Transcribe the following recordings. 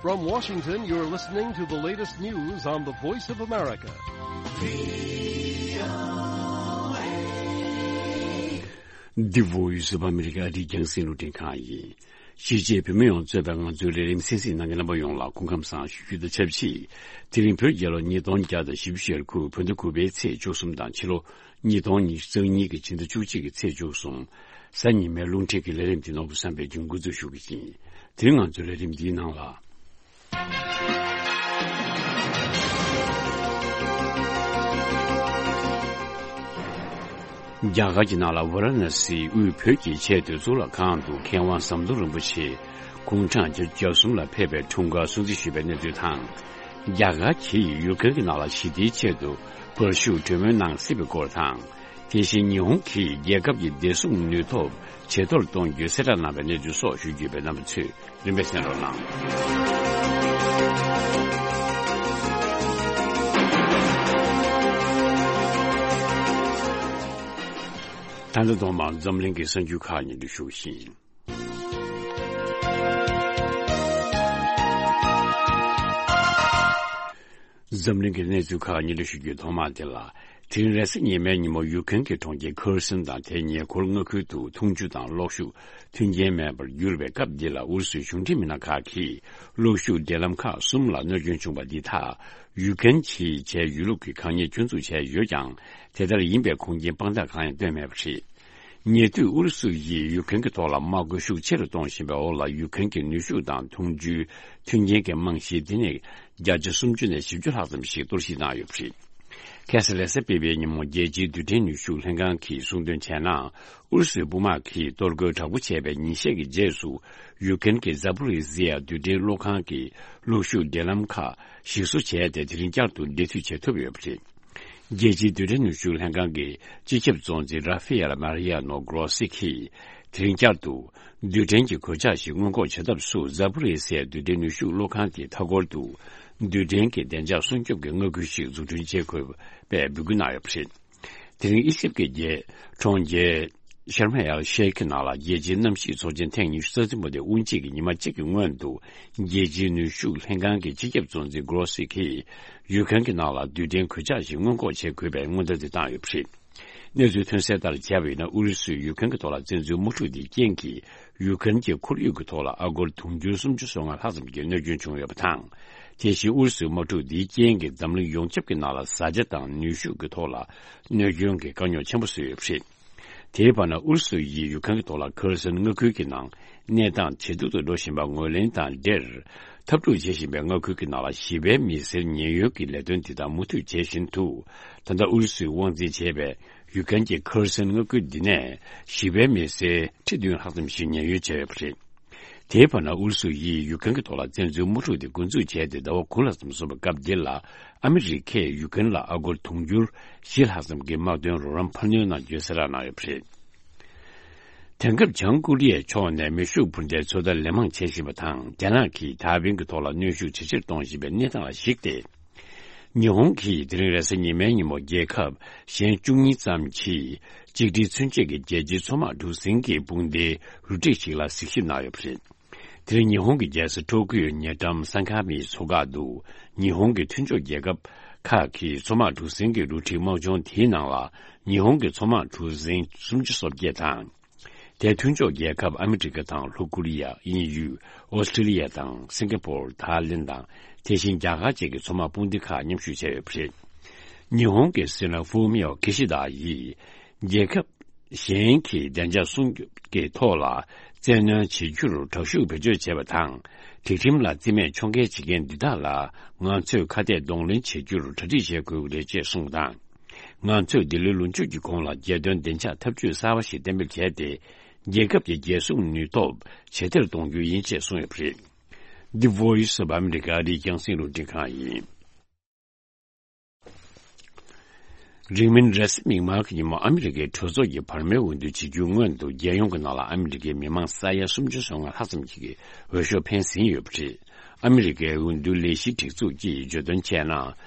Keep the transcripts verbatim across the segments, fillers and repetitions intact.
From Washington, you're listening to the latest news on the Voice of America. The Voice of America. འདི་རྒྱང་སྲིང་རླུང་འཕྲིན་ཁང་ཡིན། གཞིས་བྱེས་བོད་མི་ཡོངས་གཙོས་པའི་ང་ཚོའི་ལས་རིམ་གསན་གཟིགས་གནང་མཁན་རྣམ་པ་ཡོངས་ལ་སྐུ་ཁམས་བཟང་ཞུ་རྒྱུ་དང་ཆབས་ཅིག་དེ་རིང་བོད་རྒྱལ་ལོ་ཉིས་སྟོང་བརྒྱ་དང་བཞི་བཅུ་ཞེ་དགུ་བོད་ཟླ་དགུ་པའི་ཚེས་བཅུ་གསུམ་དང་ཕྱི་ལོ་ཉིས་སྟོང་ཉི་ཤུ་རྩ་གཉིས་ཀྱི་ཕྱི་ཟླ་བཅུ་གཅིག་གི་ཚེས་བཅུ་གསུམ། གཟའ་ཉི་མའི་རླུང་འཕྲིན་གྱི་ལས་རིམ་འདི་ནོར་བུ་བསམ་པས་འགོ་འཛུགས་ཞུ་གི་ཡིན། དེ་རིང་ང་ཚོའི་ལས་རིམ་འདིའི་ནང་ལ། རྒྱ་གར་གྱི་ནང་ལ་ཝཱ་ར་ཎ་སིའི་དབུས་བོད་ཀྱི་ཆེས་མཐོའི་གཙུག་ལག་ཁང་དུ་མཁས་དབང་ཟམ་གདོང་རིན་པོ་ཆེ་དགུང་གྲངས་བརྒྱད་ཅུ་གྱ་གསུམ་ལ་ཕེབས་པའི་འཁྲུངས་སྐར་སྲུང་བརྩི་ཞུས་པའི་གནས་ཚུལ་དང་། རྒྱ་གར་གྱིས་ཡུཀ་རེན་གྱི་ནང་ལ་ཞི་བདེའི་ཆེད་དུ་དཔའ་ཤུགས་གྲོས་མོལ་གནང་སྲིད་པའི་སྐོར་དང་། དེ་བཞིན་ཉི་ཧོང་གིས་རྒྱལ་ཁབ་ཀྱི་བདེ་སྲུང་ནུས་སྟོབས་ཇེ་མཐོར་གཏོང་རྒྱུའི་གསལ་བསྒྲགས་གནང་བའི་གནས་ཚུལ་སོགས་ཞུ་རྒྱུ་ཡོད་པས་རྣམ་པ་ཚོས་རིམ་པས་གསན་རོགས་གནང་། ད་ལྟ་ཐོག་མར་འཛམ་གླིང་གི་གསར་འགྱུར་ཁག་སྙན་སྒྲོན་ཞུ་བཞིན། འཛམ་གླིང་གི་གནས་ཚུལ་ཁག་སྙན་སྒྲོན་ཞུ་རྒྱུའི་ཐོག་མ་དེ་ལ། དེ་རིང་རེས་གཟའ་ཉི་མའི་ཉིན་མོ་ཡུཀ་རེན་གྱི་གྲོང་ཁྱེར་ཁེར་སོན་དང་དེའི་ཉེ་འཁོར་མངའ་ཁུལ་དུ་འཐུང་ཆུ་དང་གློག་ཤུགས་མཐུན་རྐྱེན་མེད་པར་གྱུར་བའི་སྐབས་འདི་ལ། ཨུ་རུ་སུའི་གཞུང་འབྲེལ་མི་སྣ་ཁག་གིས་གློག་ཤུགས་འབྲེལ་ལམ་ཁག་གསུམ་ལ་གནོད་སྐྱོན་བྱུང་བ་འདི་དག་ཡུཀ་རེན་གྱིས་བྱས་ཡོད་ལུགས་ཀྱི་དགག་ཉེས་སྐྱོན་འཛུགས་བྱས་ཡོད་ཀྱང་། དེ་ལྟར་ཡིན་པའི་ཁུངས་སྐྱེལ་དཔང་རྟགས་གང་ཡང་བཏོན་མེད་པ་རེད། ཉེ་དུས་ཨུ་རུ་སུ་ཡིས་ཡུཀ་རེན་གྱི་ཐོག་ལ་དམག་དཔུང་ཤུགས་ཆེ་རུ་གཏོང་བཞིན་པའི་འོག་ལ། ཡུཀ་རེན་གྱི་ནུས་ཤུགས་དང་འཐུང་ཆུའི་མཐུན་རྐྱེན་གྱི་རྨང་གཞི་དེ་ནས་བརྒྱ་ཆ་སུམ་ཅུ་ནས་བཞི་བཅུ་ལྷག་ཙམ་ཞིག་གཏོར་བཤིག་བཏང་ཡོད་པ་རེད། ཁ་སང་རེས་གཟའ་སྤེན་པའི་ཉིན་མོ་རྒྱལ་སྤྱིའི་རྡུལ་ཕྲན་ནུས་ཤུགས་ལྷན་ཁང་གིས་གསུངས་དོན་བྱས་ན། ཨུ་རུ་སུའི་དཔུང་དམག་གིས་གཏོར་རྒོལ་དྲག་པོ་བྱས་པའི་ཉིན་ཤས་ཀྱི་རྗེས་སུ། ཡུཀ་རེན་གྱི་ཛ་པོ་རི་ཟི་ཡ་རྡུལ་ཕྲན་གློག་ཁང་གི་གློག་ཤུགས་འབྲེལ་ལམ་ཁག་ཞིག་གསོ་བྱས་ཏེ། དེ་རིང་བསྐྱར་དུ་འབྲེལ་མཐུད་བྱེད་ཐུབ་ཡོད་པ་རེད། རྒྱལ་སྤྱིའི་རྡུལ་ཕྲན་ནུས་ཤུགས་ལྷན་ཁང་གི་སྤྱི་ཁྱབ་གཙོ་འཛིན་ར་ཧྥེ་ཡལ་མ་རི་ཡ་ནོ་གྷོ་རོ་སི་གིས། དེ་རིང་བསྐྱར་དུ་རྡུལ་ཕྲན་གྱི་གོད་ཆག་ཞིག་སྔོན་འགོག་བྱེད་ཐབས་སུ། ཛ་པོ་རི་སི་ཡའི་རྡུལ་ཕྲན་ནུས་ཤུགས་གློག་ཁང་དེའི་མཐའ་འཁོར་དུ་རྡུལ་ཕྲན་གྱི་བདེ་འཇགས་སྲུང་སྐྱོབ་ཀྱི་མངའ་ཁུལ་ཞིག་འཛུགས་སྐྲུན་བྱེད་དགོས་པའི་འབོད་སྐུལ་གནང་ཡོད་པ་རེད། དེ་རིང་ཨི་ཇིབ་ཀྱི་རྒྱལ་གྲོང་ཁྱེར་ཤར་མ་ཨེལ་ཤེ་ཁི་ནང་ལ་རྒྱལ་སྤྱིའི་གནམ་གཤིས་ཚོགས་ཆེན་ཐེངས་ཉི་ཤུ་རྩ་གསུམ་པ་དེ་དབུ་འབྱེད་ཀྱི་ཉི་མ་གཅིག་གི་སྔོན་དུ། རྒྱལ་སྤྱིའི་ནུས་ཤུགས་ལྷན་ཁང་གི་སྤྱི་ཁྱབ་གཙོ་འཛིན་གྷོ་རོ་སི་གིས་ཡུཀ་རེན་གྱི་ནང་ལ་རྡུལ་ཕྲན་གོད་ཆག་ཞིག་སྔོན་འགོག་བྱེད་དགོས་པའི་སྔོན་བརྡ་དེ་བཏང་ཡོད་པ་རེད། གནས་ཚུལ་ཐོན་གསལ་ལྟར་བྱས་པ་ཡིན་ན། ཨུ་རུ་སུས་ཡུཀ་རེན་གྱི་ཐོག་ལ་བཙན་འཛུལ་དམག་འཁྲུག་འདིའི་རྐྱེན་གྱིས། ཡུཀ་རེན་གྱི་ཁོར་ཡུག་གི་ཐོག་ལ་ཨ་སྒོར་དུང་ཕྱུར་སུམ་ཅུ་སོ་ལྔ་ལྷག་ཙམ་གྱི་གནོད་སྐྱོན་བྱུང་ཡོད་པ་དང་། དེ་བཞིན་ཨུ་རུ་སུའི་དམག་འཁྲུག་འདིའི་རྐྱེན་གྱིས་འཛམ་གླིང་ཡོངས་ཁྱབ་ཀྱི་ནང་ལ་བཟའ་བཅའ་དང་ནུས་ཤུགས་ཀྱི་ཐོག་ལ་གནོད་སྐྱོན་གྱི་དཀའ་རྙོག་ཆེན་པོ་བཟོས་ཡོད་པ་རེད། དེའི་བར་ན། ཨུ་རུ་སུ་ཡིས་ཡུཀ་རེན་གྱི་ཐོག་ལ་ཁེར་སོན་མངའ་ཁུལ་གྱི་ནང་གནས་སྟངས་ཇེ་སྡུག་ཏུ་འགྲོ་བཞིན་པ་ངོས་ལེན་དང་འབྲེལ། འཐབ་འཁྲུག་བྱེད་བཞིན་པའི་མངའ་ཁུལ་གྱི་ནང་ལ་ཞི་བའི་མི་སེར་ཉེན་གཡོལ་གྱི་ལས་དོན་དེ་དག་མུ་མཐུད་བྱེད་བཞིན་དུ། ད་ལྟ་ཨུ་རུ་སུས་དབང་འཛིན་བྱས་པའི་ཡུཀ་རེན་གྱི་ཁེར་སོན་མངའ་ཁུལ་འདི་ནས་ཞི་བའི་མི་སེར་ཁྲི་བདུན་ལྷག་ཙམ་ཞིག་ཉེན་གཡོལ་བྱས་ཡོད་པ་རེད། དེའི་བར་ན། ཨུ་རུ་སུ་ཡིས་ཡུཀ་རེན་གྱི་ཐོག་ལ་བཙན་འཛུལ་དམག་འཁྲུག་དེ་འགོ་འཛུགས་བྱས་ཏེ་ཟླ་བ་དགུ་ལྷག་ཙམ་སོང་བའི་སྐབས་འདི་ལ། ཨ་མི་རི་ཀས་ཡུཀ་རེན་ལ་ཨ་སྒོར་དུང་ཕྱུར་བཞི་ལྷག་ཙམ་གྱི་དམག་དོན་རོགས་རམ་འཕར་སྣོན་གནང་རྒྱུའི་གསལ་བསྒྲགས་གནང་ཡོད་པ་རེད། དེང་སྐབས་བྱང་ཀོ་རི་ཡའི་ཕྱོགས་ནས་མེ་ཤུགས་འཕུར་མདའི་ཚོད་ལྟ་ལན་མང་བྱེད་བཞིན་པ་དང་། རྒྱ་ནག་གིས་ཐའེ་ཝན་གྱི་ཐོག་ལ་གནོན་ཤུགས་ཇེ་ཆེར་གཏོང་བཞིན་པའི་གནས་སྟངས་ལ་གཞིགས་ཏེ། ཉི་ཧོང་གིས་དེ་རིང་རེས་གཟའ་ཉི་མའི་ཉིན་མོ། རྒྱལ་ཁབ་གཞན་བཅུ་གཉིས་ཙམ་གྱིས་གཅིག་སྒྲིལ་མཚོན་བྱེད་ཀྱི་རྒྱལ་སྤྱིའི་མཚོ་དམག་གྲུ་གཟིངས་ཀྱི་དཔུང་སྡེའི་རུ་སྒྲིག་ཞིག་ལ་གཟིགས་ཞིབ་གནང་ཡོད་པ་རེད། དེ་རིང་ཉི་ཧོང་གི་རྒྱལ་ས་ཊོ་ཀིའོའི་ཉེ་འགྲམ་སན་ཁ་མིའི་མཚོ་འགག་ཏུ། ཉི་ཧོང་གི་མཐུན་ཕྱོགས་རྒྱལ་ཁབ་ཁག་གི་མཚོ་དམག་གྲུ་གཟིངས་ཀྱི་རུ་སྒྲིག་དམག་སྦྱོང་དེའི་ནང་ལ། ཉི་ཧོང་གི་མཚོ་དམག་གྲུ་གཟིངས་སུམ་ཅུ་སོ་བརྒྱད་དང་། དེའི་མཐུན་ཕྱོགས་རྒྱལ་ཁབ་ཨ་མི་རི་ཀ་དང་། ལྷོ་ཀོ་རི་ཡ། དབྱིན་ཡུལ། ཨོ་སི་ཀྲི་ལི་ཡ་དང་། སིང་ག་པོར། ཐའི་ལེན་དང་། དེ་བཞིན་རྒྱ་གར་བཅས་ཀྱི་མཚོ་དམག་དཔུང་སྡེ་ཁག་མཉམ་ཞུགས་བྱས་ཡོད་པ་རེད། ཉི་ཧོང་གི་སྲིད་བློན་ཧྥུ་མིའོ་ཀི་ཤི་དཱ་ཡིས། རྒྱལ་ཁབ་གཞན་གྱི་བདེ་འཇགས་སྲུང་སྐྱོབ་ཀྱི་ཐོག་ལ་བཙན་གནོན་བྱེད་རྒྱུར་དྲག་ཤུགས་བེད་སྤྱོད་བྱས་པ་དང་། སྒྲིག་ཁྲིམས་ལ་རྩིས་མེད་ཕྱོགས་འགལ་བྱེད་མཁན་འདི་དག་ལ་ང་ཚོས་ཁ་གཏད་གདོང་ལེན་བྱེད་རྒྱུར་གྲ་སྒྲིག་བྱེད་དགོས་ཀྱི་རེད་ཅེས་གསུངས་པ་དང་། ང་ཚོས་འདི་ལོའི་ལོ་མཇུག་གི་གོང་ལ་རྒྱལ་དོན་བདེ་འཇགས་འཐབ་ཇུས་གསར་བ་ཞིག་གཏན་འབེབས་བྱས་ཏེ། རྒྱལ་ཁབ་ཀྱི་རྒྱལ་སྲུང་ནུས་སྟོབས་ཇེ་ཆེར་གཏོང་རྒྱུ་ཡིན་ཅེས་གསུངས་ཡོད་པ་རེད། The Voice of America། ཨ་རིའི་རྒྱང་སྲིང་རླུང་འཕྲིན་ཁང་ཡིན། རིང་མིན་རེས་གཟའ་མིག་དམར་གྱི་ཉིན་མོ། ཨ་མི་རི་ཀའི་གྲོས་ཚོགས་ཀྱི་བར་མའི་འོས་བསྡུ་བྱེད་རྒྱུའི་སྔོན་དུ། རྒྱལ་ཡོངས་ཀྱི་ནང་ལ་ཨ་མི་རི་ཀའི་མི་མང་ས་ཡ་སུམ་ཅུ་སོ་ལྔ་ལྷག་ཙམ་ཞིག་གིས་འོས་ཤོག་འཕེན་ཟིན་ཡོད་པ་རེད། ཨ་མི་རི་ཀའི་འོས་བསྡུ་ལས་གཞིའི་སྒྲིག་འཛུགས་ཀྱིས་བརྗོད་དོན་བྱས་ན།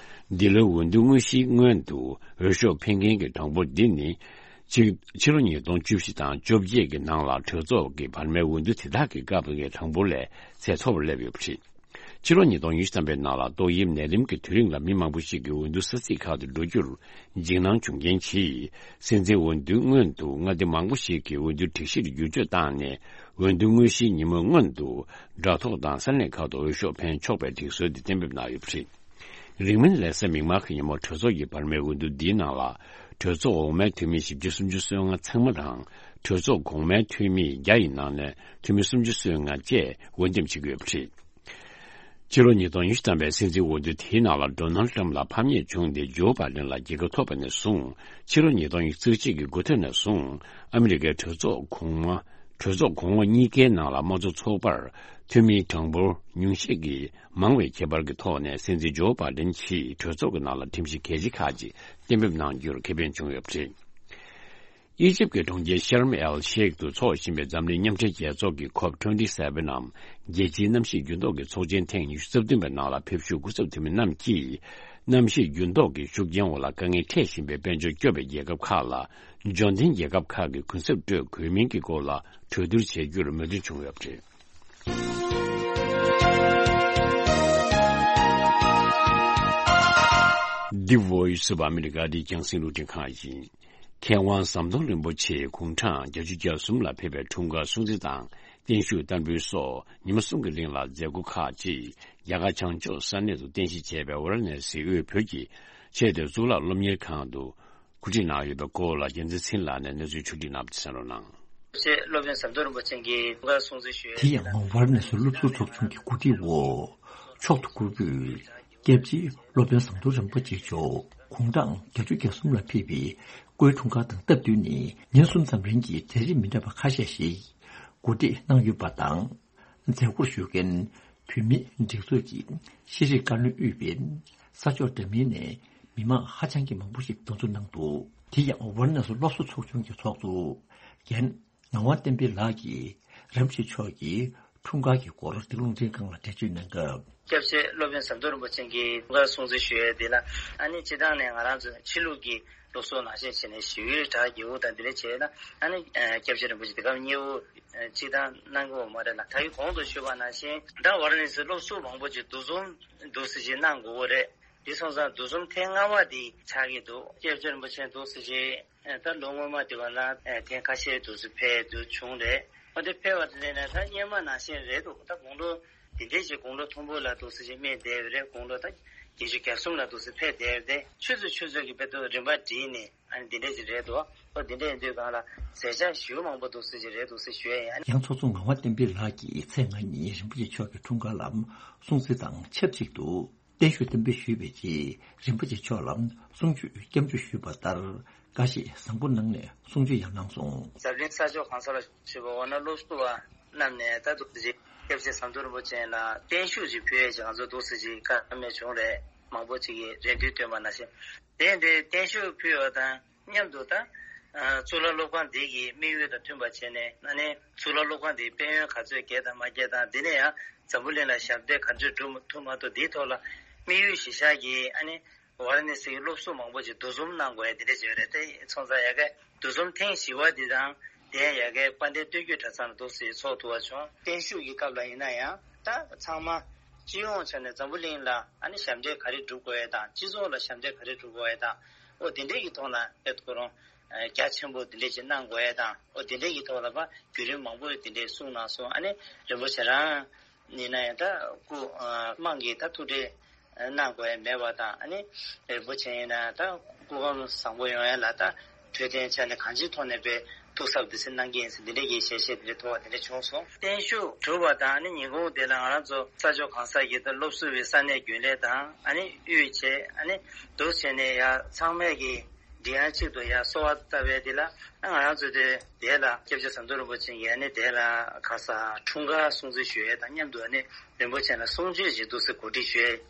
འདི་ལོའི་འོས་བསྡུ་དངོས་གཞིའི་སྔོན་དུ་འོས་ཤོག་འཕེན་མཁན་གྱི་གྲངས་འབོར་འདི་ནི། ཕྱི་ཕྱི་ལོ་ཉིས་སྟོང་བཅུ་བཞི་དང་བཅོ་བརྒྱད་ཀྱི་ནང་ལ་གྲོས་ཚོགས་ཀྱི་བར་མའི་འོས་བསྡུ་དེ་དག་གི་སྐབས་ཀྱི་གྲངས་འབོར་ལས་ཚད་མཐོ་བར་སླེབས་ཡོད་པ་རེད། ཕྱི་ལོ་ཉིས་སྟོང་ཉི་ཤུ་ཐམ་པའི་ནང་ལ་ཏོག་དབྱིབས་ནད་རིམས་ཀྱི་དུས་རིང་ལ་མི་མང་པོ་ཞིག་གིས་འོས་བསྡུ་ས་ཚིགས་ཁག་ཏུ་འགྲོ་རྒྱུར་འཇིགས་སྣང་བྱུང་རྐྱེན་གྱིས། སྲིད་འཛིན་འོས་བསྡུའི་སྔོན་དུ་མངའ་སྡེ་མང་པོ་ཞིག་གི་འོས་བསྡུ་སྒྲིག་གཞིར་བསྒྱུར་བཅོས་བཏང་ནས། འོས་བསྡུ་དངོས་གཞིའི་ཉིན་མོའི་སྔོན་དུ་དྲ་ཐོག་དང་ས་གནས་ཁག་ཏུ་འོས་ཤོག་འཕེན་ཆོག་པའི་སྒྲིག་སྲོལ་དེ་གཏན་འབེབས་གནང་ཡོད་པ་རེད། རིང་མིན་ལེ་ས་མིག་དམར་གྱི་ཉིན་མོ་གྲོས་ཚོགས་ཀྱི་བར་མའི་འོས་བསྡུ་འདིའི་ནང་ལ། གྲོས་ཚོགས་འོག་མའི་འཐུས་མི་བཞི་བཅུ་སུམ་ཅུ་སོ་ལྔ་ཚང་མ་དང་། གྲོས་ཚོགས་གོང་མའི་འཐུས་མི་བརྒྱ་ཡི་ནང་ནས་འཐུས་མི་སུམ་ཅུ་སོ་ལྔ་བཅས་འོས་འདེམས་བྱེད་ཀྱི་ཡོད་པ་རེད། ཕྱི་ལོ་ཉིས་སྟོང་ཉི་ཤུ་ཐམ་པའི་སྲིད་འཛིན་འོས་བསྡུ་དེའི་ནང་ལ་ཌོ་ནལ་ཊམ་ལ་ཕམ་ཉེས་བྱུང་སྟེ་ཇོ་བྷའི་ཌེན་ལ་རྒྱལ་ཁ་ཐོབ་པ་ནས་བཟུང་། ཕྱི་ལོ་ཉིས་སྟོང་ཉི་ཤུ་རྩ་གཅིག་གི་འགོ་སྟོད་ནས་བཟུང་ཨ་མི་རི་ཀའི་གྲོས་ཚོགས་གོང་མ། གྲོས་ཚོགས་གོང་འོག་གཉིས་ཀའི་ནང་ལ་དམངས་གཙོ་ཚོགས་པར་འཐུས་མིའི་གྲངས་འབོར་ཉུང་ཤས་ཀྱིས་མང་བའི་ཁྱད་པར་གྱི་ཐོག་ནས་སྲིད་འཛིན་ཇོ་བྷའི་ཌེན་གྱིས་གྲོས་ཚོགས་ཀྱི་ནང་ལ་ཁྲིམས་གཞི་གལ་ཆེ་ཁག་ཅིག་གཏན་འབེབས་གནང་རྒྱུར་ཁེ་ཕན་བྱུང་ཡོད་པ་རེད། ཨི་ཇིབ་ཀྱི་གྲོང་ཁྱེར་ཤརམ་ཨེལ་ཤེག་ཏུ་འཚོགས་བཞིན་པའི་འཛམ་གླིང་མཉམ་འབྲེལ་རྒྱལ་ཚོགས་ཀྱི་ཁོབ་ཊུ་ཝེན་ཊི་སེ་ཝེན་ནམ། རྒྱལ་སྤྱིའི་གནམ་གཤིས་འགྱུར་ལྡོག་གི་ཚོགས་ཆེན་ཐེངས་ཉི་ཤུ་རྩ་བདུན་པའི་ནང་ལ་ཕེབས་བཞུགས་སྐུ་ཚབ་འཐུས་མི་རྣམས་ཀྱིས། གནམ་གཤིས་འགྱུར་ལྡོག་གི་ཤུགས་རྐྱེན་འོག་ལ་དཀའ་ངལ་འཕྲད་བཞིན་པའི་དཔལ་འབྱོར་སྐྱོ་བའི་རྒྱལ་ཁབ་ཁག་ལ། འབྱོར་ལྡན་རྒྱལ་ཁབ་ཁག་གི་གུན་གསབ་སྤྲོད་དགོས་མིན་གྱི་སྐོར་ལ་གྲོས་བསྡུར་བྱེད་རྒྱུར་མོས་མཐུན་བྱུང་ཡོད་པ་རེད། འདི་Voice of America འདི་རྒྱང་སྲིང་རླུང་འཕྲིན་ཁང་ཡིན། མཁས་དབང་ཟམ་གདོང་རིན་པོ་ཆེ་དགུང་གྲངས་བརྒྱད་ཅུ་གྱ་གསུམ་ལ་ཕེབས་པའི་འཁྲུངས་སྐར་སྲུང་བརྩི་དང་བརྟན་བཞུགས་བསྟར་འབུལ་སོགས་ཉི་མ་གསུམ་གྱི་རིང་ལ་མཛད་སྒོ་ཁག་ཅིག་རྒྱ་གར་བྱང་ཕྱོགས་ས་གནས་སུ་རྟེན་གཞི་བྱས་པའི་ཝཱ་ར་ཎ་སིའི་དབུས་བོད་ཀྱི་ཆེས་མཐོའི་གཙུག་ལག་སློབ་གཉེར་ཁང་དུ་གོ་སྒྲིག་གནང་ཡོད་པའི་སྐོར་ལ་རྒྱལ་མཚན་ཚེ་རིང་ལགས་ནས་གནས་ཚུལ་ཕྱོགས་སྒྲིག་གནང་བ་དེ་གསན་རོགས་གནང་། སློབ་དཔོན་ཟམ་གདོང་རིན་པོ་ཆེ་གི་འཁྲུངས་སྐར་སྲུང་བརྩི་ཞུ་ཡས། དེ་ཡང་ཝཱ་ར་ཎ་སི་སློབ་ཟུར་ཚོགས་ཆུང་གི་གོ་སྒྲིག་འོག་མཆོག་ཏུ་བཀུར་འོས་སྐྱབས་རྗེ་སློབ་དཔོན་ཟམ་གདོང་རིན་པོ་ཆེ་མཆོག་དགུང་གྲངས་བརྒྱད་ཅུ་གྱ་གསུམ་ལ་ཕེབས་པའི་སྐུའི་འཁྲུངས་སྐར་དང་སྟབས་བསྟུན་ནས་ཉིན་གསུམ་ཙམ་རིང་གི་གྲ་སྒྲིག་མི་འདྲ་བ་ཁ་ཤས་ཤིག་གོ་སྒྲིག་གནང་ཡོད་པ་དང་། མཛད་སྒོར་ཞུགས་མཁན་བོད་མིའི་སྒྲིག་འཛུགས་ཀྱི་ཤེས་རིག་བཀའ་བློན་དབུས་པའི་ས་ཕྱོགས་འདྲ་མིན་ནས་མི་མང་ཧ་ཅང་གི་མང་པོ་ཞིག་གདན་འཛོམས་གནང་འདུག་དེ་ཡང་ཝཱ་ར་ཎ་སི་སློབ་ཟུར་ཚོགས་ཆུང་གི་ཚོགས་གཙོ་རྒན་ངག་དབང་བསྟན་འཕེལ་ལགས་ཀྱིས་རིན་པོ་ཆེ་མཆོག་གི་འཁྲུངས་སྐར་གྱི་སྐོར་འདི་རླུང་འཕྲིན་ཁང་ལ་འགྲེལ་བརྗོད་གནང་སྐབས། སྐྱབས་རྗེ་སློབ་དཔོན་ཟམ་གདོང་རིན་པོ་ཆེ་གི་འཁྲུངས་སྐར་སྲུང་བརྩི་ཞུ་ཡས་འདི་ལ་ཨ་ནི་སྤྱིར་བཏང་ནས་ང་རང་ཚོ་ཕྱི་ལུགས་ཀྱི་སློབ་གསོ་ནང་བཞིན་བྱས་ནས་ཞི་བའི་གྲྭ་རྒྱས་པོ་དང་འདི་འདྲ་བྱས་ན་ཨ་ནི་སྐྱབས་རྗེ་རིན་པོ་ཆེ་དེ་སྐབས་མཉེས་པོ་སྤྱིར་བཏང་གནང་གི་ཡོད་མ་རེད་ལ། ད་གིན་གོང་དུ་ཞུས་པ་ནང་བཞིན་ད་ཝཱ་ར་ཎ་སིའི་སློབ་ཟུར་མང་པོ་ཅིག་འདུ་འཛོམས་འདུག་སེ་ཅིག་གནང་དགོས་ཀྱི་རེད། དེ་སོང་ཙང་འདུ་འཛོམས་ཐེངས་ལྔ་པ་དེ་ཆགས་ཀྱི་འདུག་སྐྱབས་རྗེ་རིན་པོ་ཆེ་འདུག་སེ་ཅིག་ད་ལོ་སྔོན་མ་དེ་བ་ལ་ཐེངས་ཁ་ཤས་འདུག་སེ་ཕེབས་འདུག་བྱུང་རེད། འོ་དེ་ཕེབས་པ་དེ་ལས་ནས་ད་སྔོན་མ་ནང་བཞིན་རེད་འདུག་ད་དགུང་ལོ་དེ་འདྲའི་ཅིག་དགུང་ལོ་མཐོན་པོ་ལ་འདུག་སེ་ཅིག་སྨད་བསྡད་པ་རེད། དགུང་ལོ་ད་བརྒྱད་ཅུ་གྱ་གསུམ་ལ་འདུག་སེ་ཕེབས་བསྡད་པ་རེད། ཆུ་ཚོད་ཆུ་ཚོད་ཀྱི་དཔེ་ཐོག་རིམ་པ་བསྒྲིགས་ནས་ཨ་ནི་འདི་འདྲ་ཅིག་རེད་འདུག་འོ་དེ་འདྲ་ཡིན་དུས་གང་ལ་མཛད་འཆར་ཞེ་པོ་མང་པོ་འདུག་སེ་ཅིག་རེད་འདུག་སེ་ཞུ་ཡ་ཡིན། ཡང་ཚོགས་གཙོ་ངག་དབང་བསྟན་འཕེལ་ལགས་ཀྱིས་ཚེས་ལྔ་ཉིན་རིན་པོ་ཆེ་མཆོག་གི་འཁྲུངས་སྐར་ལ་སྲུང་བརྩི་དང་ཆབས་ཅིག་ཏུ་བརྟན་བཞུགས་གཏན་འབེབས་ཞུས་པའི་རྗེས་རིན་པོ་ཆེ་མཆོག་ལ་གསུང་ཆོས་སྐྱབས་འཇུག་ཞུས་པ་ལྟར་དགའ་བཞེས་བཟང་པོ་གནང་ནས་གསུང་ཆོས་ཡང་གནང་སོང་། འཛམ་གླིང་ས་ཕྱོགས་གང་ས་ལ་བཞུགས་པ་འོ་ན་སློབ་ཟུར་བ་རྣམས་ནས་ད་འདུག་སེ་ཅིག་སྐྱབས་རྗེ་ཟམ་གདོང་རིན་པོ་ཆེ་ལ་བརྟན་བཞུགས་ཅིག་ཕུལ་ཡས་ཅིག་ང་ཚོ་འདུག་སེ་ཅིག་བཀའ་མོལ་བྱུང་རེད། མང་པོ་ཅིག་གིས་རེ་འདུན་བཏོན་པ་ནང་བཞིན། དེ་འདྲའི་བརྟན་བཞུགས་ཕུལ་བ་དང་མཉམ་དུ་ད་གཙུག་ལག་སློབ་ཁང་འདི་གི་དམིགས་ཡུལ་དང་མཐུན་པ་བྱས་ནས་ཨ་ནི་གཙུག་ལག་སློབ་ཁང་འདིའི་དཔལ་ཡོན་ག་ཚོད་རྒྱས་དང་མ་རྒྱས་དང་འདི་ནས་ཡང་འཛམ་བུ་གླིང་ལ་ཞབས་འདེགས་ག་ཚོད་སྒྲུབ་ཐུབ་མ་ཐུབ་འདིའི་ཐོག་ལ་དམིགས་ཡུལ་གཞིར་བཞག་གིས་ཨ་ནི་ཝཱ་ར་ཎ་སིའི་སློབ་ཟུར་མང་པོ་ཅིག་འདུ་འཛོམས་གནང་དགོས་ཡ་འདི་འདྲ་ཅིག་ཡོད་རེད། དེ་སོང་ཙང་ཡ་གི་འདུ་འཛོམས་ཐེངས་བཞི་པ་འདི་དང་དེ་ཡང་ཡ་གི་དཔལ་ལྡན་སྟོད་རྒྱུད་གྲྭ་ཚང་ལ་འདུག་སེ་ཚོགས་ཐུབ་པ་བྱུང་། བརྟན་བཞུགས་ཀྱི་སྐབས་ལ་ཡིན་ན་ཡང་ད་ཚང་མ་སྤྱི་ཡོངས་ཆ་ནས་འཛམ་བུ་གླིང་ལ་ཨ་ནི་ཞབས་འདེགས་ག་རེ་སྒྲུབ་དགོས་ཡ་དང་སྤྱི་ཚོགས་ལ་ཞབས་འདེགས་ག་རེ་སྒྲུབ་དགོས་ཡ་དང་ཨོ་དེ་འདྲས་ཀྱི་ཐོག་ལ་ཨེ་ཁོ་རང་རྒྱ་ཆེན་པོ་དེ་འདྲས་ཅིག་གནང་དགོས་ཡ་དང་ཨོ་དེ་འདྲས་ཀྱི་ཐོག་ལ་ཕར་བརྒྱུད་རིམ་མང་པོ་དེ་འདྲས་གསུངས་གནང་སོང་། ཨ་ནི་རིན་པོ་ཆེ་རང་ཡིན་ན་ཡང་ད་སྐུ་དམངས་ཀྱིས་ད་ཐུགས་ཁྲལ་གནང་དགོས་ཡ་མེད་པ་དང་ཨ་ནི་རིན་པོ་ཆེ་ཡིན་ན་ད་སྐུ་ཁམས་བཟང་པོ་ཡོང་ཡ་ལ་ད་འཕྲོད་བསྟེན་ཆ་ནས་གང་ཅིའི་ཐོག་ནས་དཔེ་ཐུགས་གཟབ་དེ་ཚོ་གནང་གི་ཡིན་ཟེར་འདི་འདྲ་གི་ཞལ་བཞེས་འདི་འདྲ་ཐོབ་པ་འདི་འདྲ་བྱུང་སོང་། བརྟན་བཞུགས་གྲུབ་པ་དང་ཨ་ནི་ཉིན་གུང་དེ་ལ་ང་རང་ཚོ་ས་ཕྱོགས་གང་ས་ཡིན་ད་སློབ་ཟུར་བའི་ས་གནས་རྒྱུན་ལས་དང་ཨ་ནི་དབུས་བྱས་ཨ་ནི་འདུག་བྱས་ནས་ཡ་ཚང་མས་ཀྱི་འདི་ཡང་གཅིག་ཏུ་ཡ་གསོལ་བ་བཏབ་པའི་འདི་ལ་ང་རང་ཚོ་དེ་དེ་ལ་སྐྱབས་རྗེ་ཟམ་གདོང་རིན་པོ་ཆེ་ཡིན་ཨ་ནི་དེ་ལ་ག་ས་འཁྲུངས་སྐར་སྲུང་བརྩི་ཞུ་ཡས་དང་མཉམ་དུ་ཨ་ནི་རིན་པོ་ཆེ་ལ་གསུང་ཆོས་ཅིག་འདུག་སེ་གོ་སྒྲིག་ཞུ་ཡས་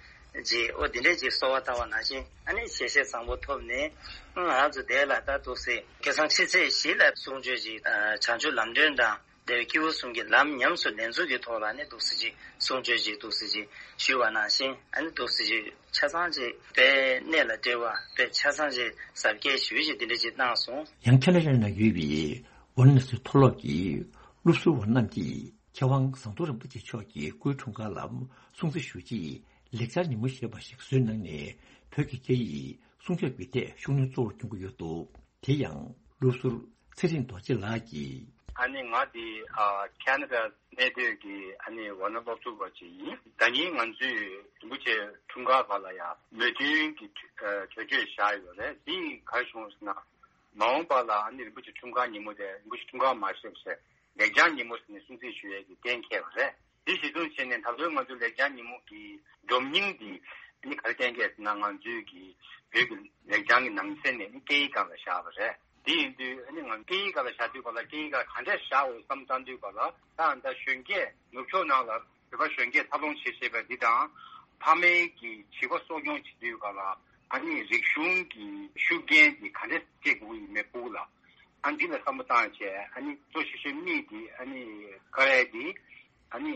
ཅིག་ཨོ་འདི་འདྲས་ཅིག་གསོལ་བ་བཏབ་པ་ནང་བཞིན་ཨ་ནི་ཞལ་བཞེས་བཟང་པོ་ཐོབ་ནས་ང་རང་ཚོ་དེ་ལ་ད་འདུག་སེ་ཁ་སང་ཕྱི་ཚེས་བཞི་ལ་གསུང་ཆོས་ཅིག་བྱང་ཆུབ་ལམ་སྒྲོན་དང་དེ་བའི་སྐྱེས་བུ་གསུམ་གྱི་ལམ་ཉམས་སུ་ལེན་ཚུལ་གྱི་ཐོག་ལ་ནི་འདུག་སེ་ཅིག་གསུང་ཆོས་ཅིག་འདུག་སེ་ཅིག་ཞུས་པ་ནང་བཞིན་ཨ་ནི་འདུག་སེ་ཅིག་ཆ་ཚང་ཅིག་དཔེ་གནད་ལ་འགྲེལ་བ་དཔེ་ཆ་ཚང་ཅིག་ཟབ་རྒྱས་ཞུས་ཅིག་འདི་འདྲ་ཅིག་གནང་སོང་། ཡང་ཁེ་ན་ཌ་ནང་ཡོད་པའི་ཝཱ་ར་ཎ་སི་མཐོ་སློབ་ཀྱི་སློབ་ཟུར་བ་རྣམས་ཀྱིས། མཁས་དབང་ཟམ་གདོང་རིན་པོ་ཆེ་མཆོག་གིས་སྐུའི་འཁྲུངས་སྐར་ལ་སྲུང་བརྩི་ཞུ་ཆེད་ལེགས་སྦྱར་ཉིན་མོ་ཞེས་པ་ཞིག་བཟོས་གནང་ནས། བོད་ཀྱི་སྐད་ཡིག་སྲུང་སྐྱོབ་ཀྱི་ཐད་ཤུགས་སྣོན་གཙོ་བོར་སྐྱོན་གྱི་ཡོད་འདུག་དེ་ཡང་སློབ་ཟུར་ཚེ་རིང་རྡོ་རྗེ་ལགས་ཀྱིས། ཨ་ནི་ང་འདི་ཨ་ཁ་ན་ཌ་གནས་སྡོད་ཀྱི་ཨ་ནི་ཝར་ན་སློབ་ཟུར་པ་ཅིག་ཡིན། ད་ནི་ང་ཚོས་རིན་པོ་ཆེ་འཁྲུངས་སྐར་སྐབས་ལ་ཡང་མོས་མཐུན་གྱི་གྲོས་ཆོད་བཞག་ཡོད་རེད། འདི་ག་རེ་བྱུང་ཟེར་ན། མ་འོངས་པ་ལ་ཨ་ནི་རིན་པོ་ཆེ་འཁྲུངས་སྐར་ཉིན་མོ་དེ་རིན་པོ་ཆེ་འཁྲུངས་སྐར་མ་བཞག་པ་བྱས། ལེགས་སྦྱར་ཉིན་མོ་ཟེར་ནས་སྲུང་བརྩི་ཞུ་ཡས་ཀྱི་གཏན་འཁེལ་བ་རེད། འདི་གཞི་བཟུང་བྱས་ནས་ད་ལོའི་ང་ཚོའི་ལེགས་སྦྱར་ཉིན་མོ་གི་སྒྲོམ་རྙིང་འདི་ནི་ག་རེ་གཏན་འཁེལ་ཟེར་ན། ང་ཚོའི་གི་བོད་ཀྱི་ལེགས་སྦྱར་གྱི་ནང་གསེས་ནས་ནི་སྐད་ཡིག་སྒང་ལ་བཞག་པ་རེད། དེ་ཡིན་དུས་ཨ་ནི་ང་སྐད་ཡིག་སྒང་ལ་བཞག་དུས་སྐབས་ལ་སྐད་ཡིག་སྒང་ག་འདྲས་བཞག་འོས་བསམ་བཏང་དུས་སྐབས་ལ། ད་ད་གཞོན་སྐྱེས་ནུབ་ཕྱོགས་ནང་ལ་བོད་པ་གཞོན་སྐྱེས་འཚར་ལོངས་བྱེད་བྱེད་པ་འདི་དང་། ཕ་མའི་གི་བྱིས་པ་གསོ་སྐྱོང་བྱེད་དུས་སྐབས་ལ་ཨ་ནི་རིག་གཞུང་གི་ཤུགས་རྐྱེན་འདི་ག་འདྲས་སྐྱེ་དགོས་ཀྱི་ཡིན་མེད་ཕྲུ་གུ་ལ། ཨ་འདི་ལ་བསམ་བློ་བཏང་བྱས་ཨ་ནི་གཙོ་ཆེ་ཤོས་དམིགས་འདི་ཨ་ནི་བཀའ་ཡ་འདི་ཨ་ནི་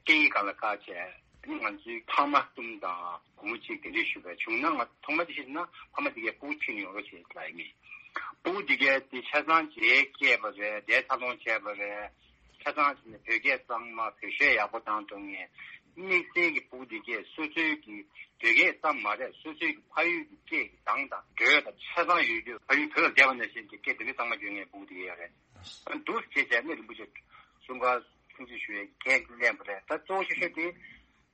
སྐད་ཡིག་སྒང་ལ་བཀག་བྱས། ཨ་ནི་ང་ཚོའི་ཕ་མ་གསུམ་དང་སྒོར་མོ་གཅིག་དེ་འདྲས་ཞུ་བ་བྱུང་ན། ང་ཐོག་མ་དེ་བཤད་ན་ཕ་མ་དེ་གའི་ཕྲུ་གུ་ཁྱོན་ནས་ཡོང་རོགས་བྱེད་ལབ་ཡིན། ཕྲུ་གུ་དེ་གའི་དེ་ཆ་ཚང་རྗེས་སྐྱེས་པ་རེད། དེ་འཚར་ལོངས་བྱས་པ་རེད། ཆ་ཚང་བྱས་ནས་བོད་སྐད་གཙང་མ། བོད་གཞས་ཡག་པོ་བཏང་ཐུབ་མཁན། དམིགས་བསལ་གྱི་ཕྲུ་གུ་དེ་གའི་སོ་སོའི་གི་བོད་སྐད་ཙམ་མ་རེད། སོ་སོའི་གི་ཕ་ཡུལ་གྱི་སྐད་ཀྱི་གདངས་དང་འགྲོས་དང་ཆ་ཚང་ཡོད་རྒྱུ། ཕ་ཡུལ་བོད་ལ་བསྡད་པ་ནང་བཞིན་གྱི་སྐད་དེ་འདྲ་གཙང་མ་སྐྱོན་མཁན་ཕྲུ་གུ་དེ་གའི་ཡོད་རེད། འདུག་བྱས་བྱས་ནས་རིན་པོ་ཆེ་འཁྲུངས་སྐར་སྲུང་བརྩི་ཞུ་ཡས་ཀྱི་འགན་ལེན་པ་རེད། ད་གཙོ་བོ་ཤོས་ཤོས་དེ་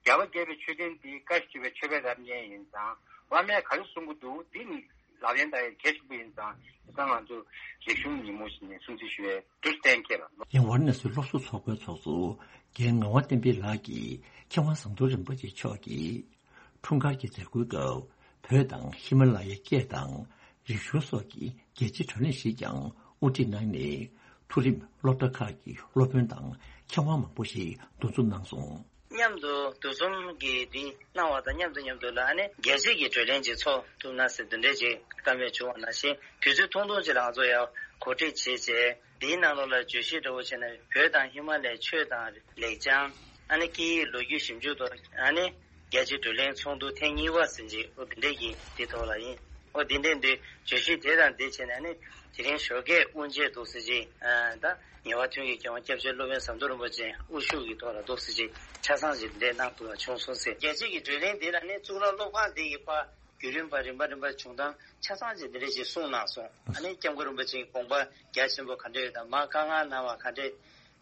རྒྱལ་བ་དགྱེས་པའི་མཆོད་རྟེན་འདི་བཀའ་བརྒྱུད་པའི་མཆོད་པའི་རབ་བརྙེས་ཡིན་ཙང་། བླ་མས་ག་རེ་གསུང་གི་འདུག་འདི་ནི་ལག་ལེན་བསྟར་ཡས་གལ་ཆེན་པོ་ཡིན་ཙང་། དེ་ཙང་ང་ཚོ་རིག་གཞུང་ཉིན་མོ་ཞིག་ནས་སྲུང་བརྩི་ཞུ་ཡས་འདུག་གཏན་འཁེལ་བ། ཡང་ཝཱ་ར་ཎ་སིའི་སློབ་ཟུར་ཚོགས་པའི་ཚོགས་གཙོ་རྒན་ངག་དབང་བསྟན་འཕེལ་ལགས་ཀྱིས་མཁས་དབང་ཟམ་གདོང་རིན་པོ་ཆེ་མཆོག་གིས་འཁྲུངས་སྐར་གྱི་མཛད་སྒོའི་སྐབས། བོད་དང་ཧི་མ་ལ་ཡའི་སྐད་དང་རིག་གཞུང་སོགས་ཀྱི་རྒྱལ་སྤྱིའི་བགྲོ་གླེང་ཞིག་ཀྱང་དབུ་ཁྲིད་གནང་ནས། མཐོ་རིམ་སློབ་གྲྭ་ཁག་གི་སློབ་དཔོན་དང་མཁས་དབང་མང་པོ་ཞིག་འདུ་འཛོམས་གནང་སོང་། མཉམ་དུ་འདུ་འཛོམས་ཀྱི་འདི་གནང་བ་དང་མཉམ་དུ་མཉམ་དུ་ལ་ཨ་ནི་རྒྱལ་སྤྱིའི་གི་བགྲོ་གླེང་ཅིག་ཚོགས་ཐུབ་ན་ཟེར་འདི་འདྲའི་ཅིག་བཀའ་མོལ་བྱུང་བ་ནང་བཞིན། དུས་ཚོད་ཐུང་ཐུང་ཅིག་ལ་ང་ཚོ་ཡང་གོ་སྒྲིག་བྱས་བྱས། འདིའི་ནང་ལོགས་ལ་བརྗོད་གཞི་འདྲ་བོ་བྱས་ན། བོད་དང་ཧི་མ་ལ་ཡའི་ཆོས་དང་ལེགས་བྱང་། ཨ་ནི་སྐད་ཡིག་ལོ་རྒྱུས་ཞིབ་འཇུག་ཐོག་ཨ་ནི་རྒྱལ་སྤྱིའི་བགྲོ་གླེང་ཚོགས་འདུ་ཐེངས་གཉིས་པ་ཟེར་གྱི། ཨོ་འདི་འདྲས་ཀྱི་འདི་ཐོག་ལ་ཡིན། ཨོ་འདི་འདྲས་འདི་བརྗོད་གཞི་དེ་དང་འདི་བྱས་ནས་ཨ་ནི་དེ་རིང་ཞོགས་ཀས་དབུ་འབྱེད་འདུག་ཟེར་གྱི། ཨ་ད་ངེས་པ་མཐུན་གྱི་མཁས་དབང་སྐྱབས་རྗེ་སློབ་དཔོན་ཟམ་གདོང་རིན་པོ་ཆེ་དབུ་བཞུགས་ཀྱི་ཐོག་ལ་འདུག་ཟེར་གྱི་ཆ་ཚང་ཞིག་འདི་འདྲས་གནང་ཐུབ་པ་བྱུང་སོང་ཟེར། རྒྱལ་སྤྱིའི་གི་བགྲོ་གླེང་འདི་ལ་ནི་གཙུག་ལག་སློབ་ཁང་འདི་གི་པ། བརྒྱུད་རིམ་པ་རིམ་པ་རིམ་པ་བྱུང་སྟངས་ཆ་ཚང་ཅིག་འདི་འདྲས་ཅིག་གསུངས་གནང་སོང་། ཨ་ནི་སྐྱབས་མགོན་རིན་པོ་ཆེའི་དགོངས་པ་རྒྱ་ཆེན་པོ་ག་འདྲས་ཡོད་དང་། མར་བཀའ་མངགས་གནང་བ་ག་འདྲས་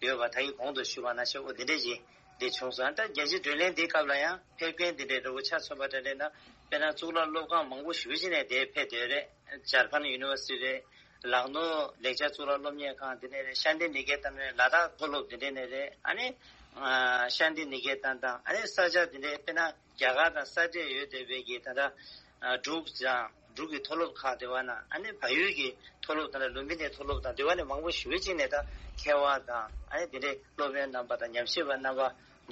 ཡོད་པ། ད་གིན་གོང་དུ་ཞུས་པ་ནང་བཞིན་འོ་འདི་འདྲས་ཅིག་འདི་བྱུང་སོང་། ད་རྒྱལ་སྤྱིའི་བགྲོ་གླེང་འདིའི་སྐབས་ལ་ཡང་ཕེབས་མཁན་འདི་འདྲས་འདྲ་བོ་ཆ་མཚོན་པ་འདྲ་འདྲས་ན། དཔེར་ན་གཙུག་ལག་སློབ་ཁང་མང་པོ་ཞེ་པོ་ཅིག་ནས་འདིར་ཕེབས་བསྡད་ཡོད་རེད། ཇར་ཁན་ཡུ་ནི་ཝར་སི་ཊི་རེད། ལག་ནོར་ལེགས་སྦྱར་གཙུག་ལག་སློབ་གཉེར་ཁང་འདི་ནས་རེད། ཤཱནྟི་ནི་ཀེ་ཏན་རེད། ལ་དྭགས་མཐོ་སློབ་འདི་འདྲས་ནས་རེད། ཨ་ནི་ཨ་ཤཱནྟི་ནི་ཀེ་ཏན་དང་། ཨ་ནི་ས་ཆ་འདི་འདྲས་དཔེར་ན། རྒྱ་གར་དང་ས་འབྲེལ་ཡོད་བསྡད་པའི་གི་ད་ལྟ་ཨ་འབྲུག་དང་འབྲུག་གི་མཐོ་སློབ་ཁག་དེ་བ་ན། ཨ་ནི་བལ་ཡུལ་གྱི་མཐོ་སློབ་དང་། ལུམ་བི་ནི་མཐོ་སློབ་དང་དེ་བ་ནས་མང་པོ་ཞེ་པོ་ཅིག་ནས་ད་མཁས་དབང་དང་། ཨ་ནི་དེ་འདྲའི་སློབ་དཔོན་རྣམ་པ་དང་ཉམས་ཞིབ་པ་རྣམ་པ་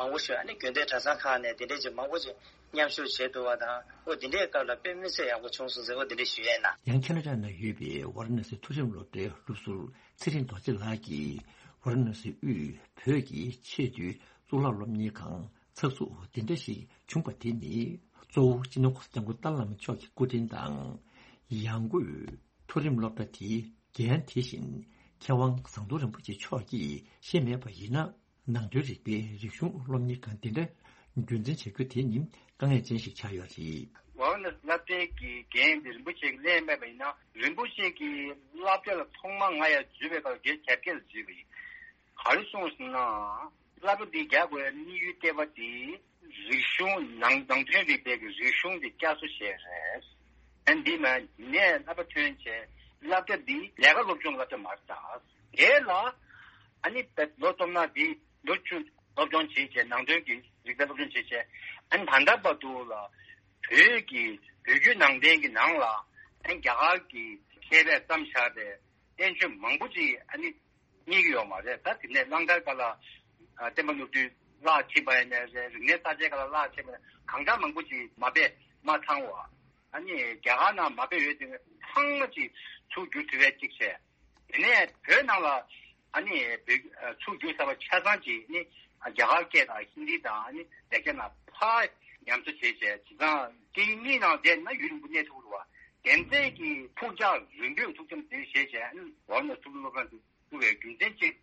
མང་པོ་ཞིག་ཨ་ནི་དགོན་སྡེ་གྲྭ་ཚང་ཁག་ནས་དེ་འདྲའི་ཅིག་མང་པོ་ཅིག་མཉམ་ཞུགས་བྱས་འདུག་པ་དང་། ཨོ་དེ་འདྲའི་སྐབས་ལ་དཔེ་མི་སྲིད་ཡག་པོ་བྱུང་སོང་ཟེར། ཨོ་དེ་འདྲ་ཞུ་ཡས་ན། ཡང་ཁེ་ན་ཌ་ན་ཡོད་པའི་ཝཱ་ར་ཎ་སི་མཐོ་རིམ་སློབ་གྲྭའི་སློབ་ཟུར་ཚེ་རིང་རྡོ་རྗེ་ལགས་ཀྱིས། ཝཱ་ར་ཎ་སི་དབུས་བོད་ཀྱི་ཆེས་མཐོའི་གཙུག་ལག་སློབ་གཉེར་ཁང་ཚགས་ཚུད་འོ་དེ་འདྲ་ཞིག་བྱུང་བ་དེ་ནི། གཙོ་བོ་སྤྱི་ནོར་༸གོང་ས་༸སྐྱབས་མགོན་ཏཱ་ལའི་བླ་མ་མཆོག་གི་སྐུ་དྲིན་དང་། ཡང་སྒོས་མཐོ་རིམ་སློབ་གྲྭ་དེའི་འགན་དེ་བཞིན་མཁས་དབང་ཟམ་གདོང་རིན་པོ་ཆེ་མཆོག་གིས་བཞེས་མེད་པ་ཡིན་ན། ནང་དོན་རིག་པའི་རིག་གཞུང་སློབ་གཉེར་ཁང་དེ་འདྲ་རྒྱུན་འཛིན་བྱ་རྒྱུ་དེ་ནི་དཀའ་ངལ་ཅན་ཞིག་ཆགས་ཡོད་རེད། ཝཱ་ར་ཎ་སི་སློབ་གྲྭའི་གི་འགན་དེ་རིན་པོ་ཆེ་གིས་ལེན་མེད་པ་ཡིན་ན། རིན་པོ་ཆེ་གིས་སློབ་གྲྭ་ལ་ཐོག་མར་ང་ཡར་འཛུལ་བའི་སྐབས་ལ་བརྒྱད་ཅུ་གྱ་བརྒྱད་ལ་འཛུལ་བ་ཡིན། ག་རེ་གསུངས་ཟེར་ན། སློབ་གྲྭ་འདི་རྒྱག་དགོས་དམིགས་ཡུལ་ལྟེ་བ་དེ་རིག་གཞུང་ནང་ནང་དོན་རིག་པའི་གི་རིག་གཞུང་དེ་བསྐྱར་གསོ་བྱས་རེད། ཨ་འདི་མ་ནས་སློབ་གྲྭ་ཐོན་བྱས། སློབ་གྲྭ་འདི་ལས་ཀ་སློབ་སྦྱོང་སློབ་གྲྭ་མ་རེད་ད། དེ་ལ་ཨ་ནི་བོད་ལོ་སྟོབས་ན་འདི་ལོ་བཅུ་སློབ་སྦྱོང་བྱས་བྱས། ནང་དོན་གྱི་རིག་པའི་སློབ་སྦྱོང་བྱས་བྱས། ཨ་ནི་ད་ལྟ་བར་དུ་ལ་བོད་ཀྱི་བོད་བརྒྱུད་ནང་བསྟན་གྱི་ནང་ལ་ཨ་ནི་རྒྱ་གར་གྱི་མཁས་པས་བརྩམས་བཞག་པའི་བསྟན་བཅོས་མང་པོ་ཅིག་ཨ་ནི་རྙེད་ཀྱི་ཡོད་མ་རེད། ད་དེ་ནས་གླང་དར་སྒང་ལ་ཨ་བསྟན་པ་ནོར་བུ་བརླག་ཕྱིན་པ་ཡིན་ནའི་རེད། རིག་གནས་གསར་བརྗེ་སྒང་ལ་བརླག་ཕྱིན་པ་ཡིན་ནའི། གང་འདྲ་མང་པོ་ཅིག་མ་པས་མ་ཚང་བ། ཨ་ནི་རྒྱ་གར་ནང་མ་པས་ཡོད་དེ་ཚང་མ་ཅིག་ཚུར་བསྒྱུར་ཐུབ་པའི་ཅིག་བྱས། དེ་ནས་བོད་ནང་ལ་ཨ་ནི་བོད་ཚུར་བསྒྱུར་ཚར་བ་ཆ་ཚང་ཅིག་ནི་རྒྱ་གར་སྐད་དང་ཧིན་དི་དང་ཨ་ནི་ལེགས་སྦྱར་ནང་ཕར་ཉམས་གསོ་བྱས་བྱས། བྱས་ཙང་སྐད་ཡིག་གཉིས་ནང་བསྡད་ན་ཡུན་རིང་པོ་གནས་ཐུབ་རེད་བ། དེ་འདྲའི་གི་ཐུགས་འཇགས་རིང་པོའི་ཐུགས་འཆམ་དེ་བཞེས་བྱས། ཨ་ནི་ཝཱ་ར་ཎ་སི་མཐོ་རིམ་སློབ་གྲྭ་དེ་བཙུགས་པའི་རྒྱུ་མཚན་གཅིག་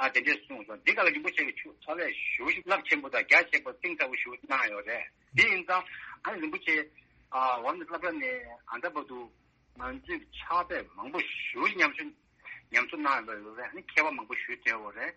ཨ་དེ་འདྲས་གསུངས་སོང་། འདི་ག་ལ་རིན་པོ་ཆེ་གི་ཆོས་ཚོགས་ལས་ཞུ་རླབས་ཆེན་པོ་དང་རྒྱ་ཆེན་པོ་གཏིང་ཟབ་པོ་ཞུ་གནང་ཡོད་རེད། དེ་ཡིན་ཙང་ཨ་ནི་རིན་པོ་ཆེ་ཨ་འོ་ན་སློབ་གྲྭ་ནས་ཨ་འདྲ་བར་དུ་ང་ཚོས་ཕྱག་དཔེ་མང་པོ་ཞུ་ཉམས་ཞུ་ཉམས་གསོ་གནང་ཡོད་རེད། ཨ་ནི་མཁས་པ་མང་པོ་ཞུ་བསྡད་ཡོད་རེད།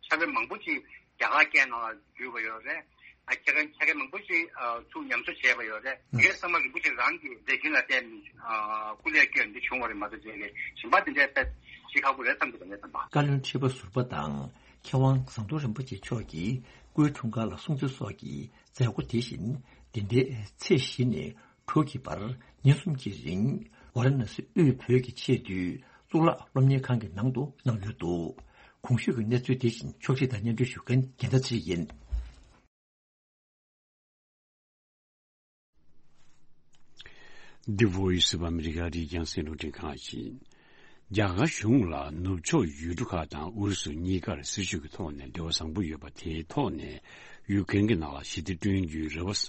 ཕྱག་དཔེ་མང་པོ་ཅིག་རྒྱ་གར་སྐད་ནང་ལ་བསྒྱུར་བ་ཡོད་རེད། ཨ་ཁྱེད་རང་ཁྱེད་རང་མང་པོ་ཞིག་ཨ་ཚུར་ཉམས་གསོ་བྱས་པ་ཡོད་རེད། ཨ་དེ་གའི་ཚང་མ་རིན་པོ་ཆེ་རང་གི་ལས་འགན་ལ་བརྟེན་ནས་ཨ་སྐུ་ལས་བསྐྱོན་འདི་བྱུང་བ་རེད་མ་གཏོགས་རྗེས་ལས་གཞན་པ་དེ་འདྲའི་དཔེ་ཞིག་ཁག་པོ་རེད་བསམ་གྱི་འདུག་ངས་བསམ་པ། བཀའ་བློན་ཁྲི་པ་ཟུར་པ་དང་མཁས་དབང་ཟམ་གདོང་རིན་པོ་ཆེ་མཆོག་གིས་སྐུའི་འཁྲུངས་སྐར་ལ་སྲུང་བརྩི་སོགས་ཀྱི་མཛད་སྒོ་དེ་བཞིན་འདི་ཟླའི་ཚེས་བཞི་ནས་དྲུག་གི་བར་ཉིན་གསུམ་གྱི་རིང་ཝཱ་ར་ཎ་སི་དབུས་བོད་ཀྱི་ཆེས་མཐོའི་གཙུག་ལག་སློབ་གཉེར་ཁང་གི་ནང་དུ་གནང་ལུས་འདུག་གོང་ཞུས་ཀྱི་གནས་ཚུལ་དེ་བཞིན་ཕྱོགས་སྒྲིག་དང་སྙན་སྒྲོན་ཞུ་མཁན་རྒྱལ་མཚན་ཚེ་རིང་ཡིན། The Voice of America རིགས་རྒྱང་སྲིང་རླུང་འཕྲིན་ཁང་ཡིན། རྒྱ་གར་གཞུང་ལ་ནུབ་ཕྱོགས་ཡུལ་གྲུ་ཁག་དང་ཨུ་རུ་སུ་གཉིས་ཀར་སྲིད་ཇུས་ཀྱི་ཐོག་ནས་འབྲེལ་བ་བཟང་པོ་ཡོད་པ་དེའི་ཐོག་ནས་ཡུ་ཀེན་གྱི་ནང་ལ་ཞི་བདེ་བསྐྲུན་རྒྱུའི་རེ་བ་ས་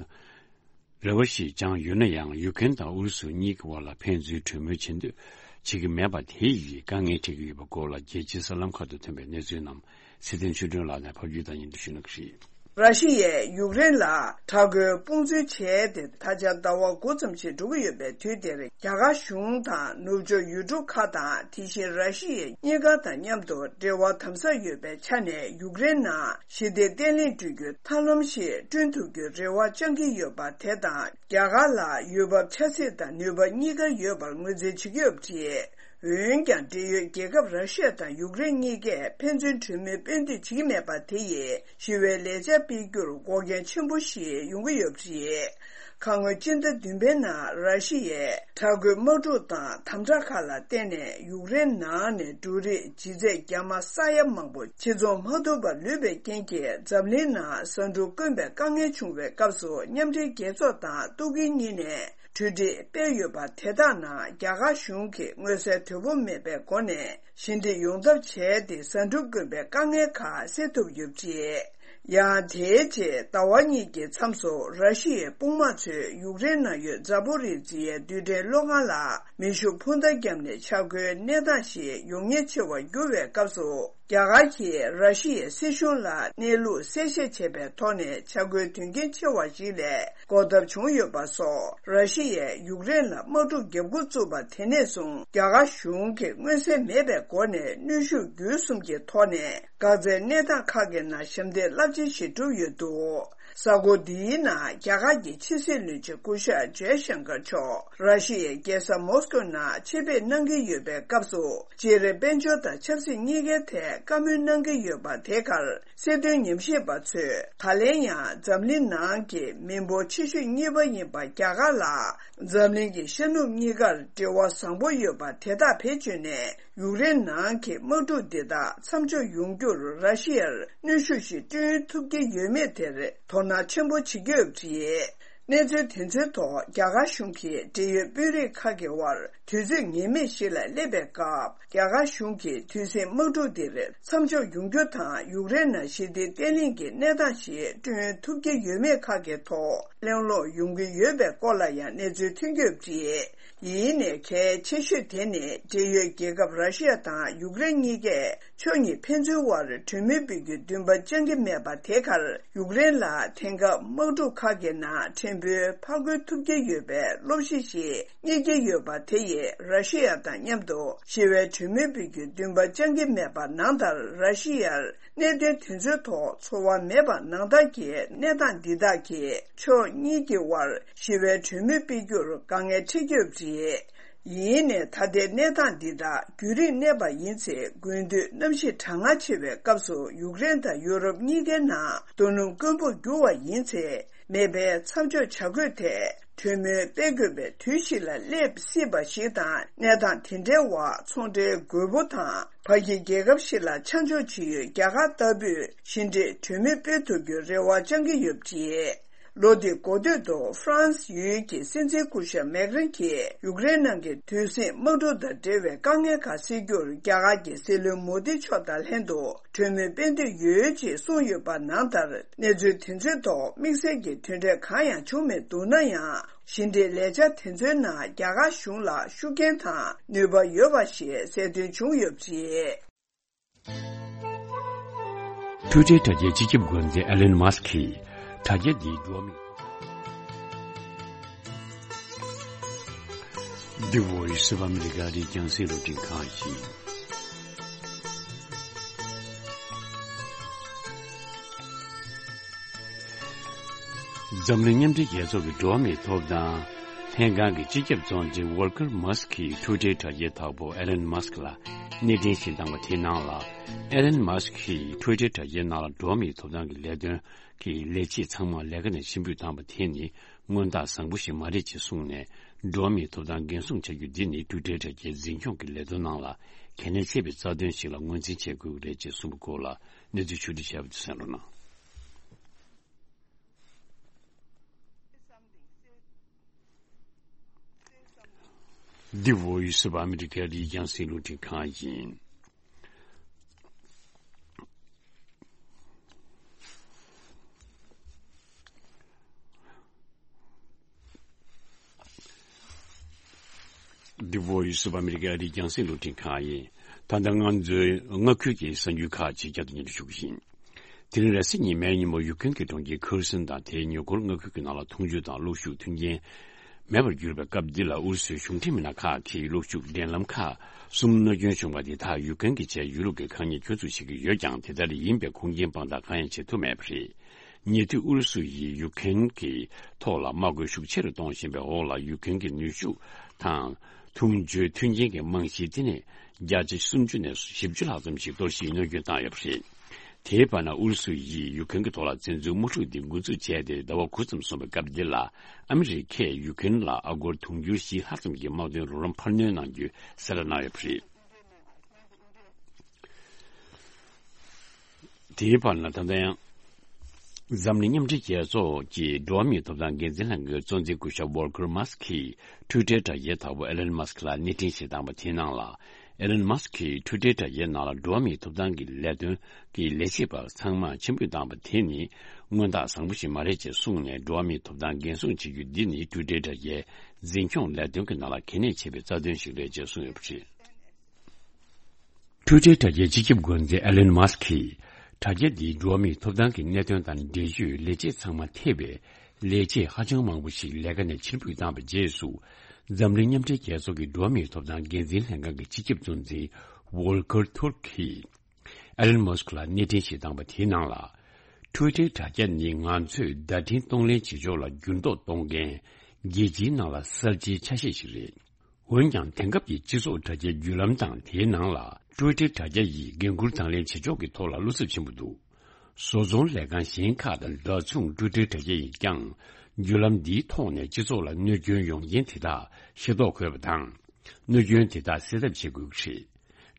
རེ་བ་ཞིག་བཅངས་ཡོད་ན་ཡང་། ཡུ་ཀེན་དང་ཨུ་རུ་སུ་གཉིས་ཀྱི་དབར་ལ་ཕན་ཚུན་གྲོས་མོལ་བྱེད་འདོད་བྱེད་ཀྱི་མེད་པ་དེ་ཡིས་དཀའ་ངལ་འཕྲད་ཀྱི་ཡོད་པའི་སྐོར་ལ་རྒྱལ་སྤྱིའི་གསར་ལམ་ཁག་ཏུ་ཐོན་པའི་གནས་ཚུལ་རྣམས་ཚེ་བརྟན་ཆོས་སྒྲོན་ལགས་ནས་ཕབ་སྒྱུར་དང་སྙན་སྒྲོན་ཞུ་གནང་གི་རེད། ར་ཤི་ཡས་ཡུཀ་རེན་ལ་དྲག་རྒོལ་དཔུང་འཛུལ་བྱས་ཏེ་ད་ཆ་ཟླ་བ་དགུ་ཙམ་ཞིག་འགྲོ་གི་ཡོད་པའི་དུས་འདིར། རྒྱ་གར་གཞུང་དང་ནུབ་ཕྱོགས་ཡུལ་གྲུ་ཁག་དང་དེ་བཞིན་ར་ཤི་ཡའི་གཉིས་ཀ་དང་མཉམ་དུ་འབྲེལ་བ་དམ་ཟབ་ཡོད་པའི་ཆ་ནས་ཡུཀ་རེན་ནང་ཞི་བདེ་བརྟན་ལྷིང་བསྐྲུན་རྒྱུའི་ཐབས་ལམ་ཞིག་བསྐྲུན་ཐུབ་རྒྱུའི་རེ་བ་བཅངས་ཀྱི་ཡོད་པ་དེ་དང་། རྒྱ་གར་ལ་ཡུལ་བབ་ཆབ་སྲིད་དང་ནུས་པ་གཉིས་ཀ་ཡོད་པར་ངོས་འཛིན་བྱེད་ཀྱི་ཡོད་པ་རེད། འོན་ཀྱང་། འབྲེལ་ཡོད་རྒྱལ་ཁབ་ར་ཤི་ཡ་དང་ཡུཀ་རེན་གཉིས་ཀས་ཕན་ཚུན་གྲོས་མོལ་སྤེལ་འདོད་བྱེད་ཀྱི་མེད་པ་དེ་ཡིས་ཞི་བའི་ལས་འཆར་སྤེལ་རྒྱུར་འགོག་རྐྱེན་ཆེན་པོ་ཞིག་ཡོང་གི་ཡོད་པ་རེད། ཁ་སྔོན་སྤྱི་ཟླ་བདུན་པའི་ནང་ར་ཤི་ཡས་དྲག་རྒོལ་དམག་འཁྲུག་དང་དམ་དྲག་ཁག་ལ་བརྟེན་ནས་ཡུཀ་རེན་ནང་ནས་འབྲུ་རིགས་ལྗིད་ཚད་རྒྱ་མ་ས་ཡ་མང་པོ་ཕྱིར་ཚོང་མ་ཐུབ་པར་ལུས་པའི་རྐྱེན་གྱིས་འཛམ་གླིང་ནང་ཟ་འབྲུ་དཀོན་པའི་དཀའ་ངལ་བྱུང་བའི་སྐབས་སུ། མཉམ་འབྲེལ་རྒྱལ་ཚོགས་དང་ཏུར་ཀིའི་གཉིས་ནས་གྲོས་འགྲིག་སྤེལ་ཡོད་པ་དེ་དག་ནང་རྒྱ་གར་གཞུང་གིས་མངོན་གསལ་དོད་པོ་མེད་པའི་སྒོ་ནས་ཞི་འགྲིག་ཡོང་ཐབས་བྱས་ཏེ། ཟ་འབྲུ་དཀོན་པའི་དཀའ་ངལ་ཁག་སེལ་ཐུབ་ཡོད་པ་རེད། ཡང་དེའི་རྗེས་ཟླ་བ་གཉིས་ཀྱི་མཚམས་སུ་ར་ཤི་ཡའི་དཔུང་དམག་ཚོས་ཡུཀ་རེན་ནང་ཡོད་ཛ་པོ་རི་ཛི་ཡའི་རྡུལ་ཕྲན་གློག་ཁང་ལ་མེ་ཤུགས་འཕུར་མདའ་བརྒྱབ་ནས་ཆག་སྒོའི་གནས་སྟངས་ཤིག་ཡོང་ཉེན་ཆེ་བར་གྱུར་བའི་སྐབས་སུ། རྒྱ་གར་གྱིས་ར་ཤི་ཡའི་སྲིད་གཞུང་ལ་གནས་ལུགས་གསལ་བཤད་བྱས་པའི་ཐོག་ནས་ཆག་སྒོའི་དོན་རྐྱེན་ཆེ་བ་ཞིག་ལས་འགོག་ཐབས་བྱུང་ཡོད་པ་སོགས། ར་ཤི་ཡས་ཡུཀ་རེན་ལ་དམག་འཁྲུག་བརྒྱབ་འགོ་བཙུགས་པ་དེ་ནས་བཟུང་རྒྱ་གར་གཞུང་གིས་མངོན་གསལ་མེད་པའི་སྒོ་ནས་གནོན་ཤུགས་བརྒྱུད་གསུམ་གྱི་ཐོག་ནས་འགག་རྩའི་གནས་སྟངས་ཁག་གི་ནང་ཞབས་འདེགས་རླབས་ཆེན་ཞིག་བསྒྲུབས་ཡོད་འདུག་གཟའ་འཁོར་འདིའི་ནང་རྒྱ་གར་གྱི་ཕྱི་སྲིད་བློན་ཆེན་སྐུ་ཞབས་ཇའི་ཤང་ཀར་མཆོག་ར་ཤི་ཡའི་རྒྱལ་ས་མོ་སི་ཀོ་ནང་ཆེད་ཕེབས་གནང་གི་ཡོད་པའི་སྐབས་སུ། སྤྱིར་དཔལ་འབྱོར་དང་ཆབ་སྲིད་གཉིས་ཀའི་ཐད་བཀའ་མོལ་གནང་གི་ཡོད་པ་དེ་གར་སྲིད་དོན་ཉམས་ཞིབ་པ་ཚོས་ད་ལན་ཡང་འཛམ་གླིང་ནང་གི་མི་འབོར་ཆེ་ཤོས་གཉིས་པ་ཡིན་པ་རྒྱ་གར་ལ་འཛམ་གླིང་གི་ཤར་ནུབ་གཉིས་ཀར་འབྲེལ་བ་བཟང་པོ་ཡོད་པ་དེ་དག་བེད་སྤྱོད་ནས། ཡུཀ་རེན་ནང་གི་དམག་འཁྲུག་འདི་དག་མཚམས་འཇོག་ཡོང་རྒྱུར་ར་ཤི་ཡར་གནོན་ཤུགས་ཤིག་བསྐྲུན་ཐུབ་ཀྱི་ཡོད་མེད་དེར་དོ་སྣང་ཆེན་པོ་བྱེད་ཀྱི་ཡོད་པ་རེད། གནས་ཚུལ་དེ་ཚོའི་ཐོག་རྒྱ་གར་གཞུང་གིས་འབྲེལ་ཡོད་དཔོན་རིགས་ཁག་གི་དབར་དུས་ཚོད་ངེས་མེད་ཞིག་ལ་སླེབས་པའི་སྐབས། རྒྱ་གར་གཞུང་གིས་དུས་ཟིང་དམག་འཁྲུག་འདིར་མཚམས་འཇོག་ཡོང་རྒྱུ་དང་། ཡུཀ་རེན་ནང་ཞི་བདེ་བརྟན་ལྷིང་གི་གནས་སྟངས་ཤིག་བསྐྲུན་ཐུབ་ཀྱི་ཡོད་མེད་ཁག་གི་ཐོག་གླེང་སློང་ཡོང་གི་ཡོད་པའི་སྐོར་ལ་ཡང་གནས་ཚུལ་ཐོན་གྱི་ཡོད་པ་རེད། ཡིན་ནའི་གལ་ཆེ་ཤོས་དེ་ནི་འབྲེལ་ཡོད་རྒྱལ་ཁབ་ར་ཤི་ཡ་དང་ཡུཀ་རེན་གཉིས་ཀས་ཕྱོགས་གཉིས་ཕན་ཚུན་དབར་གྲོས་མོལ་སྤེལ་རྒྱུའི་འདུན་པ་བཅངས་ཀྱི་མེད་པ་དེ་གར། ཡུཀ་རེན་ལ་དེང་སྐབས་དམག་འཁྲུག་ཁག་གི་ནང་ཕྲན་བུ་ཕར་རྒོལ་ཐུབ་ཀྱི་ཡོད་པའི་སློབ་གཞི་ཞིག་རྙེད་ཀྱི་ཡོད་པ་དེ་ཡིས་ར་ཤི་ཡ་དང་མཉམ་དུ་ཞི་བའི་གྲོས་མོལ་སྤེལ་རྒྱུའི་འདུན་པ་བཅངས་ཀྱི་མེད་པ་ནང་ལྟར། ར་ཤི་ཡར་གནད་དོན་དེ་ཚོའི་ཐོག་ཚོར་བ་མེད་པ་ནང་ལྟར་གྱི་གནས་སྟངས་འདི་དག་གིས་ཕྱོགས་གཉིས་ཀྱི་དབར་ཞི་བའི་གྲོས་མོལ་སྤེལ་རྒྱུར་དཀའ་ངལ་འཕྲད་ཀྱི་ཡོད་པ་རེད། ཡིན་ནའི་ད་ལྟའི་གནས་སྟངས་འདི་དག་རྒྱུན་རིང་གནས་པ་ཡིན་ཚེ། དགུན་དུས་གནམ་གཤིས་གྲང་ངར་ཆེ་བའི་སྐབས་སུ་ཡུཀ་རེན་དང་ཡུ་རོབ་གཉིས་ཀའི་ནང་རྡོ་སྣུམ་དཀོན་པོར་འགྱུར་བ་ཡིན་ཚེ། མེ་འཕེན་མཚམས་འཇོག་བྱ་དགོས་ཐད་གྲོས་མོལ་སྤེལ་དགོས་པའི་དུས་ཤིག་ལ་སླེབས་སྲིད་པ་ཞིག་དང་། གནས་སྟངས་དེ་འདྲའི་འོག་ཚོང་འབྲེལ་དགོས་མཁོ་དང་། ཕ་གི་རྒྱལ་ཁབ་ཞིག་ལ་ཆ་འཇོག་བྱེད་ཡུལ་རྒྱ་གར་ལྟ་བུས་ཞི་འགྲིག་གྲོས་མོལ་སྤེལ་ཐུབ་རྒྱུའི་རེ་བ་བཅངས་ཀྱི་ཡོད་པ་རེད། ལོ་འདིའི་འགོ་སྟོད་དུ་ཧྥ་རན་སི་ཡུལ་གྱི་སྲིད་འཛིན་སྐུ་ཞབས་མེག་རན་གྱིས་ཡུཀ་རེན་ནང་གི་དུས་ཟིང་དམག་འཁྲུག་དང་འབྲེལ་བའི་དཀའ་ངལ་ཁག་སེལ་རྒྱུར་རྒྱ་གར་གྱི་སྲིད་བློན་མོ་དི་མཆོག་དང་ལྷན་དུ་གྲོས་མོལ་སྤེལ་འདོད་ཡོད་ཅེས་གསུངས་ཡོད་པ་ནང་ལྟར། གནས་ཚུལ་དེ་ཚོའི་ཐོག་དམིགས་བསལ་གྱི་དོན་འབྲས་གང་ཡང་བྱུང་མེད་འདུག་ན་ཡང་། ཞི་འགྲིག་ལས་འཆར་དེ་ཚོའི་ནང་རྒྱ་གར་གཞུང་ལ་ཤུགས་རྐྱེན་དང་ནུས་པ་ཡོད་པ་ཞིག་གསལ་སྟོན་བྱུང་ཡོད་པ་རེད། འཕྲུལ་ཁྲལ་དྲ་རྒྱའི་སྤྱི་ཁྱབ་འགོ་འཛིན་ཨེ་ལན་མཱ་སི་ཁིས་དྲ་རྒྱ་འདིའི་འགྲོ་བ་མིའི། འདི་ཝོ་ཡིས་ཨོ་ཨ་མི་རི་ཀ་རི་རྒྱང་སྲིང་རླུང་འཕྲིན་ཁང་ཡིན། འཛམ་གླིང་མཉམ་འབྲེལ་རྒྱལ་ཚོགས་ཀྱི་འགྲོ་བ་མིའི་ཐོབ་ཐང་ལྷན་ཁང་གི་སྤྱི་ཁྱབ་གཙོ་འཛིན་ཝོལ་ཀར་མཱ་སི་ཁིས་འཕྲུལ་ཁྲལ་དྲ་རྒྱའི་བདག་པོ་ཨེ་ལན་མཱ་སི་ཁི་ལ་གནས་འཕྲིན་ཞིག་བཏང་བ་དེའི་ནང་ལ། ཨེ་ལན་མཱ་སི་ཁིས་འཕྲུལ་ཁྲལ་དྲ་རྒྱའི་ནང་ལ་འགྲོ་བ་མིའི་ཐོབ་ཐང་གི་ལས་དོན་གྱི་ལས་བྱེད་ཚང་མ་ལས་ཀ་ནས་ཕྱིར་འབུད་བཏང་བ་དེ་ནི་སྔོན་རྟགས་བཟང་པོ་ཞིག་མ་རེད་ཅེས་གསུངས་ནས། འགྲོ་བ་མིའི་ཐོབ་ཐང་འགན་སྲུང་བྱ་རྒྱུ་འདི་ནི་འཕྲུལ་ཁྲལ་དྲ་རྒྱའི་འཛིན་སྐྱོང་གི་ལས་དོན་ནང་ལ་གལ་གནད་ཆེ་བའི་རྩ་དོན་ཞིག་ལ་ངོས་འཛིན་བྱེད་དགོས་ཀྱི་རེད་ཅེས་གསུངས་པའི་སྐོར་ལ་གནས་ཚུལ་ཕྱོགས་བསྒྲིགས་བྱས་པ་དེ་གསན་རོགས་གནང་། འདི་ཝོ་ཡིས་ཨོ་ཨ་མི་རི་ཀ་རི་རྒྱང་སྲིང་རླུང་འཕྲིན་ཁང་ཡིན། འདི་ཝོ་ཡིས་ཨོ་ཨ་མི་རི་ཀ་རི་རྒྱང་སྲིང་རླུང་འཕྲིན་ཁང་ཡིན། ད་ལྟ་ང་ཚོའི་མངའ་ཁུལ་གྱི་གསར་འགྱུར་ཁག་ཅིག་བསྐྱར་དུ་སྙན་སྒྲོན་ཞུ་གི་ཡིན། དེ་རིང་རེས་གཟའ་ཉི་མའི་ཉིན་མོ་ཡུཀ་རེན་གྱི་གྲོང་ཁྱེར་ཁེར་སོན་དང་དེའི་ཉེ་འཁོར་མངའ་ཁུལ་གྱི་ནང་ལ་འཐུང་ཆུ་དང་གློག་ཤུགས་མཐུན་རྐྱེན་མེད་པར་གྱུར་པའི་སྐབས་འདི་ལ་ཨུ་རུ་སུའི་གཞུང་འབྲེལ་མི་སྣ་ཁག་གིས་གློག་ཤུགས་འདྲེན་ལམ་ཁག་གསུམ་གནོད་སྐྱོན་བྱུང་བ་དེ་དག་ཡུཀ་རེན་གྱིས་བྱས་ཡོད་ལུགས་ཀྱི་ཁ་ཉེས་ཁྱོན་འཛུགས་བྱེད་ཀྱི་ཡོད་ཀྱང་། དེ་ལྟར་ཡིན་པའི་ཁུངས་སྐྱེལ་དཔང་རྟགས་གང་ཡང་བྱེད་ཐུབ་མེད་པ་རེད། ཉེ་དུས་ཨུ་རུ་སུ་ཡིས་ཡུཀ་རེན་གྱི་ཐོག་ལ་དམག་དཔུང་ཤུགས་ཆེ་རུ་གཏོང་བཞིན་པའི་འོག་ལ་ཡུཀ་རེན་གྱི་ནུས་ཤུགས་དང་འཐུང་ཆུའི་མཐུན་རྐྱེན་གྱི་རྨང་གཞི་དེ་ནས་བརྒྱ་ཆ་སུམ་ཅུ་ནས་བཞི་བཅུ་ལྷག་ཙམ་ཞིག་གཏོར་བཤིག་གནོད་སྐྱོན་བཏང་ཡོད་པ་རེད། དེའི་བར་ན་ཨུ་རུ་སུ་ཡིས་ཡུཀ་རེན་གྱི་ཐོག་ལ་བཙན་འཛུལ་དམག་འཁྲུག་འདི་འགོ་འཛུགས་བྱས་ཏེ་ཟླ་བ་དགུ་ཙམ་སོང་བའི་སྐབས་འདི་ལ་ཨ་མི་རི་ཀས་ཡུཀ་རེན་ལ་ཨ་སྒོར་དུང་ཕྱུར་བཞི་ལྷག་ཙམ་གྱི་དམག་དོན་རོགས་རམ་འཕར་སྣོན་གནང་རྒྱུའི་གསལ་བསྒྲགས་གནང་ཡོད་པ་རེད། དེའི་བར་ན་ད་ལྟ་ཡང་འཛམ་གླིང་མཉམ་འབྲེལ་རྒྱལ་ཚོགས་ཀྱི་འགྲོ་བ་མིའི་ཐོབ་ཐང་འགན་འཛིན་ལྷན་ཁང་གི་གཙོ་འཛིན་སྐུ་ཞབས་ཝོལ་ཀར་མཱ་སི་ཁིས་ཊུའི་ཊར་དྲ་རྒྱའི་བདག་པོ་ཨེ་ལན་མཱ་སི་ཁི་ལ་གནས་འཕྲིན་ཞིག་བཏང་བ་དེའི་ནང་ལ། ཨེ་ལན་མཱ་སི་ཁིས་ཊུའི་ཊར་དྲ་རྒྱའི་ནང་ལ་འགྲོ་བ་མིའི་ཐོབ་ཐང་གི་ལས་དོན་གྱི་ལས་བྱེད་པ་ཚང་མ་ཕྱིར་འབུད་བཏང་བ་དེ་ནི་མངོན་རྟགས་བཟང་པོ་ཞིག་མ་རེད་ཅེས་གསུངས་ནས། འགྲོ་བ་མིའི་ཐོབ་ཐང་འགན་སྲུང་བྱེད་རྒྱུ་འདི་ནི་ཊུའི་ཊར་དྲ་རྒྱའི་འཛིན་སྐྱོང་ལས་དོན་གྱི་ནང་ལ་གལ་གནད་ཆེ་བའི་རྩ་དོན་ཞིག་རེད་ཅེས་གསུངས་ཡོད་པ་རེད། ཊུའི་ཊར་དྲ་རྒྱའི་སྤྱི་ཁྱབ་འགོ་འཛིན་ཨེ་ལན་མཱ་སི་ཁིས་དྲ་རྒྱ་འདིས་འགྲོ་བ་མིའི་ཐོབ་ཐང་གི་གནད་དོན་དང་འབྲེལ་ཡོད་ལས་བྱེད་ཚང་མ་ཐེ་བའི་ལས་བྱེད་ཧ་ཅང་མང་པོ་ཞིག་ལས་ཀ་ནས་ཕྱིར་འབུད་བཏང་བའི་རྗེས་སུ། འཛམ་གླིང་མཉམ་འབྲེལ་རྒྱལ་ཚོགས་ཀྱི་འགྲོ་བ་མིའི་ཐོབ་ཐང་འགན་འཛིན་ལྷན་ཁང་གི་སྤྱི་ཁྱབ་གཙོ་འཛིན་ཝོལ་ཀར་ཐུར་ཀིས་ཨེ་ལན་མཱ་སི་ཁི་ལ་གནས་འཕྲིན་ཞིག་བཏང་བ་དེའི་ནང་ལ། ཊུའི་ཊར་དྲ་རྒྱ་ནི་ང་ཚོས་བརྡ་འཕྲིན་གཏོང་ལེན་བྱེད་ཕྱོགས་ལ་འགྱུར་ལྡོག་གཏོང་མཁན་རྒྱལ་སྤྱིའི་ནང་ལ་གསར་བརྗེའི་ཆ་ཤས་ཤིག་རེད། འོན་ཀྱང་དེང་སྐབས་ཀྱི་སྤྱི་ཚོགས་དྲ་རྒྱའི་བརྒྱུད་ལམ་དང་དེའི་ནང་ལ་ཊུའི་ཊར་དྲ་རྒྱ་ཡིས་འགན་འཁུར་དང་ལེན་བྱེད་ཕྱོགས་ཀྱི་ཐོག་ལ་བློ་འཚབ་ཆེན་པོ་འདུག་བཟོ་ཚོང་ལས་ཁང་གཞན་ཁག་དང་འདྲ་མཚུངས་ཊུའི་ཊར་དྲ་རྒྱ་ཡིས་ཀྱང་བརྒྱུད་ལམ་འདིའི་ཐོག་ནས་སྤྱི་ཚོགས་ལ་གནོད་སྐྱོན་ཡོང་རྐྱེན་དེ་དག་ཤེས་རྟོགས་དགོས་པ་དང་། གནོད་སྐྱོན་དེ་དག་སེལ་ཐབས་བྱེད་དགོས་ཀྱི་རེད།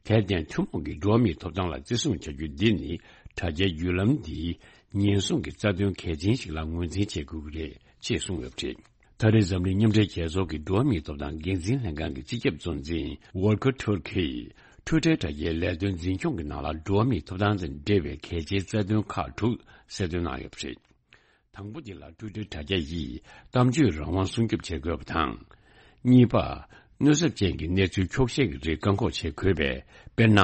དེར་བརྟེན་ཐུན་མོང་གི་འགྲོ་བ་མིའི་ཐོབ་ཐང་ལ་བརྩི་སྲུང་བྱ་རྒྱུ་འདི་ནི་དྲ་རྒྱའི་བརྒྱུད་ལམ་འདིའི་ཉེན་སྲུང་གི་རྩ་དོན་གལ་ཆེན་ཞིག་ལ་ངོས་འཛིན་བྱེད་དགོས་ཀྱི་རེད་ཅེས་གསུངས་ཡོད་པ་རེད། ད་རེས་འཛམ་གླིང་མཉམ་འབྲེལ་རྒྱལ་ཚོགས་ཀྱི་འགྲོ་བ་མིའི་ཐོབ་ཐང་འགན་འཛིན་ལྷན་ཁང་གི་སྤྱི་ཁྱབ་གཙོ་འཛིན་ཝོལ་ཀར་ཐུར་ཀིས་ཊུའི་ཊར་དྲ་རྒྱའི་ལས་དོན་འཛིན་སྐྱོང་གི་ནང་ལ་འགྲོ་བ་མིའི་ཐོབ་ཐང་དང་འབྲེལ་བའི་གལ་ཆེའི་རྩ་དོན་ཁག་དྲུག་གསལ་སྟོན་གནང་ཡོད་པ་རེད། དང་པོ་འདི་ལ་ཊུའི་ཊར་དྲ་རྒྱ་ཡིས་གཏམ་བརྗོད་རང་དབང་སྲུང་སྐྱོབ་བྱེད་དགོས་པ་དང་། གཉིས་པ། གནོད་ཚབས་ཅན་གྱི་གནས་ཚུལ་འཁྱོག་བཤད་ཀྱི་རིགས་བཀག་འགོག་བྱེད་དགོས་པས། དཔེར་ན།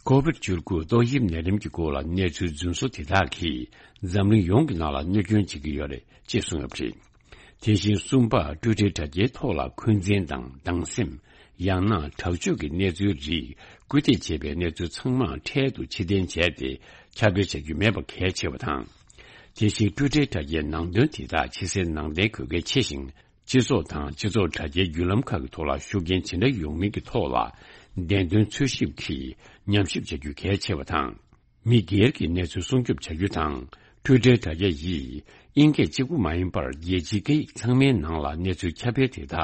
ཀོ་བིད་བཅུ་དགུ་ཏོག་དབྱིབས་ནད་རིམས་ཀྱི་སྐོར་ལ་གནས་ཚུལ་རྫུན་བཟོ་དེ་དག་གིས་འཛམ་གླིང་ཡོངས་ཀྱི་ནང་ལ་གནོད་སྐྱོན་བྱེད་ཀྱི་ཡོད་རེད་ཅེས་གསུངས་ཡོད་པ་རེད། དེ་བཞིན་གསུམ་པ། ཊུའི་ཊར་དྲ་རྒྱའི་ཐོག་ལ་འཁོན་འཛིན་དང་སྡང་སེམས། ཡང་ན་དྲག་སྤྱོད་ཀྱི་གནས་ཚུལ་རིགས་སྐུལ་འདེད་བྱེད་པའི་གནས་ཚུལ་ཚང་མ་འཕྲལ་དུ་ཕྱིར་འཐེན་བྱས་ཏེ་ཁྱབ་སྤེལ་བྱ་རྒྱུ་མེད་པ་གལ་ཆེ་བ་དང་། དེ་བཞིན་ཊུའི་ཊར་དྲ་རྒྱའི་ནང་དོན་དེ་དག་ཕྱི་གསལ་ནང་བརྡའི་དགོས་གལ་ཆེ་ཞིང་། སྤྱི་ཚོགས་དང་སྤྱི་ཚོགས་དྲ་རྒྱའི་བརྒྱུད་ལམ་ཁག་གི་ཐོག་ལ་ཤུགས་རྐྱེན་ཇི་འདྲ་ཡོང་མིན་གྱི་ཐོག་ལ་བདེན་དོན་འཚོལ་ཞིབ་ཀྱིས་ཉམས་ཞིབ་བྱ་རྒྱུ་གལ་ཆེ་བ་དང་། མི་སྒེར་གྱི་གནས་ཚུལ་སྲུང་སྐྱོབ་བྱ་རྒྱུ་དང་། ཊུའི་ཊར་དྲ་རྒྱ་ཡིས་དབྱིན་སྐད་གཅིག་པུ་མ་ཡིན་པར་རྒྱལ་སྤྱིའི་སྐད་ཡིག་ཚང་མའི་ནང་ལ་གནས་ཚུལ་ཁྱབ་སྤེལ་དེ་དག་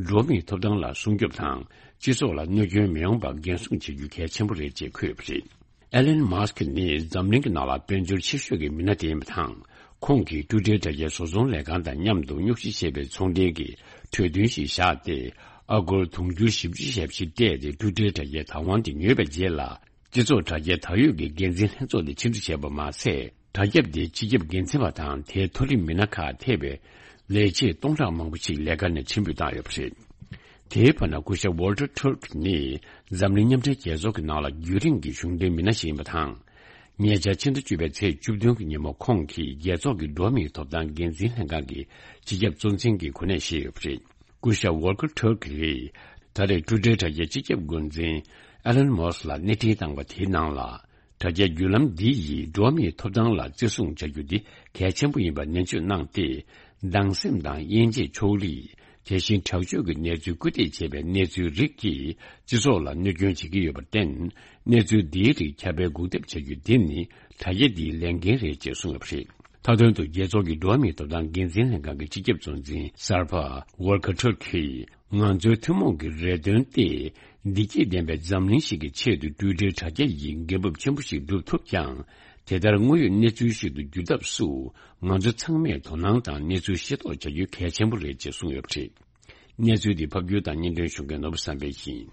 འགྲོ་བ་མིའི་ཐོབ་ཐང་ལ་སྲུང་སྐྱོབ་དང་། སྤྱི་ཚོགས་ལ་གནོད་སྐྱོན་མི་ཡོང་བར་འགན་སྲུང་བྱེད་རྒྱུ་གལ་ཆེན་པོ་རེད་ཅེས་འཁོད་ཡོད་པ་རེད། ཨེ་ལན་མཱ་སི་ཁི་ནི་འཛམ་གླིང་གི་ནང་ལ་དཔལ་འབྱོར་ཆེ་ཤོས་ཀྱི་མི་སྣ་དེ་ཡིན་པ་དང་། ཁོང་གིས་ཊུའི་ཊར་དྲ་རྒྱའི་བཟོ་ཚོང་ལས་ཁང་དང་མཉམ་དུ་རྙོག་གཞི་ཆེ་བའི་ཚོང་འབྲེལ་གྱི་གྲོས་མཐུན་ཞིག་བཞག་སྟེ། ཨ་སྒོར་དུང་ཕྱུར་བཞི་བཅུ་ཞེ་བཞི་སྤྲད་དེ་ཊུའི་ཊར་དྲ་རྒྱའི་བདག་དབང་དེ་ཉོས་པའི་རྗེས་ལ། སྤྱི་ཚོགས་དྲ་རྒྱའི་ད་ཡོད་ཀྱི་འགན་འཛིན་ལྷན་ཚོགས་དེ་ཆིབས་བསྒྱུར་བྱས་པ་མ་ཟད། དྲ་རྒྱ་དེའི་སྤྱི་ཁྱབ་འགན་འཛིན་པ་དང་དེའི་མཐོ་རིམ་མི་སྣ་ཁག་ཐེ་བའི་ལས་བྱེད་སྟོང་ཕྲག་མང་པོ་ཞིག་ལས་ཀ་ནས་ཕྱིར་འབུད་བཏང་ཡོད་པ་རེད། དེའི་བར་ན་སྐུ་ཞབས་ཝོལ་ཊར་ཐུར་ཀི་ནི་འཛམ་གླིང་མཉམ་འབྲེལ་རྒྱལ་ཚོགས་ཀྱི་ནང་ལ་རྒྱུན་རིང་གི་གཞུང་འབྲེལ་མི་སྣ་ཞིག་ཡིན་པ་དང་། ཉེ་ཆར་ཕྱི་ཟླ་བཅུ་པའི་ཚེས་བཅུ་བདུན་གྱི་ཉིན་མོ་ཁོང་གིས་རྒྱལ་ཚོགས་ཀྱི་འགྲོ་བ་མིའི་ཐོབ་ཐང་འགན་འཛིན་ལྷན་ཁང་གི་སྤྱི་ཁྱབ་གཙོ་འཛིན་གྱི་གོ་གནས་བཞེས་ཡོད་པ་རེད། སྐུ་ཞབས་ཝོལ་ཀར་ཊར་ཀིས་ད་རེས་ཊུ་ཌེ་དྲ་རྒྱའི་སྤྱི་ཁྱབ་འགོ་འཛིན་ཨེ་ལན་མོ་སི་ལ་སྣེ་ཁྲིད་བཏང་བ་དེའི་ནང་ལ། དྲ་རྒྱའི་བརྒྱུད་ལམ་འདི་ཡིས་འགྲོ་བ་མིའི་ཐོབ་ཐང་ལ་བརྩི་སྲུང་བྱ་རྒྱུ་འདི་གལ་ཆེན་པོ་ཡིན་པར་ནན་བརྗོད་གནང་སྟེ། སྡང་སེམས་དང་དབྱེ་འབྱེད་ཕྱོགས་རིས། དེ་བཞིན་དྲག་སྤྱོད་ཀྱི་གནས་ཚུལ་སྐུལ་འདེད་བྱེད་པའི་གནས་ཚུལ་རིགས་ཀྱིས་སྤྱི་ཚོགས་ལ་གནོད་སྐྱོན་བྱེད་ཀྱི་ཡོད་པར་བརྟེན། གནས་ཚུལ་འདིའི་རིགས་ཁྱབ་སྤེལ་འགོག་ཐབས་བྱ་རྒྱུ་འདི་ནི་དྲ་རྒྱ་འདིའི་ལས་འགན་རེད་ཅེས་གསུངས་ཡོད་པ་རེད། མཐའ་དོན་དུ་རྒྱལ་ཚོགས་ཀྱི་འགྲོ་བ་མིའི་ཐོབ་ཐང་འགན་འཛིན་ལྷན་ཁང་གི་སྤྱི་ཁྱབ་གཙོ་འཛིན་གསར་པ་ཝོལ་ཀར་ཊར་ཀིས། ང་ཚོའི་ཐུན་མོང་གི་རེ་འདུན་ཏེ། བདེ་སྐྱིད་ལྡན་པའི་འཛམ་གླིང་ཞིག་གི་ཆེད་དུ་ཊུ་ཌེ་དྲ་རྒྱ་ཡིས་འགན་འབབ་ཆེན་པོ་ཞིག་སྒྲུབ་ཐུབ་ཀྱང་། དེ་ལྟར་དངོས་ཡོད་གནས་ཚུལ་ཞིག་ཏུ་འགྱུར་ཐབས་སུ། ང་ཚོ་ཚང་མས་དོ་སྣང་དང་གནས་ཚུལ་ཤེས་རྟོགས་བྱ་རྒྱུ་གལ་ཆེན་པོ་རེད་ཅེས་གསུངས་ཡོད་པ་རེད། གནས་ཚུལ་འདི་ཕབ་སྒྱུར་དང་སྙན་སྒྲོན་ཞུ་མཁན་ནོར་བུ་བསམ་འཕེལ་ཡིན།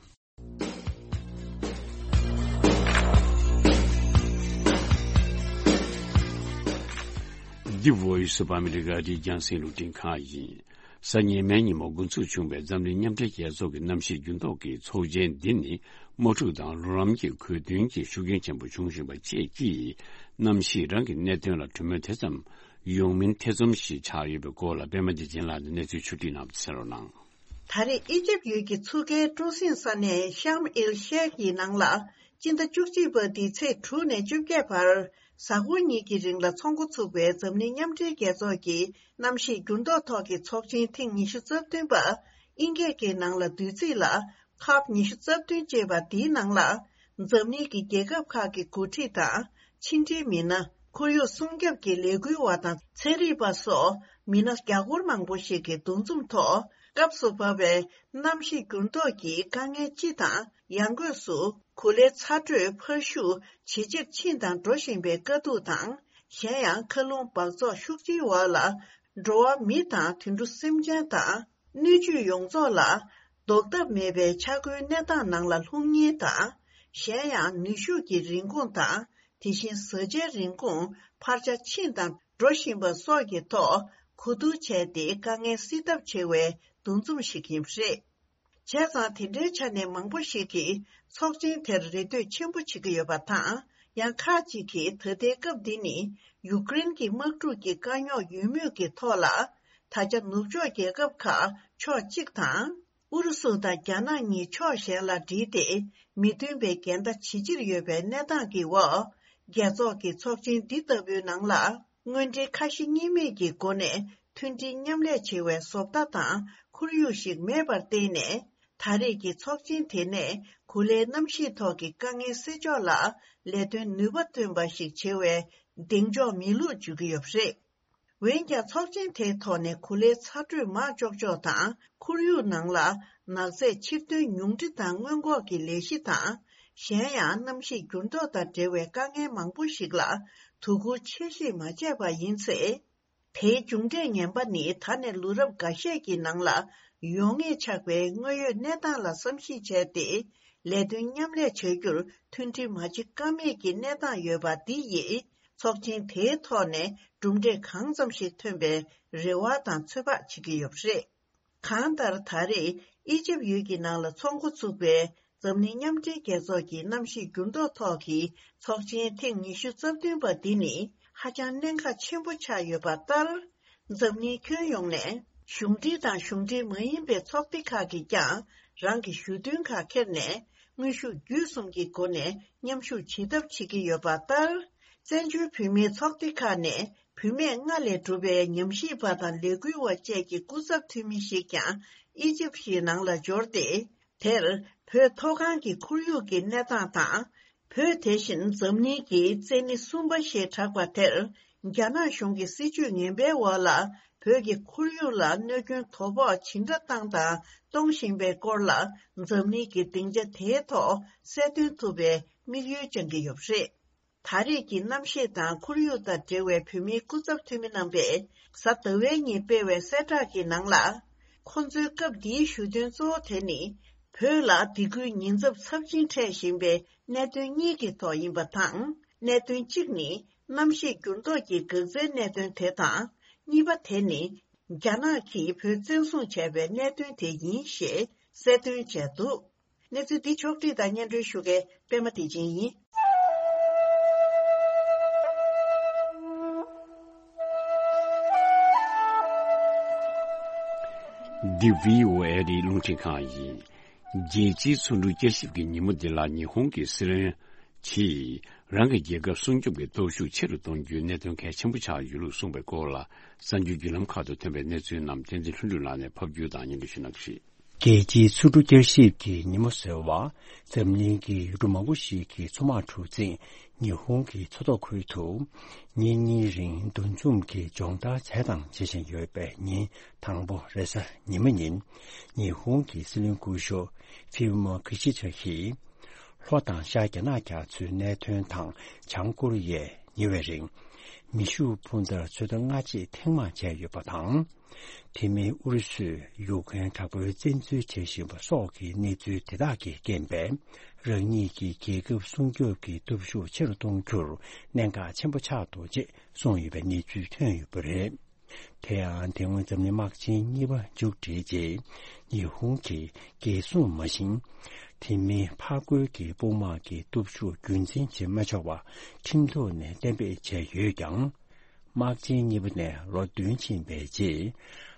འདི་Voice of America རྒྱང་སྲིང་རླུང་འཕྲིན་ཁང་ཡིན། གཟའ་ཉི་མའི་ཉིན་མོ་འགོ་འཛུགས་བྱུང་བའི་འཛམ་གླིང་མཉམ་འབྲེལ་རྒྱལ་ཚོགས་ཀྱི་གནམ་གཤིས་འགྱུར་ལྡོག་གི་ཚོགས་ཆེན་འདི་ནི་དམག་འཁྲུག་དང་རོགས་རམ་གྱི་གོ་མཐུན་གྱི་ཤུགས་རྐྱེན་ཆེན་པོ་བྱུང་བཞིན་པ་བཅས་ཀྱིས། གནམ་གཤིས་རང་གི་གནད་དོན་ལ་གྲོས་མོལ་དེ་ཙམ་ཡོང་མིན་ཐེ་ཚོམ་ཞིག་ཆགས་ཡོད་པའི་སྐོར་ལ་པད་མ་བདེ་ཆེན་ལགས་ནས་གནས་ཚུལ་ཕྱོགས་སྒྲིག་གནང་བ་གསན་རོགས་གནང་། ད་རེས་ཨི་ཇིབ་ཡུལ་གྱི་མཚོ་ཁའི་སྤྲོ་གསེང་ས་གནས་ཤམ་ཨེལ་ཤེག་ཡི་ནང་ལ། སྤྱི་ཟླ་བཅུ་གཅིག་པ་འདིའི་ཚེས་དྲུག་ནས་བཅོ་བརྒྱད་བར། གཟའ་འཁོར་གཉིས་ཀྱི་རིང་ལ་ཚོགས་འགོ་ཚུགས་པའི་འཛམ་གླིང་མཉམ་འབྲེལ་རྒྱལ་ཚོགས་ཀྱི་གནམ་གཤིས་འགྱུར་ལྡོག་ཐོག་གི་ཚོགས་ཆེན་ཐེངས་ཉི་ཤུ་རྩ་བདུན་པ། དབྱིན་སྐད་ཀྱི་ནང་ལ་བསྡུས་ཚིག་ལ། ཁབ་ཉི་ཤུ་རྩ་བདུན་ཅེས་པ་འདིའི་ནང་ལ། འཛམ་གླིང་གི་རྒྱལ་ཁབ་ཁག་གི་འགོ་ཁྲིད་དང་། ཕྱི་འབྲེལ་མི་སྣ། ཁོར་ཡུག་སྲུང་སྐྱོབ་ཀྱི་ལས་འགུལ་བ་དང་། ཚན་རིག་པ་སོགས་མི་སྣ་རྒྱ་སྒོར་མང་པོ་ཞིག་གིས་འདུ་འཛོམས་ཐོག། སྐབས་སུ་བབས་པའི་གནམ་གཤིས་འགྱུར་ལྡོག་གི་དཀའ་ངལ་སྤྱི་དང་། ཡང་སྒོས་སུ་གོ་ལའི་ཚ་དྲོད་འཕར་ཤུགས་ཇེ་ཆེར་ཕྱིན་དང་འགྲོ་བཞིན་པའི་དཀའ་སྡུག་དང་། གཞན་ཡང་། མཁའ་རླུང་འབག་བཙོག་ཤུགས་ཆེའི་འོག་ལ། འགྲོ་བ་མི་དང་དུད་འགྲོ་སེམས་ཅན་དང་། སྣོད་བཅུད་ཡོངས་རྫོགས་ལ། ཟློག་ཐབས་མེད་པའི་ཆག་སྒོའི་གནས་སྟངས་ནང་ལ་ལྷུང་ཉེན་དང་། གཞན་ཡང་། ནུས་ཤུགས་ཀྱི་རིན་གོང་དང་། དེ་བཞིན་བཟའ་བཅའི་རིན་གོང་འཕར་ཆ་ཕྱིན་དང་འགྲོ་བཞིན་པ་སོགས་ཀྱི་ཐོག་གོ་བསྡུར་བྱས་ཏེ། དཀའ་ངལ་སེལ་ཐབས་བྱེད་པའི་འདུ་འཛོམས་ཤིག་ཡིན་པ་རེད། བྱས་ཙང་། དེ་འདྲའི་ཆ་ནས་མང་པོ་ཞིག་གིས་ཚོགས་ཆེན་དེར་རེ་ལྟོས་ཆེན་པོ་བྱེད་ཀྱི་ཡོད་པ་དང་། ཡང་ཁག་ཅིག་གིས་ད་ལྟའི་སྐབས་འདི་ནི་ཡུཀ་རེན་གྱི་དམག་འཁྲུག་གི་དཀའ་རྙོག་ཡོད་མུས་ཀྱི་ཐོག་ལ། ད་ཆ་ནུབ་ཕྱོགས་རྒྱལ་ཁབ་ཁག་ཕྱོགས་གཅིག་དང་། ཨུ་རུ་སུ་དང་རྒྱ་ནག་གཉིས་ཕྱོགས་གཞན་ལ་བསྒྲིལ་ཏེ། མི་མཐུན་པའི་འགལ་ཟླ་ཇེ་ཆེར་ཡོད་པའི་གནས་སྟངས་ཀྱི་འོག། རྒྱལ་ཚོགས་ཀྱི་ཚོགས་ཆེན་འདི་ལྟ་བུའི་ནང་ལ། དངོས་འབྲེལ་ཁ་ཞེ་གཉིས་མེད་ཀྱི་སྒོ་ནས་མཐུན་སྒྲིལ་མཉམ་ལས་བྱེད་པའི་བཟོ་ལྟ་དང་ཁོར་ཡུག་ཞིག་མེད་པར་བརྟེན་ནས། ད་རེས་ཀྱི་ཚོགས་ཆེན་དེ་ནས་གོ་ལའི་གནམ་གཤིས་ཐོག་གི་དཀའ་ངལ་སེལ་ཕྱོགས་ལ་ལས་དོན་ནུས་པ་ཐོན་པ་ཞིག་བྱེད་པའི་གདེང་འཇོག་མེད་ལུགས་བརྗོད་ཀྱི་ཡོད་པ་རེད། འོན་ཀྱང་། ཚོགས་ཆེན་དེའི་ཐོག་ནས་གོ་ལའི་ཚ་དྲོད་མར་གཅོག་ཕྱོགས་དང་། ཁོར་ཡུག་ནང་ལ་ནག་རྫས་ཕྱིར་ཐོན་ཉུང་འཕྲི་དང་སྔོན་འགོག་གི་ལས་གཞི་དང་། གཞན་ཡང་། གནམ་གཤིས་འགྱུར་ལྡོག་དང་འབྲེལ་བའི་དཀའ་ངལ་མང་པོ་ཞིག་ལ་དོ་ཁུར་ཆེ་བཞེས་མ་བྱས་པ་ཡིན་ཚེ། དེའི་མཇུག་འབྲས་ངན་པ་ནི། ད་ནས་ལོ་རབས་འགའ་ཤས་ཀྱི་ནང་ལ་ཡོང་ངེས་ཆགས་པའི་དངོས་ཡོད་གནས་སྟངས་ལ་བསམ་གཞིག་བྱས་ཏེ། ལས་དོན་མཉམ་ལས་བྱ་རྒྱུར་མཐུན་སྒྲིལ་མ་བྱེད་ཀ་མེད་ཀྱི་གནས་སྟངས་ཡོད་པ་འདི་ཡིས། ཚོགས་ཆེན་དེའི་ཐོག་ནས་གྲུབ་འབྲས་གང་ཙམ་ཞིག་ཐོན་པའི་རེ་བ་དང་ཚོད་དཔག་བྱེད་ཀྱི་ཡོད་པ་རེད། གང་ལྟར། ད་རེས་ཨི་ཇིབ་ཡུལ་གྱི་ནང་ལ་ཚོགས་འགོ་ཚུགས་པའི་འཛམ་གླིང་མཉམ་འབྲེལ་རྒྱལ་ཚོགས་ཀྱི་གནམ་གཤིས་འགྱུར་ལྡོག་ཐོག་གི་ཚོགས་ཆེན་ཐེངས་ཉི་ཤུ་རྩ་བདུན་པ་འདི་ནི་ཧ་ཅང་གནད་འགག་ཆེན་པོ་ཆགས་ཡོད་པ་ལྟར། འཛམ་གླིང་ཁྱོན་ཡོངས་ནས་གཞུང་འབྲེལ་དང་གཞུང་འབྲེལ་མ་ཡིན་པའི་ཚོགས་སྡེ་ཁག་གིས་ཀྱང་རང་གི་ཞུ་འདུན་ཁག་འཁྱེར་ནས། དངོས་ཤུགས་བརྒྱུད་གསུམ་གྱི་སྒོ་ནས་མཉམ་ཞུགས་བྱེད་ཐབས་བྱེད་ཀྱི་ཡོད་པ་ལྟར། བཙན་བྱོལ་བོད་མིའི་ཚོགས་སྡེ་ཁག་ནས་བུད་མེད་ལྔ་ལས་གྲུབ་པའི་ཉམས་ཞིབ་པ་དང་ལས་འགུལ་བ་བཅས་ཀྱི་སྐུ་ཚབ་འཐུས་མི་ཞིག་ཀྱང་ཨི་ཇིབ་ཞིག་ནང་ལ་འབྱོར་ཏེ། དེར་བོད་མཐོ་སྒང་གི་ཁོར་ཡུག་གི་གནས་སྟངས་དང་། བོད་དེ་བཞིན་འཛམ་གླིང་གི་བཙན་ནི་གསུམ་པ་ཞེས་གྲགས་པ་དེར། རྒྱ་ནག་གཞུང་གི་སྲིད་ཇུས་ངན་པའི་འོག་ལ། བོད་ཀྱི་ཁོར་ཡུག་ལ་གནོད་སྐྱོན་དོ་ཕོག་ཇི་འདྲ་བཏང་དང་གཏོང་བཞིན་པའི་སྐོར་ལ། འཛམ་གླིང་གི་སྡིངས་ཆ་དེའི་ཐོག་གསལ་སྟོན་ཐུབ་པའི་དམིགས་ཡུལ་བཅངས་ཀྱི་ཡོད་པ་རེད། ད་རེས་ཀྱི་གནམ་གཤིས་དང་ཁོར་ཡུག་དང་འབྲེལ་བའི་བོད་མིའི་སྐུ་ཚབ་འཐུས་མི་རྣམ་པས་གཟའ་ཟླ་བའི་ཉིན་སྤེལ་བའི་གསལ་བསྒྲགས་ཀྱི་ནང་ལ། ཁོང་ཚོའི་སྐབས་འདིའི་ཞུ་འདུན་གཙོ་བོ་དེ་ནི། བོད་ལ་སྡིགས་སྐུལ་ཉེན་ཚབས་ཚབས་ཆེན་འཕྲད་བཞིན་པའི་གནད་དོན་གཉིས་ཀྱི་ཐོག་ཡིན་པ་དང་། གནད་དོན་གཅིག་ནི། གནམ་གཤིས་འགྱུར་ལྡོག་གི་འགག་རྩའི་གནད་དོན་དེ་དང་། གཉིས་པ་དེ་ནི། རྒྱ་ནག་གིས་བོད་བཙན་བཟུང་བྱས་པའི་གནད་དོན་དེ་ཡིན་ཞེས་གསལ་སྟོན་བྱས་འདུག་གནས་ཚུལ་འདི་ཕྱོགས་བསྒྲིགས་དང་སྙན་སྒྲོན་ཞུ་མཁན་པད་མ་བདེ་ཆེན་ཡིན། འདི་བྷི་ཨོ་ཨེ་རེད། རླུང་འཕྲིན་ཁང་ཡིན། རྒྱལ་སྤྱིའི་ཚོགས་འདུ་བསྐྱར་ཞིབ་ཀྱི་ཉིན་མོ་འདི་ལ་ཉི་ཧོང་གི་སྲིད་བློན་གྱིས་རང་གི་རྒྱལ་ཁབ་སྲུང་སྐྱོབ་ཀྱི་སྟོབས་ཤུགས་ཆེ་རུ་གཏོང་རྒྱུའི་གནད་དོན་གལ་ཆེན་པོ་ཆགས་ཡོད་ལུགས་གསུངས་པའི་སྐོར་ལ། གསར་འགྱུར་བརྒྱུད་ལམ་ཁག་ཏུ་ཐོན་པའི་གནས་ཚུལ་རྣམས་བསྟན་འཛིན་ལྷུན་གྲུབ་ལགས་ནས་ཕབ་སྒྱུར་དང་སྙན་སྒྲོན་ཞུ་གནང་གི་རེད། རྒྱལ་སྤྱིའི་ཚོགས་འདུ་བསྐྱར་ཞིབ་ཀྱི་ཉིན་མོ་ཟེར་བ། འཛམ་གླིང་གི་ཡུལ་གྲུ་མང་པོ་ཞིག་གི་མཚོ་དམག་གྲུ་གཟིངས་ཉི་ཧོང་གི་མཚོ་ཐོག་ཁུལ་དུ་ཉིན་གཉིས་རིང་འདུ་འཛོམས་ཀྱིས་སྦྱོང་བརྡར་བྱས་དང་བྱེད་བཞིན་ཡོད་པའི་ཉིན་དང་པོ་རེས་གཟའ་ཉི་མ་ཉིན། ཉི་ཧོང་གི་སྲིད་བློན་སྐུ་ཞབས་ཧྥུ་མོ་ཁི་ཤི་ད་ཡིས། ལྷོ་དང་ཤར་རྒྱ་ནག་རྒྱ་མཚོའི་གནད་དོན་དང་བྱང་ཀོ་རི་ཡས་ཉེ་བའི་རིང་། མེ་ཤུགས་འཕུར་མདའ་ཚོད་ལྟ་སྔ་རྗེས་ཐེངས་མང་བྱས་ཡོད་པ་དང་། དེ་མིན་ཨུ་རུ་སུས་ཡུཀ་རེན་དྲག་པོའི་བཙན་འཛུལ་བྱེད་བཞིན་པ་སོགས་ཀྱི་གནས་ཚུལ་དེ་དག་གིས་རྐྱེན་པས། རང་ཉིད་ཀྱི་རྒྱལ་ཁབ་སྲུང་སྐྱོབ་ཀྱི་སྟོབས་ཤུགས་ཆེ་རུ་གཏོང་རྒྱུར་གནད་འགག་ཆེན་པོ་ཆགས་འདུག་ཅེས་གསུངས་ཡོད་པའི་གནས་ཚུལ་ཐོན་ཡོད་པ་རེད། དེ་ཡང་དེ་སྔོན་འཛམ་གླིང་དམག་ཆེན་གཉིས་པ་མཇུག་བསྒྲིལ་རྗེས། ཉི་ཧོང་གིས་རྒྱལ་སྲུང་མ་བཞིན། དེ་མིན་ཕར་རྒོལ་གྱི་དཔུང་དམག་གི་སྟོབས་ཤུགས་རྒྱུན་འཛིན་བྱེད་མ་ཆོག་པ་ཁྲིམས་ཐོག་ནས་གཏན་འབེབས་བྱས་ཡོད་ཀྱང་། དམག་ཆེན་གཉིས་པ་ནས་ལོ་བདུན་ཕྱིན་པའི་རྗེས།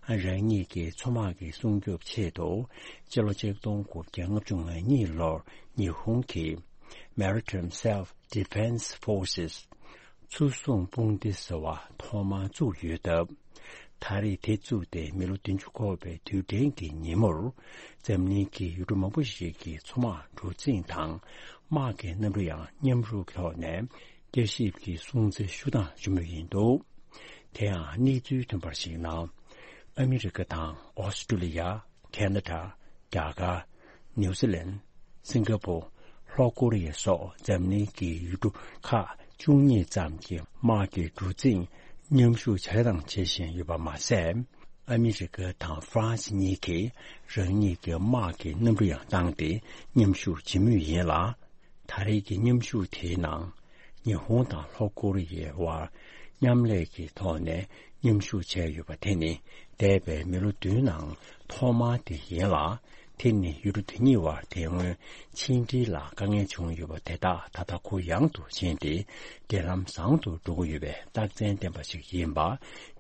རང་ཉིད་ཀྱི་མཚོ་དམག་གི་སྲུང་སྐྱོབ་ཆེད་དུ། སྤྱི་ལོ་ཆིག་སྟོང་དགུ་བརྒྱ་ལྔ་བཅུ་ང་གཉིས་ལོར་ཉི་ཧོང་གི་Maritime Self Defense Forces། མཚོ་སྲུང་དཔུང་སྡེ་ཟེར་བ་ཐོག་མར་བཙུགས་ཡོད་སྟབས། ད་རེས་དེ་བཙུགས་ཏེ་མི་ལོ་བདུན་ཅུ་འཁོར་བའི་དུས་དྲན་གྱི་ཉིན་མོར། འཛམ་གླིང་གི་ཡུལ་གྲུ་མང་པོ་ཞིག་གི་མཚོ་དམག་གྲུ་གཟིངས་དང་། དམག་གི་གནམ་གྲུ་ཡང་མཉམ་རུབ་ཐོག་ནས་བསྐྱར་ཞིབ་ཀྱི་སྲུང་བརྩི་ཞུ་སྟངས་ཞུ་མུས་ཡིན་འདུག་དེ་ཡང་གནས་ཚུལ་ཐོན་པར་གཞིགས་ན། ཨ་མི་རི་ཀ་དང་ཨོ་སི་ཀྲུ་ལི་ཡ། ཁེ་ན་ཌ། རྒྱ་གར། ནིའུ་ཛི་ལན། སིང་ག་པུར། ལྷོ་ཀོ་རི་ཡ་སོགས་འཛམ་གླིང་གི་ཡུལ་གྲུ་ཁག་བཅུ་གཉིས་ཙམ་གྱི་དམག་གི་གྲུ་གཟིངས་མཉམ་ཞུགས་བྱས་དང་བྱེད་བཞིན་ཡོད་པ་མ་ཟད། ཨ་མི་རི་ཀ་དང་ཧྥ་རན་སི་གཉིས་ཀྱིས་རང་ཉིད་ཀྱི་དམག་གི་གནམ་གྲུ་ཡང་བཏང་སྟེ་མཉམ་ཞུགས་བྱེད་མུས་ཡིན་ལ། ད་རེས་ཀྱི་མཉམ་ཞུགས་དེའི་ནང་། ཉི་ཧོང་དང་ལྷོ་ཀོ་རི་ཡའི་དབར་མཉམ་ལས་ཀྱི་ཐོག་ནས་མཉམ་ཞུགས་བྱས་ཡོད་པ་དེ་ནི་འདས་པའི་མི་ལོ་བདུན་ནང་ཐོག་མ་དེ་ཡིན་ལ། དེ་ནི་ཡུལ་གྲུ་དེ་གཉིས་དབར་དེ་སྔོན་ཕྱི་འབྲེལ་ལ་དཀའ་ངལ་བྱུང་ཡོད་པ་དེ་དག་ད་ལྟ་གུ་ཡངས་དུ་ཕྱིན་ཏེ། འབྲེལ་ལམ་བཟང་དུ་འགྲོ་གི་ཡོད་པའི་རྟགས་མཚན་ལྡན་པ་ཞིག་ཡིན་པ་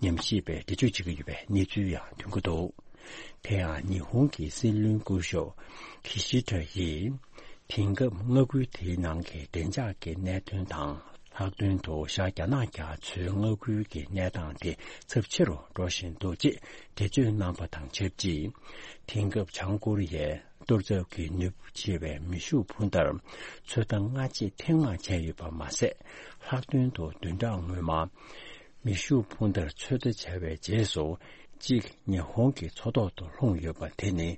ཉམས་ཞིབ་པས་འགྲེལ་བརྗོད་བྱེད་ཀྱི་ཡོད་པའི་གནས་ཚུལ་ཡང་ཐོན་གྱི་འདུག་དེ་ཡང་ཉི་ཧོང་གི་སྲིད་བློན་སྐུ་ཞབས་ཁི་ཤི་ད་ཡིས། དེང་སྐབས་མངའ་ཁུལ་དེའི་ནང་གི་བདེ་འཇགས་ཀྱི་གནད་དོན་དང་། ལྷག་དོན་དུ་ཤར་རྒྱ་ནག་རྒྱ་མཚོའི་མངའ་ཁུལ་གྱི་གནས་སྟངས་དེ་ཚབས་ཆེ་རུ་འགྲོ་བཞིན་འདུག་ཅེས་འགྲེལ་བརྗོད་གནང་པ་དང་ཆབས་ཅིག་དེང་སྐབས་བྱང་ཀོ་རི་ཡའི་གཏོར་ཚབ་ཀྱི་ནུས་པ་ཆེ་བའི་མེ་ཤུགས་འཕུར་མདའ་ཚོད་ལྟ་སྔ་རྗེས་ཐེངས་མང་བྱས་ཡོད་པ་མ་ཟད། ལྷག་དོན་དུ་བདུན་ཕྲག་སྔོན་མ། མེ་ཤུགས་འཕུར་མདའ་ཚོད་ལྟ་བྱས་པའི་རྗེས་སུ། གཅིག་ཉི་ཧོང་གི་མཚོ་ཐོག་ཏུ་ལྷུང་ཡོད་པ་དེ་ནི།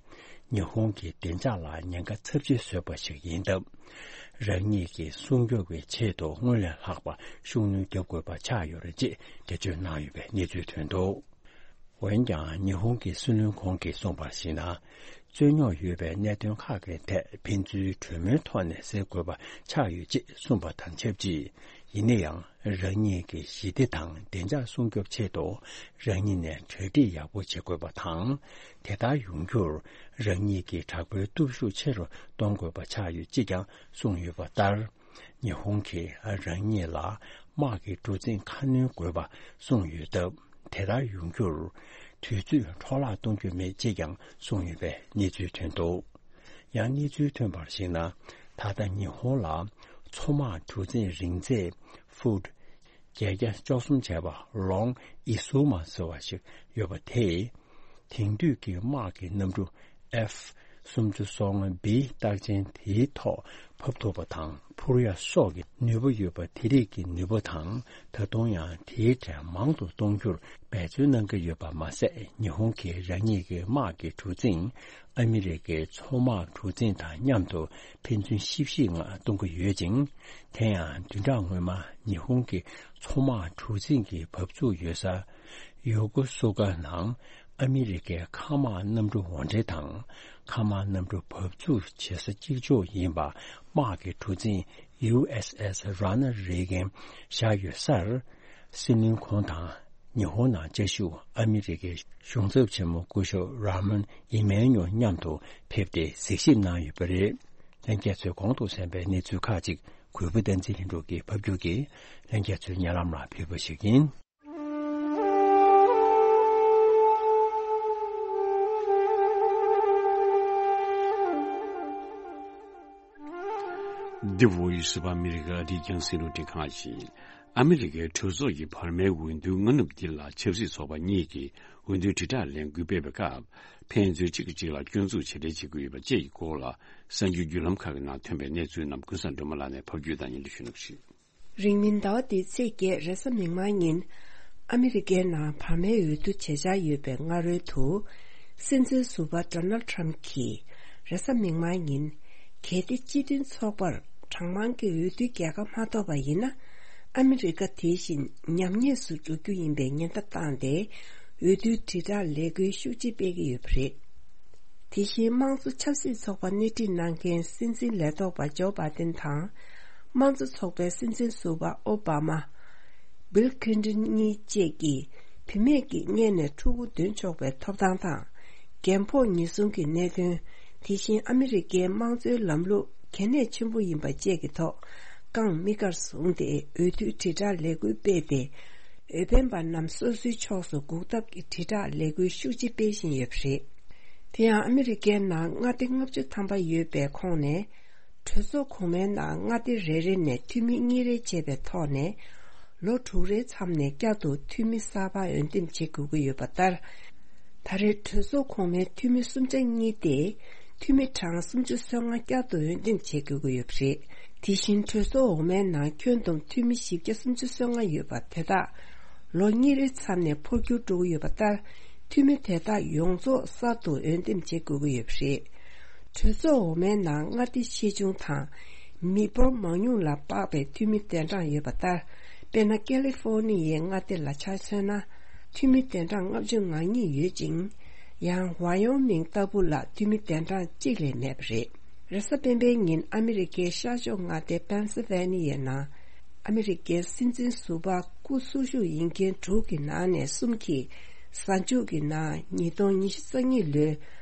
ཉི་ཧོང་གི་བདེ་འཇགས་ལ་ཉེན་ཁ་ཚབས་ཆེ་བཟོས་པ་ཞིག་ཡིན་སྟབས། རང་ཉིད་ཀྱི་སྲུང་སྐྱོབ་ཀྱི་ཆེད་དུ་སྔོན་ལས་ལྷག་པ་ཤུགས་སྣོན་རྒྱག་དགོས་པ་ཆགས་ཡོད་རེད་ཅེས་འགྲེལ་བརྗོད་གནང་ཡོད་པའི་གནས་ཚུལ་ཐོན་འདུག་འོན་ཀྱང་ཉི་ཧོང་གི་སྲིད་བློན་ཁོང་གིས་གསུངས་པར་གཞིགས་ན། རྩོད་རྙོག་ཡོད་པའི་གནད་དོན་ཁག་གི་ཐད་ཕན་ཚུན་གྲོས་མོལ་ཐོག་ནས་སེལ་དགོས་པ་ཆགས་ཡོད་ཅེས་གསུངས་པ་དང་ཆབས་ཅིག་ཡིན་ན་ཡང་། རང་ཉིད་ཀྱི་ཞི་བདེ་དང་བདེ་འཇགས་སྲུང་སྐྱོབ་ཆེད་དུ་རང་ཉིད་ནས་གྲ་སྒྲིག་ཡག་པོ་བྱེད་དགོས་པ་དང་། དེ་ལྟར་ཡོང་རྒྱུར་རང་ཉིད་ཀྱི་དྲག་པོའི་སྟོབས་ཤུགས་ཆེ་རུ་གཏོང་དགོས་པ་ཆགས་ཡོད་ཅེས་ཀྱང་གསུངས་ཡོད་པ་ལྟར། ཉི་ཧོང་གིས་རང་ཉིད་ལ་དམག་གི་གྲུ་གཟིངས་ཁ་སྣོན་དགོས་པ་གསུངས་ཡོད་སྟབས། དེ་ལྟར་ཡོང་རྒྱུར་དུས་ཚོད་འཕྲོ་བརླག་གཏོང་རྒྱུ་མེད་ཅེས་ཀྱང་གསུངས་ཡོད་པའི་གནས་ཚུལ་ཐོན་འདུག་ཡང་གནས་ཚུལ་ཐོན་པར་གཞིགས་ན། ད་ལྟ་ཉི་ཧོང་ལ་མཚོ་དམག་གྲུ་གཟིངས་རིང་ཚད་ཧྥུཊ་བརྒྱད་བརྒྱ་བཅུ་གསུམ་བྱས་པ་ལོང་ཨི་སུ་མ་ཟེར་བ་ཞིག་ཡོད་པ་དེས། དེང་དུས་ཀྱི་དམག་གི་གནམ་གྲུ་ཨེཕ་སུམ་ཅུ་སོ་ལྔ་བི་རྟགས་ཅན་དེའི་ཐོག་ཕབ་ཐུབ་པ་དང་འཕུར་ཡག་སོགས་ཀྱི་ནུས་པ་ཡོད་པ་དེ་རིགས་ཀྱི་ནུས་པ་དང་། ད་དུང་ཡང་དེའི་གྲས་མང་དུ་གཏོང་རྒྱུར་འབད་བརྩོན་གནང་གི་ཡོད་པ་མ་ཟད། ཉི་ཧོང་གིས་རང་ཉིད་ཀྱི་དམག་གི་གྲུ་གཟིངས་ཨ་མི་རི་ཀའི་མཚོ་དམག་གྲུ་གཟིངས་དང་མཉམ་དུ་ཕན་ཚུན་ཤིབ་ཤིབ་ངང་གཏོང་གི་ཡོད་ཅིང་། དེ་ཡང་བདུན་ཕྲག་སྔོན་མ་ཉི་ཧོང་གི་མཚོ་དམག་གྲུ་གཟིངས་ཀྱི་བབས་ཚུགས་ཡོད་ས་ཡོ་ཀོ་སུ་ཀ་ནང་ཨ་མི་རི་ཀའི་མཁའ་དམག་གནམ་གྲུ་འོར་འདྲེན་དང་མཁའ་དམག་གནམ་གྲུ་བབས་ཚུགས་བྱེད་ས་གཅིག་ལྕོགས་ཡིན་པ། དམག་གི་གྲུ་གཟིངས་ཡུ་ཨེས་ཨེས་རོ་ན་རེ་གན་བཞག་ཡོད་སར། སྲིད་བློན་ཁོང་དང་ཉི་ཧོང་ནང་བཅའ་བཞུགས་ཨ་མི་རི་ཀའི་གཞུང་ཚབ་ཆེན་མོ་སྐུ་ཞབས་ར་མོན་ཨི་མན་ཉོ་མཉམ་དུ་ཕེབས་ཏེ་གཟིགས་ཞིབ་གནང་ཡོད་པ་རེད། ལྷན་རྒྱས་ཚོས་གོང་དུ་གསན་པའི་གནས་ཚུལ་ཁག་ཅིག་གུས་པ་བསྟན་འཛིན་ལྷུན་གྲུབ་ཀྱིས་ཕབ་སྒྱུར་གྱིས་ལྷན་རྒྱས་ཚོའི་སྙན་ལམ་ལ་ཕུལ་བ་ཞིག་ཡིན། འདི་བོ་ཡི་སི་བ་ཨ་མི་རི་ཀ་ཨ་རིའི་རྒྱང་སྲིང་རླུང་འཕྲིན་ཁང་ཡིན། ཨ་མི་རི་ཀའི་གྲོས་ཚོགས་ཀྱི་བར་མའི་འོས་བསྡུའི་སྔ་ནུབ་འདི་ལ་ཆབ་སྲིད་ཚོགས་པ་གཉིས་ཀྱིས་འོས་བསྡུའི་དྲིལ་བསྒྲགས་ལས་འགུལ་སྤེལ་བའི་སྐབས། ཕན་ཚུན་གཅིག་གིས་གཅིག་ལ་སྐྱོན་འཛུགས་བྱེད་གྲས་བྱེད་ཀྱི་ཡོད་པ་བཅས་ཀྱི་སྐོར་ལ། གསར་འགྱུར་བརྒྱུད་ལམ་ཁག་གི་ནང་ཐོན་པའི་གནས་ཚུལ་རྣམས་ཀུན་བཟང་སྒྲོལ་མ་ལགས་ནས་ཕབ་སྒྱུར་དང་སྙན་སྒྲོན་ཞུ་གནང་ཞུ། རིང་མིན་ཟླ་བ་འདིའི་ཚེས་བརྒྱད་རེས་གཟའ་མིག་དམར་ཉིན། ཨ་མི་རི་ཀའི་ནང་བར་མའི་འོས་བསྡུ་བྱེད་འཆར་ཡོད་པའི་སྔ་རོལ་དུ། སྲིད་འཛིན་ཟུར་པ་ཌོ་ནལ་ཊམ་གྱིས་རེས་གཟའ་མིག་དམར་ཉིན། གལ་ཏེ་སྤྱི་མཐུན་ཚོགས་པར་གྲངས་མང་གི་འོས་བསྡུའི་རྒྱལ་ཁ་མ་ཐོབ་པ་ཡིན་ན། ཨ་མི་རི་ཀ་དེ་བཞིན་ཉམས་ཉེས་སུ་འགྲོ་རྒྱུ་ཡིན་པའི་ཉེན་བརྡ་བཏང་སྟེ། འོས་བསྡུའི་དྲིལ་བསྒྲགས་ལས་འགུལ་ཤུགས་ཆེ་སྤེལ་གྱི་ཡོད་པ་རེད། དེ་བཞིན་དམངས་གཙོ་ཆབ་སྲིད་ཚོགས་པ་སྣེ་ཁྲིད་གནང་མཁན་སྲིད་འཛིན་ལས་ཐོག་པ་ཇོ་བྷའི་ཏིན་དང་། དམངས་གཙོ་ཚོགས་པའི་སྲིད་འཛིན་ཟུར་པ་ཨོ་བྷ་མ། སྦིལ་ཁིན་ཏོན་གཉིས་བཅས་ཀྱིས་བུད་མེད་ཀྱི་མངལ་ནས་ཕྲུ་གུ་འདོན་ཆོག་པའི་ཐོབ་ཐང་དང་། རྒན་ཕོགས་ཉེན་སྲུང་གི་གནད་དོན། དེ་བཞིན་ཨ་མི་རི་ཀའི་དམངས་གཙོའི་ལམ་ལུགས་གལ་གནད་ཆེན་པོ་ཡིན་པ་བཅས་ཀྱི་ཐོག་རྐང་མིག་དཀར་བཟུང་སྟེ་འོས་བསྡུའི་དྲིལ་བསྒྲགས་ལས་འགུལ་སྤེལ་ཏེ། འོས་འཕེན་པ་རྣམས་སོ་སོའི་ཕྱོགས་སུ་འགུག་ཐབས་ཀྱི་དྲིལ་བསྒྲགས་ལས་འགུལ་ཤུགས་ཆེ་སྤེལ་བཞིན་ཡོད་པ་རེད། དེ་ཡང་ཨ་མི་རི་ཀའི་ནང་མངའ་སྡེ་ལྔ་བཅུ་ཐམ་པ་ཡོད་པའི་ཁོངས་ནས། གྲོས་ཚོགས་གོང་མའི་ནང་མངའ་སྡེ་རེ་རེ་ནས་འཐུས་མི་གཉིས་རེ་བྱས་པའི་ཐོག་ནས། ལོ་དྲུག་རེའི་མཚམས་ནས་བསྐྱར་དུ་འཐུས་མི་གསར་པ་འོས་འདེམས་བྱེད་དགོས་ཀྱི་ཡོད་པ་ལྟར། ད་རེས་གྲོས་ཚོགས་གོང་མའི་འཐུས་མི་སུམ་ཆ་གཉིས་ཏེ། འཐུས་མི་གྲངས་སུམ་ཅུ་སོ་ལྔ་བསྐྱར་དུ་འོས་འདེམས་བྱེད་དགོས་ཀྱི་ཡོད་པ་རེད། དེ་བཞིན་གྲོས་ཚོགས་འོག་མའི་ནང་ཁྱོན་བསྡོམས་འཐུས་མི་བཞི་བརྒྱ་སུམ་ཅུ་སོ་ལྔ་ཡོད་པ་དེ་དག་ལོ་གཉིས་རེའི་མཚམས་ནས་འཕོ་འགྱུར་འགྲོ་གི་ཡོད་པ་ལྟར། འཐུས་མི་དེ་དག་ཡོངས་རྫོགས་གསར་དུ་འོས་འདེམས་བྱེད་དགོས་ཀྱི་ཡོད་པ་རེད། གྲོས་ཚོགས་འོག་མའི་ནང་མངའ་སྡེ་ཆེ་ཆུང་དང་། མི་འབོར་མང་ཉུང་ལ་དཔག་པའི་འཐུས་མི་གདན་གྲངས་ཡོད་པ་ལྟར། དཔེར་ན། ཀེ་ལི་ཧྥོར་ནི་ཡའི་མངའ་སྡེ་ལ་ཆ་མཚོན་ན། འཐུས་མི་གདན་གྲངས་ལྔ་བཅུ་ང་གཉིས་ཡོད་ཅིང་། ཡང་ཝ་ཡོ་མིང་ལྟ་བུ་ལ་འཐུས་མི་གདན་གྲངས་གཅིག་ལས་མེད་པ་རེད། རེས་གཟའ་སྤེན་པའི་ཉིན་ཨ་མི་རི་ཀའི་ཤར་ཕྱོགས་མངའ་སྡེ་པེན་སི་ཝེ་ནི་ཡའི་ནང་། ཨ་མི་རི་ཀའི་སྲིད་འཛིན་ཟུར་པ་སྐུ་འཚོ་བཞུགས་ཡིན་མཁན་དྲུག་གི་ནང་ནས་གསུམ་གྱིས། གཟའ་མཇུག་གི་ནང་ཉིས་སྟོང་ཉི་ཤུ་རྩ་གཉིས་ལོའི་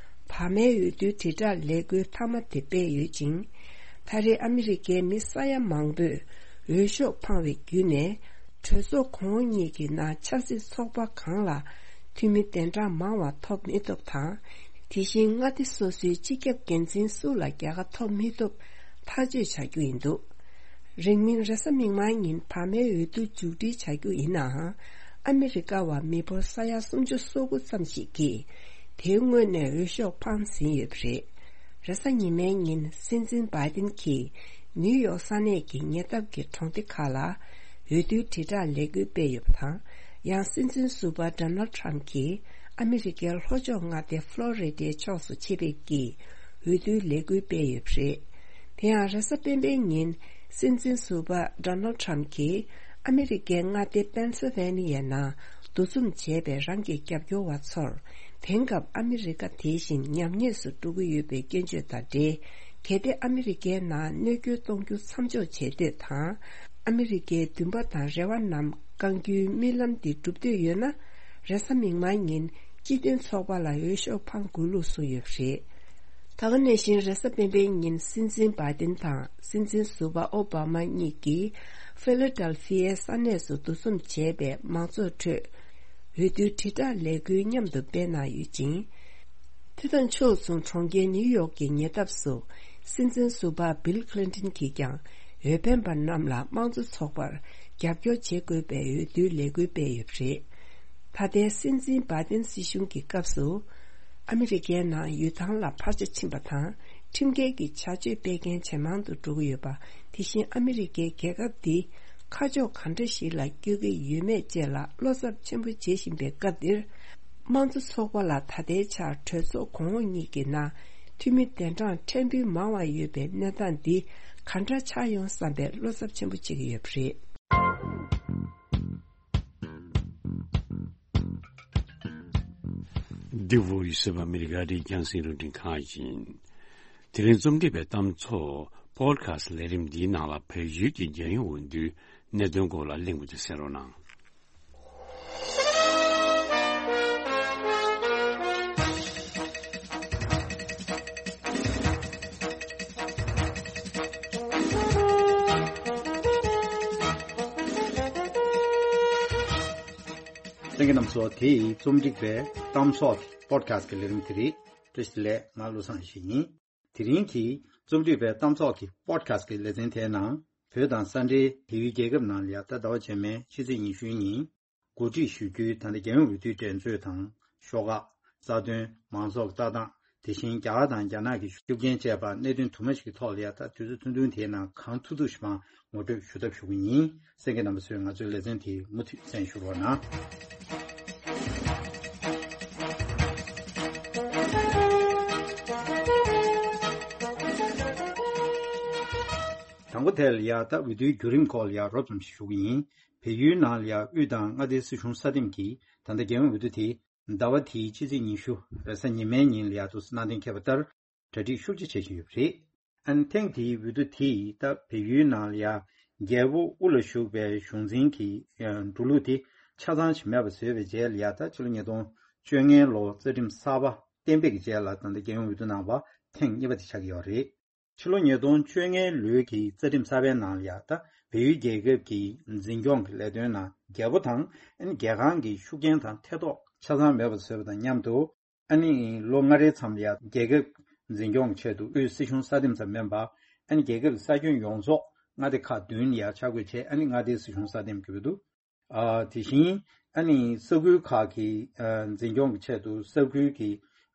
བར་མའི་འོས་བསྡུའི་དྲིལ་བསྒྲགས་ལས་འགུལ་མཐའ་མ་དེ་སྤེལ་ཡོད་ཅིང་། ད་རེས་ཨ་མི་རི་ཀའི་མི་ས་ཡ་མང་པོས་འོས་ཤོག་འཕངས་པའི་བརྒྱུད་ནས། གྲོས་ཚོགས་གོང་འོག་གཉིས་ཀྱི་ནང་ཆབ་སྲིད་ཚོགས་པ་གང་ལ་འཐུས་མི་གདན་གྲངས་མང་བ་ཐོབ་མི་ཐུབ་དང་། དེ་བཞིན་མངའ་སྡེ་སོ་སོའི་སྤྱི་ཁྱབ་འགན་འཛིན་སུ་ལ་རྒྱལ་ཁ་ཐོབ་མི་ཐུབ་ཐག་གཅོད་བྱ་རྒྱུ་ཡིན་འདུག་རིང་མིན་རེས་གཟའ་མིག་དམར་ཉིན་བར་མའི་འོས་བསྡུ་མཇུག་སྒྲིལ་བྱ་རྒྱུ་ཡིན་ནའང་། ཨ་མི་རི་ཀ་བ་མི་འབོར་ས་ཡ་སུམ་ཅུ་སོ་དགུ་ཙམ་ཞིག་གིས་དེའི་སྔོན་ནས་འོས་ཤོག་འཕངས་ཟིན་ཡོད་པ་རེད། རེས་གཟའ་ཉི་མའི་ཉིན་སྲིད་འཛིན་བྷའི་ཏིན་གྱིས་ནིའུ་ཡོག་ས་གནས་ཀྱི་ཉེ་འདབས་ཀྱི་གྲོང་སྡེ་ཁག་ལ་འོས་བསྡུའི་དྲིལ་བསྒྲགས་ལས་འགུལ་སྤེལ་ཡོད་པ་དང་། ཡང་སྲིད་འཛིན་ཟུར་པ་ཌོ་ནལ་ཊམ་གྱིས་ཨ་མི་རི་ཀའི་ལྷོ་ཕྱོགས་མངའ་སྡེ་ཕློ་རི་ཌའི་ཕྱོགས་སུ་ཆེད་ཕེབས་ཀྱིས་འོས་བསྡུའི་ལས་འགུལ་སྤེལ་ཡོད་པ་རེད། དེ་ཡང་རེས་གཟའ་སྤེན་པའི་ཉིན་སྲིད་འཛིན་ཟུར་པ་ཌོ་ནལ་ཊམ་གྱིས་ཨ་མི་རི་ཀའི་མངའ་སྡེ་པེན་སི་ཝེ་ནི་ཡའི་ནང་འདུ་འཛོམས་བྱས་པའི་རང་གི་རྒྱབ་སྐྱོར་བ་ཚོར། དེང་སྐབས་ཨ་མི་རི་ཀ་དེ་བཞིན་ཉམས་ཉེས་སུ་འགྲོ་གི་ཡོད་པའི་སྐྱོན་བརྗོད་དང་འབྲེལ། གལ་ཏེ་ཨ་མི་རི་ཀའི་ནང་གནོད་སྐྱོན་གཏོང་རྒྱུ་མཚམས་འཇོག་བྱེད་འདོད་དང་། ཨ་མི་རི་ཀའི་འདུན་པ་དང་རེ་བ་རྣམས་བསྐང་རྒྱུའི་རྨི་ལམ་འདི་འགྲུབ་འདོད་ཡོད་ན། རེས་གཟའ་མིག་དམར་ཉིན་སྤྱི་མཐུན་ཚོགས་པ་ལ་འོས་ཤོག་འཕང་དགོས་ལུགས་གསུངས་ཡོད་པ་རེད། ད་ག་ནང་བཞིན་རེས་གཟའ་སྤེན་པའི་ཉིན་སྲིད་འཛིན་བྷའི་ཏིན་དང་སྲིད་འཛིན་ཟུར་པ་ཨོ་བྷ་མ་གཉིས་ཀྱིས་ཧྥི་ལ་ཌེལ་ཧྥི་ཡའི་ས་གནས་སུ་འདུ་འཛོམས་བྱས་པའི་མང་ཚོགས་ཁྲོད། འོས་བསྡུའི་དྲིལ་བསྒྲགས་ལས་འགུལ་མཉམ་དུ་སྤེལ་གནང་ཡོད་ཅིང་། འདི་དང་ཕྱོགས་མཚུངས་གྲོང་ཁྱེར་ནིའུ་ཡོག་གི་ཉེ་འདབས་སུ་སྲིད་འཛིན་ཟུར་པ་སྦིལ་ཁི་ལིན་ཏོན་གྱིས་ཀྱང་འོས་འཕེན་པ་རྣམས་ལ་དམངས་གཙོ་ཚོགས་པར་རྒྱབ་སྐྱོར་བྱེད་དགོས་པའི་འོས་བསྡུའི་ལས་འགུལ་སྤེལ་ཡོད་པ་རེད། ད་ལྟའི་སྲིད་འཛིན་བྷའི་ཏིན་སྲིད་གཞུང་གི་སྐབས་སུ། ཨ་མི་རི་ཀའི་ནང་ཡུལ་ཐང་ལ་འཕར་ཆ་ཕྱིན་པ་དང་ཁྲིམས་འགལ་གྱི་བྱ་སྤྱོད་སྤེལ་མཁན་ཇེ་མང་དུ་འགྲོ་གི་ཡོད་པ། དེ་བཞིན་ཨ་མི་རི་ཀའི་རྒྱལ་ཁབ་འདི་ཁ་ཕྱོགས་གང་འདྲ་ཞིག་ལ་བསྐྱོད་ཀྱི་ཡོད་མེད་བཅས་ལ་བློ་འཚབ་ཆེན་པོ་བྱེད་བཞིན་པའི་སྐབས་འདིར། དམངས་གཙོ་ཚོགས་པ་ལ་ད་ལྟའི་ཆར་གྲོས་ཚོགས་གོང་འོག་གཉིས་ཀྱི་ནང་འཐུས་མི་གདན་གྲངས་ཕྲན་བུ་མང་བ་ཡོད་པའི་གནས་སྟངས་འདི་གང་འདྲ་ཆགས་ཡོང་བསམ་པའི་བློ་འཚབ་ཆེན་པོ་བྱེད་ཀྱི་ཡོད་པ་རེད། འདི་བོ་ཡི་སི་བ་ཨ་མི་རི་ཀ་རེད། རྒྱང་སྲིང་རླུང་འཕྲིན་ཁང་ཡིན། དེ་རིང་རྩོམ་སྒྲིག་པའི་གཏམ་ཚོགས་པོ་ཌི་ཁ་སི་ལས་རིམ་འདིའི་ནང་ལ་བལ་ཡུལ་གྱི་རྒྱལ་ཡོངས་འོས་བསྡུའི་གནད་དོན་སྐོར་ལ་གླེང་བ་དེ་གསན་རོགས་གནང་། གསན་མཁན་རྣམ་ཚོ། དེ་རྩོམ་སྒྲིག་པའི་གཏམ་ཚོགས་པོ་ཌི་ཁ་སི་ཀྱི་ལས་རིམ་དེ་རེད། བཀྲ་ཤིས་བདེ་ལེགས། ང་བློ་བཟང་ཡེ་ཤེས་ཡིན། དེ་རིང་གི་ རྩོམ་སྒྲིག་པའི་གཏམ་ཚོགས་ཀྱི་པོ་ཌི་ཁ་སི་ཊི་གི་ལེ་ཚན་དེའི་ནང་བོད་དང་ས་འབྲེལ་བལ་ཡུལ་རྒྱལ་ཁབ་ནང་ལ་ཡ་ད་ཟླ་བ་རྗེས་མའི་ཕྱི་ཚེས་ཉི་ཤུའི་ཉིན་གོ་སྒྲིག་ཞུ་རྒྱུའི་ད་ལྟ་རྒྱལ་ཡོངས་འོས་བསྡུའི་འགྲན་རྩོད་དང་ཤོག་ཁག་རྩ་དོན་མང་ཚོགས་ཀྱི་ལྟ་སྟངས། དེ་བཞིན་རྒྱ་གར་དང་རྒྱ་ནག་གི་ཤུགས་རྐྱེན་བཅས་པ་གནད་དོན་དུ་མ་ཞིག་གི་ཐོག་ལ་ཡ་ད་དུས་ཚོད་ཐུང་ཐུང་དེའི་ནང་གང་ཐུབ་ཐུབ་ཞིག་མར་ངོ་སྤྲོད་ཞུ་ཐབས་ཞུ་གི་ཡིན། གསན་མཁན་རྣམ་པ་ཚོས་ང་ཚོའི་ལེ་ཚན་དེ་མུ་མཐུད་གསན་ཞུ་རོགས་གནང་། དང་པོ་དེ་ལ་ཡ་ད་འོས་བསྡུའི་བརྒྱུད་རིམ་སྐོར་ལ་ཡ་རོབ་ཙམ་ཞིག་ཞུ་གི་ཡིན། བལ་ཡུལ་ནང་ལ་ཡ་དབུས་དང་མངའ་སྡེའི་སྲིད་གཞུང་སྲ་འདེམས་ཀྱིས་ད་ལྟ་རྒྱལ་ཡོངས་འོས་བསྡུ་དེ་ཟླ་བ་དེའི་ཕྱི་ཚེས་ཉི་ཤུ་རེས་གཟའ་ཉི་མའི་ཉིན་ལ་ཡ་འདུག་སེ་གནང་གཏན་འཁེལ་བ་ལྟར་གྲ་སྒྲིག་ཤུགས་ཆེ་བྱེད་བཞིན་ཡོད་པ་རེད། ཨ་ནི་ཐེངས་འདིའི་འོས་བསྡུ་དེ་ཡིས་ད་བལ་ཡུལ་ནང་ལ་ཡ་རྒྱལ་པོ་དབུ་ལ་བཞུགས་པའི་གཞུང་འཛིན་གྱི་འགྲོ་ལུགས་དེ་ཆ་ཚང་ཞིག་མེད་པ་བཟོས་པའི་རྗེས་ལ་ཡ་ད་ཕྱི་ལོ་ཉིས་སྟོང་བཅོ་ལྔའི་ལོ་རྩ་ཁྲིམས་གསར་པ་གཏན་འབེབས་ཀྱི་རྗེས་ལ་ད་ལྟ་རྒྱལ་ཡོངས་འོས་བསྡུ་གནང་བ་ཐེངས་གཉིས་པ་དེ་ཆགས་ཀྱི་ཡོད་རེད། ཕྱི་ལོ་ཉིས་སྟོང་བཅོ་ལྔའི་ལོའི་གི་རྩ་ཁྲིམས་གསར་པའི་ནང་ལ་ཡ་ད་བལ་ཡུལ་རྒྱལ་ཁབ་ཀྱི་འཛིན་སྐྱོང་གི་ལས་དོན་ནང་རྒྱལ་པོ་དང་ཨ་ནི་རྒྱལ་ཁང་གི་ཤུགས་རྐྱེན་དང་ཐེ་གཏོགས་ཆ་ཚང་མེད་པ་བཟོས་པ་དང་མཉམ་དུ། ཨ་ནི་ལོ་ལྔ་རེའི་མཚམས་ལ་ཡ་རྒྱལ་ཁབ་འཛིན་སྐྱོང་གི་ཆེད་དུ་དབུས་སྲིད་གཞུང་སྲ་འདེམས་ཙམ་མིན་པ། ཨ་ནི་རྒྱལ་ཁབ་ཀྱི་ས་ཁྱོན་ཡོངས་རྫོགས་མངའ་སྡེ་ཁག་བདུན་ལ་ཡ་ཆ་བགོས་བྱས། ཨ་ནི་མངའ་སྡེའི་སྲིད་གཞུང་སྲ་འདེམས་ཀྱི་འོས་བསྡུ། ཨ་དེ་བཞིན་ཨ་ནི་ས་ཁུལ་ཁག་གི་ཨ་འཛིན་སྐྱོང་གི་ཆེད་དུ་ས་ཁུལ་གྱི་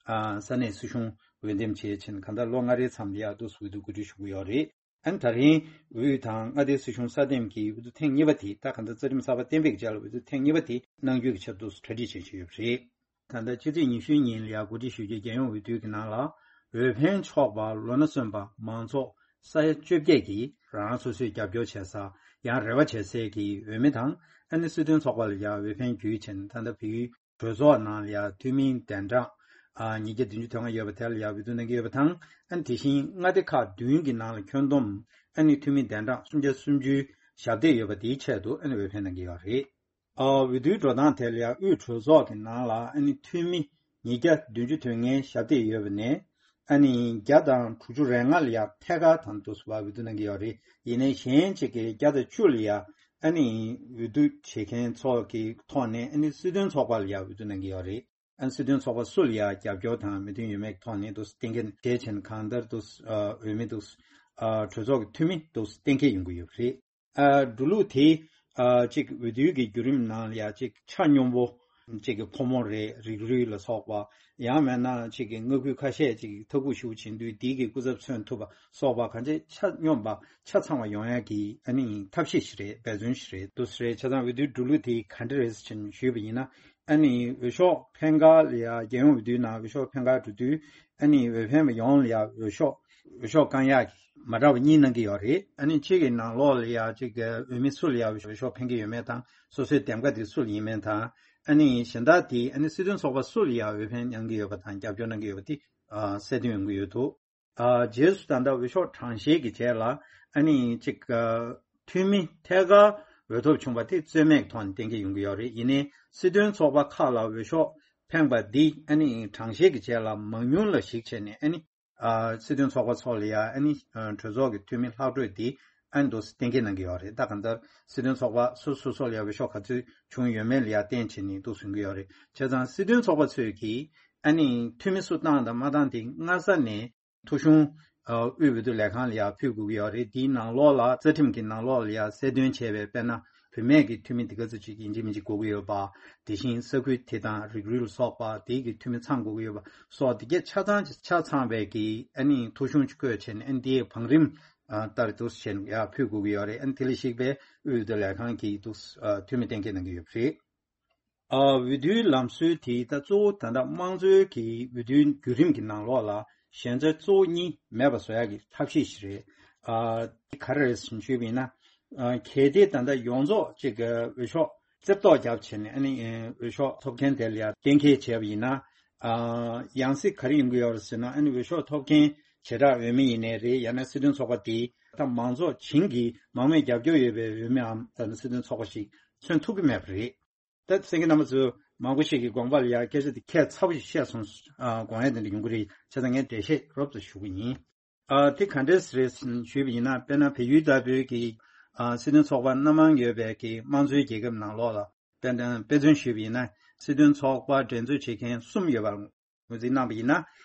ཨ་ས་གནས་སྲིད་གཞུང་འོས་འདེམས་བྱས་ཕྱིན། གང་ལྟར་ལོ་ལྔ་རེའི་མཚམས་ལ་ཡ་འདུག་སེ་འོས་བསྡུ་གོ་སྒྲིག་ཞུ་གི་ཡོད་རེད། ཨ་ནི་ད་རིང་དབུས་དང་མངའ་སྡེའི་སྲིད་གཞུང་སྲ་འདེམས་ཀྱི་འོས་བསྡུ་ཐེངས་གཉིས་པ་དེ་ད་གང་ལྟར་རྩ་ཁྲིམས་གསར་པ་གཏན་འབེབས་ཀྱི་རྗེས་ལ་འོས་བསྡུ་ཐེངས་གཉིས་པ་དེ་གནང་རྒྱུའི་གི་ཆེད་དུ་གྲ་སྒྲིག་བྱེད་བཞིན་ཡོད་པ་རེད། ད་ལྟ་ཕྱི་ཚེས་ཉི་ཤུའི་ཉིན་ལ་ཡ་གོ་སྒྲིག་ཞུ་རྒྱུའི་རྒྱལ་ཡོངས་འོས་བསྡུ་གི་ནང་ལ་འོས་འཕེན་ཆོག་པ་ལོ་ན་སོན་པ་མང་ཚོགས་ས་ཡ་བཅོ་བརྒྱད་ཀྱིས་རང་རང་སོ་སོས་རྒྱབ་སྐྱོར་བྱེད་ས་ཡང་རེ་བ་བྱེད་སའི་གི་འོས་མི་དང་ཨ་ནི་སྲིད་དོན་ཚོགས་པ་ལ་ཡ་འོས་འཕེན་བརྒྱུད་ཕྱིན། ད་ལྟ་བལ་ཡུལ་གྲོས་ཚོགས་ནང་ལ་ཡ་འཐུས་མི་གདན་གྲངས་ཨ་ཉིས་བརྒྱ་བདུན་ཅུ་དོན་ལྔ་ཡོད་པ་དེ་ལ་ཡ་འོས་བསྡུ་གནང་གི་ཡོད་པ་དང་། ཨ་ནི་དེ་བཞིན་མངའ་སྡེ་ཁག་བདུན་གྱི་ནང་ལ་ཁྱོན་བསྡོམས་ཨ་ནི་འཐུས་མི་གདན་གྲངས་སུམ་བརྒྱ་སུམ་ཅུའི་ཞབས་སྟེགས་ཡོད་པ་དེའི་ཆེད་དུ་ཨ་ནི་འོས་འཕེན་གནང་གི་ཡོད་རེད། ཨ་འོས་བསྡུའི་འགྲོ་སྟངས་དེ་ལ་ཡ་དབུས་གྲོས་ཚོགས་ཀྱི་ནང་ལ་ཨ་ནི་འཐུས་མི་ཉིས་བརྒྱ་བདུན་ཅུ་དོན་ལྔའི་ཞབས་སྟེགས་ཡོད་པ་ནས། ཨ་ནི་བརྒྱ་དང་དྲུག་ཅུ་རེ་ལྔ་ལ་ཡ་ཐད་ཀར་དང་དུ་སུ་བ་འོས་བསྡུ་གནང་གི་ཡོད་རེད། ཡིན་ནའི་གཞན་གཅིག་གིས་བརྒྱ་དང་བཅུ་ལ་ཡ་ཨ་ནི་འོས་བསྡུ་བྱེད་མཁན་ཚོ་གི་ཐོག་ནས་ཨ་ནི་སྲིད་དོན་ཚོགས་པ་ལ་ཡ་འོས་བསྡུ་གནང་གི་ཡོད་རེད། ཨ་ནི་སྲིད་དོན་ཚོགས་པ་སུ་ལ་ཡ་རྒྱབ་སྐྱོར་དང་མོས་མཐུན་ཡོད་མེད་ཀྱི་ཐོག་ནས་འདུག་སེ་གཏན་འཁེལ་བྱས་ཕྱིན། གང་ལྟར་འདུག་སེ་འོས་མི་འདུག་སེ་གྲོས་ཚོགས་ཀྱི་འཐུས་མི་འདུག་སེ་གཏན་འཁེལ་ཡོང་གི་ཡོད་པ་རེད། ཨ་འགྲོ་ལུགས་དེ་ཨ་ཅིག་འོས་བསྡུའི་གི་བརྒྱུད་རིམ་ནང་ལ་ཡ་ཅིག་ཆ་སྙོམས་པོ་ཅིག་གི་ཕོ་མོ་རེད། རིགས་རུས་ལ་སོགས་པ། ཡང་མིན་ན་ཅིག་གི་མངའ་ཁུལ་ཁ་ཤས་ཅིག་ཐ་གུ་ཞུ་བྱེད་དུས་དེའི་གི་སྐུ་ཚབ་མཚོན་ཐུབ་པ་སོགས་པ་གང་ཅི་ཆ་སྙོམས་པ་ཆ་ཚང་བ་ཡོང་ཡ་གི་ཨ་ནི་ཐབས་ཤེས་ཤིག་རེད། འབད་བརྩོན་ཤིག་རེད། འདུག་སེ་རེད། བྱས་ཙང་འོས་བསྡུའི་འགྲོ་ལུགས་དེ་ག་འདྲ་རེད་ཟེར་ཕྱིན་ཞུས་པ་ཡིན་ན། ཨ་ནི་འོས་ཤོག་འཕེན་ག་ལ་ཡ་རྒྱལ་ཡོངས་འོས་བསྡུའི་ནང་འོས་ཤོག་འཕེན་ག་འགྲོ་དུས་ཨ་ནི་འོས་འཕེན་པ་ཡོངས་ལ་ཡ་འོས་ཤོག་འོས་ཤོག་བཀང་ཡག་གི་མ་འདྲ་བ་གཉིས་གནང་གི་ཡོད་རེད། ཨ་ནི་གཅིག་གི་ནང་ལོགས་ལ་ཡ་གཅིག་གི་འོས་མི་སུ་ལ་ཡ་འོས་ཤོག་འཕེན་གི་ཡོད་མེད་དང་། སོ་སོའི་འདེམས་ཀ་དེ་སུ་ལ་ཡིན་མིན་དང་། ཨ་ནི་གཞན་དག་དེ་ཨ་ནི་སྲིད་དོན་ཚོགས་པ་སུ་ལ་ཡ་འོས་འཕེན་གནང་གི་ཡོད་པ་དང་རྒྱབ་སྐྱོར་གནང་གི་ཡོད་པ་དེ་ཨ་གསལ་སྟོན་ཡོང་གི་ཡོད་འདུག་ཨ་རྗེས་སུ་ད་ལྟ་འོས་ཤོག་གྲངས་བཤེར་གྱི་རྗེས་ལ་ཨ་ནི་གཅིག་ཨ་འཐུས་མི་ཐད་ཀར་འོས་ཐོབ་བྱུང་བ་དེ་རྩོད་མེད་ཀྱི་ཐོག་ནས་གཏན་འཁེལ་ཡོང་གི་ཡོད་རེད། ཡིན་ནའི་སྲིད་དོན་ཚོགས་པ་ཁག་ལ་འོས་ཤོག་འཕེན་པ་འདི་ཨ་ནི་གྲངས་བཤེར་གྱི་རྗེས་ལ་མང་ཉུང་ལ་གཞིགས་བྱས་ནས་ཨ་ནི་ཨ་སྲིད་དོན་ཚོགས་པ་ཚོ་ལ་ཡ་ཨ་ནི་ཨ་གྲོས་ཚོགས་ཀྱི་འཐུས་མི་ལྷག་འཕྲོས་འདི་ཨ་ནི་འདུག་སེ་གཏན་འཁེལ་གནང་གི་ཡོད་རེད། ད་གང་ལྟར་སྲིད་དོན་ཚོགས་པ་སོ་སོ་སོ་ལ་ཡ་འོས་ཤོག་ག་ཚོད་བྱུང་ཡོད་མེད་ལ་ཡ་བརྟེན་བྱས་ནས་འདུག་སེ་ཡོང་གི་ཡོད་རེད། བྱས་ཙང་སྲིད་དོན་ཚོགས་པ་ཚོས་ཀྱིས་ཨ་ནི་འཐུས་མི་སུ་བཏང་དང་མ་བཏང་དེ་སྔ་ས་ནས་ཐོ་གཞུང་ཨ་དབུས་འོས་བསྡུ་ལས་ཁང་ལ་ཡ་ཕུལ་དགོས་ཀྱི་ཡོད་རེད། དེའི་ནང་ལོགས་ལ་རྩ་ཁྲིམས་ཀྱི་ནང་ལོགས་ལ་ཡ་གསལ་སྟོན་བྱས་པའི་དཔེར་ན་བུད་མེད་ཀྱི་འཐུས་མི་དེ་ག་ཚོད་ཅིག་ཡིན་གཅིག་མིན་གཅིག་དགོས་ཀྱི་ཡོད་པ། དེ་བཞིན་ས་ཁུལ་དེ་དང་རིགས་རུས་ལ་སོགས་པ་དེའི་གི་འཐུས་མི་ཚང་དགོས་ཀྱི་ཡོད་པ་སོགས་དེ་གས་ཆ་ཚང་ཆ་ཚང་བའི་གི་ཨ་ནི་ཐོ་གཞུང་ཅིག་བཀོད་བྱས་ནས་ཨ་ནི་དེའི་བང་རིམ་ཨ་ལྟར་འདུག་སེ་བྱས་ནས་ཡར་ཕུལ་དགོས་ཀྱི་ཡོད་རེད། ཨ་ནི་དེ་ལ་གཞིགས་པའི་དབུས་འོས་བསྡུ་ལས་ཁང་གིས་འདུག་སེ་ཨ་འཐུས་མི་གཏན་འཁེལ་གནང་གི་ཡོད་པ་རེད། ཨ་འོས་བསྡུའི་ལམ་སྲོལ་དེ་ད་གཙོ་བོ་ད་ལྟ་དམངས་གཙོའི་གི་འོས་བསྡུའི་བརྒྱུད་རིམ་གྱི་ནང་ལོགས་ལ་ཞན་ཆ་གཙོ་བོ་གཉིས་མེད་པ་བཟོ་ཡག་གི་ཐབས་ཤེས་ཤིག་རེད། ཨ་ག་རེ་རེད་ཟེར་ཞུས་པ་ཡིན་ན། ཨ་གལ་ཏེ་ད་ལྟ་ཡོངས་རྫོགས་གཅིག་གི་འོས་ཤོག་རྩེ་བཏོག་བརྒྱབ་བྱས་ནས་ཨ་ནི་འོས་ཤོག་ཐོབ་མཁན་དེ་ལ་ཡང་གཏན་འཁེལ་བྱས་པ་ཡིན་ན། ཨ་ཡང་སྲིད་ག་རེ་ཡོང་གི་ཡོད་རེད་ཟེར་ན། ཨ་ནི་འོས་ཤོག་ཐོབ་མཁན་བྱེ་བྲག་འོས་མི་ཡིན་ནའི་རེད། ཡང་ན་སྲིད་དོན་ཚོགས་པ་དེ་ད་མང་ཚོགས་བྱིངས་ཀྱི་མང་མོས་རྒྱབ་སྐྱོར་ཡོད་པའི་འོས་མིའམ་ད་ནི་སྲིད་དོན་ཚོགས་པ་ཞིག་མཚོན་ཐུབ་ཀྱི་མེད་པ་རེད། ད་གསན་མཁན་རྣམ་པ་ཚོ་མང་པོ་ཞིག་གིས་དགོངས་པ་ལ་ཡ་སྐད་ཆ་དེ་ཁྱད་མཚར་པོ་ཞིག་བཤད་སོང་། ཨ་དགོངས་ཡ་དེ་འདྲ་ཡོང་གི་རེད། བྱས་ཙང་ངས་འགྲེལ་བཤད་རོབ་ཙམ་ཞུ་གི་ཡིན། ཨ་དེ་ག་འདྲས་རེད་ཞུས་པ་ཡིན་ན། དཔེར་ན་བལ་ཡུལ་ལྟ་བུའི་གི་ཨ་སྲིད་དོན་ཚོགས་པ་སྣ་མང་ཡོད་པའི་གི་དམངས་གཙོའི་རྒྱལ་ཁབ་ནང་ལོགས་ལ་དཔེར་ན་དཔེ་མཚོན་ཞུས་པ་ཡིན་ན། སྲིད་དོན་ཚོགས་པ་འགྲན་རྩོད་བྱེད་མཁན་གསུམ་ཡོད་པར་ངོས་འཛིན་གནང་བ་ཡིན་ན།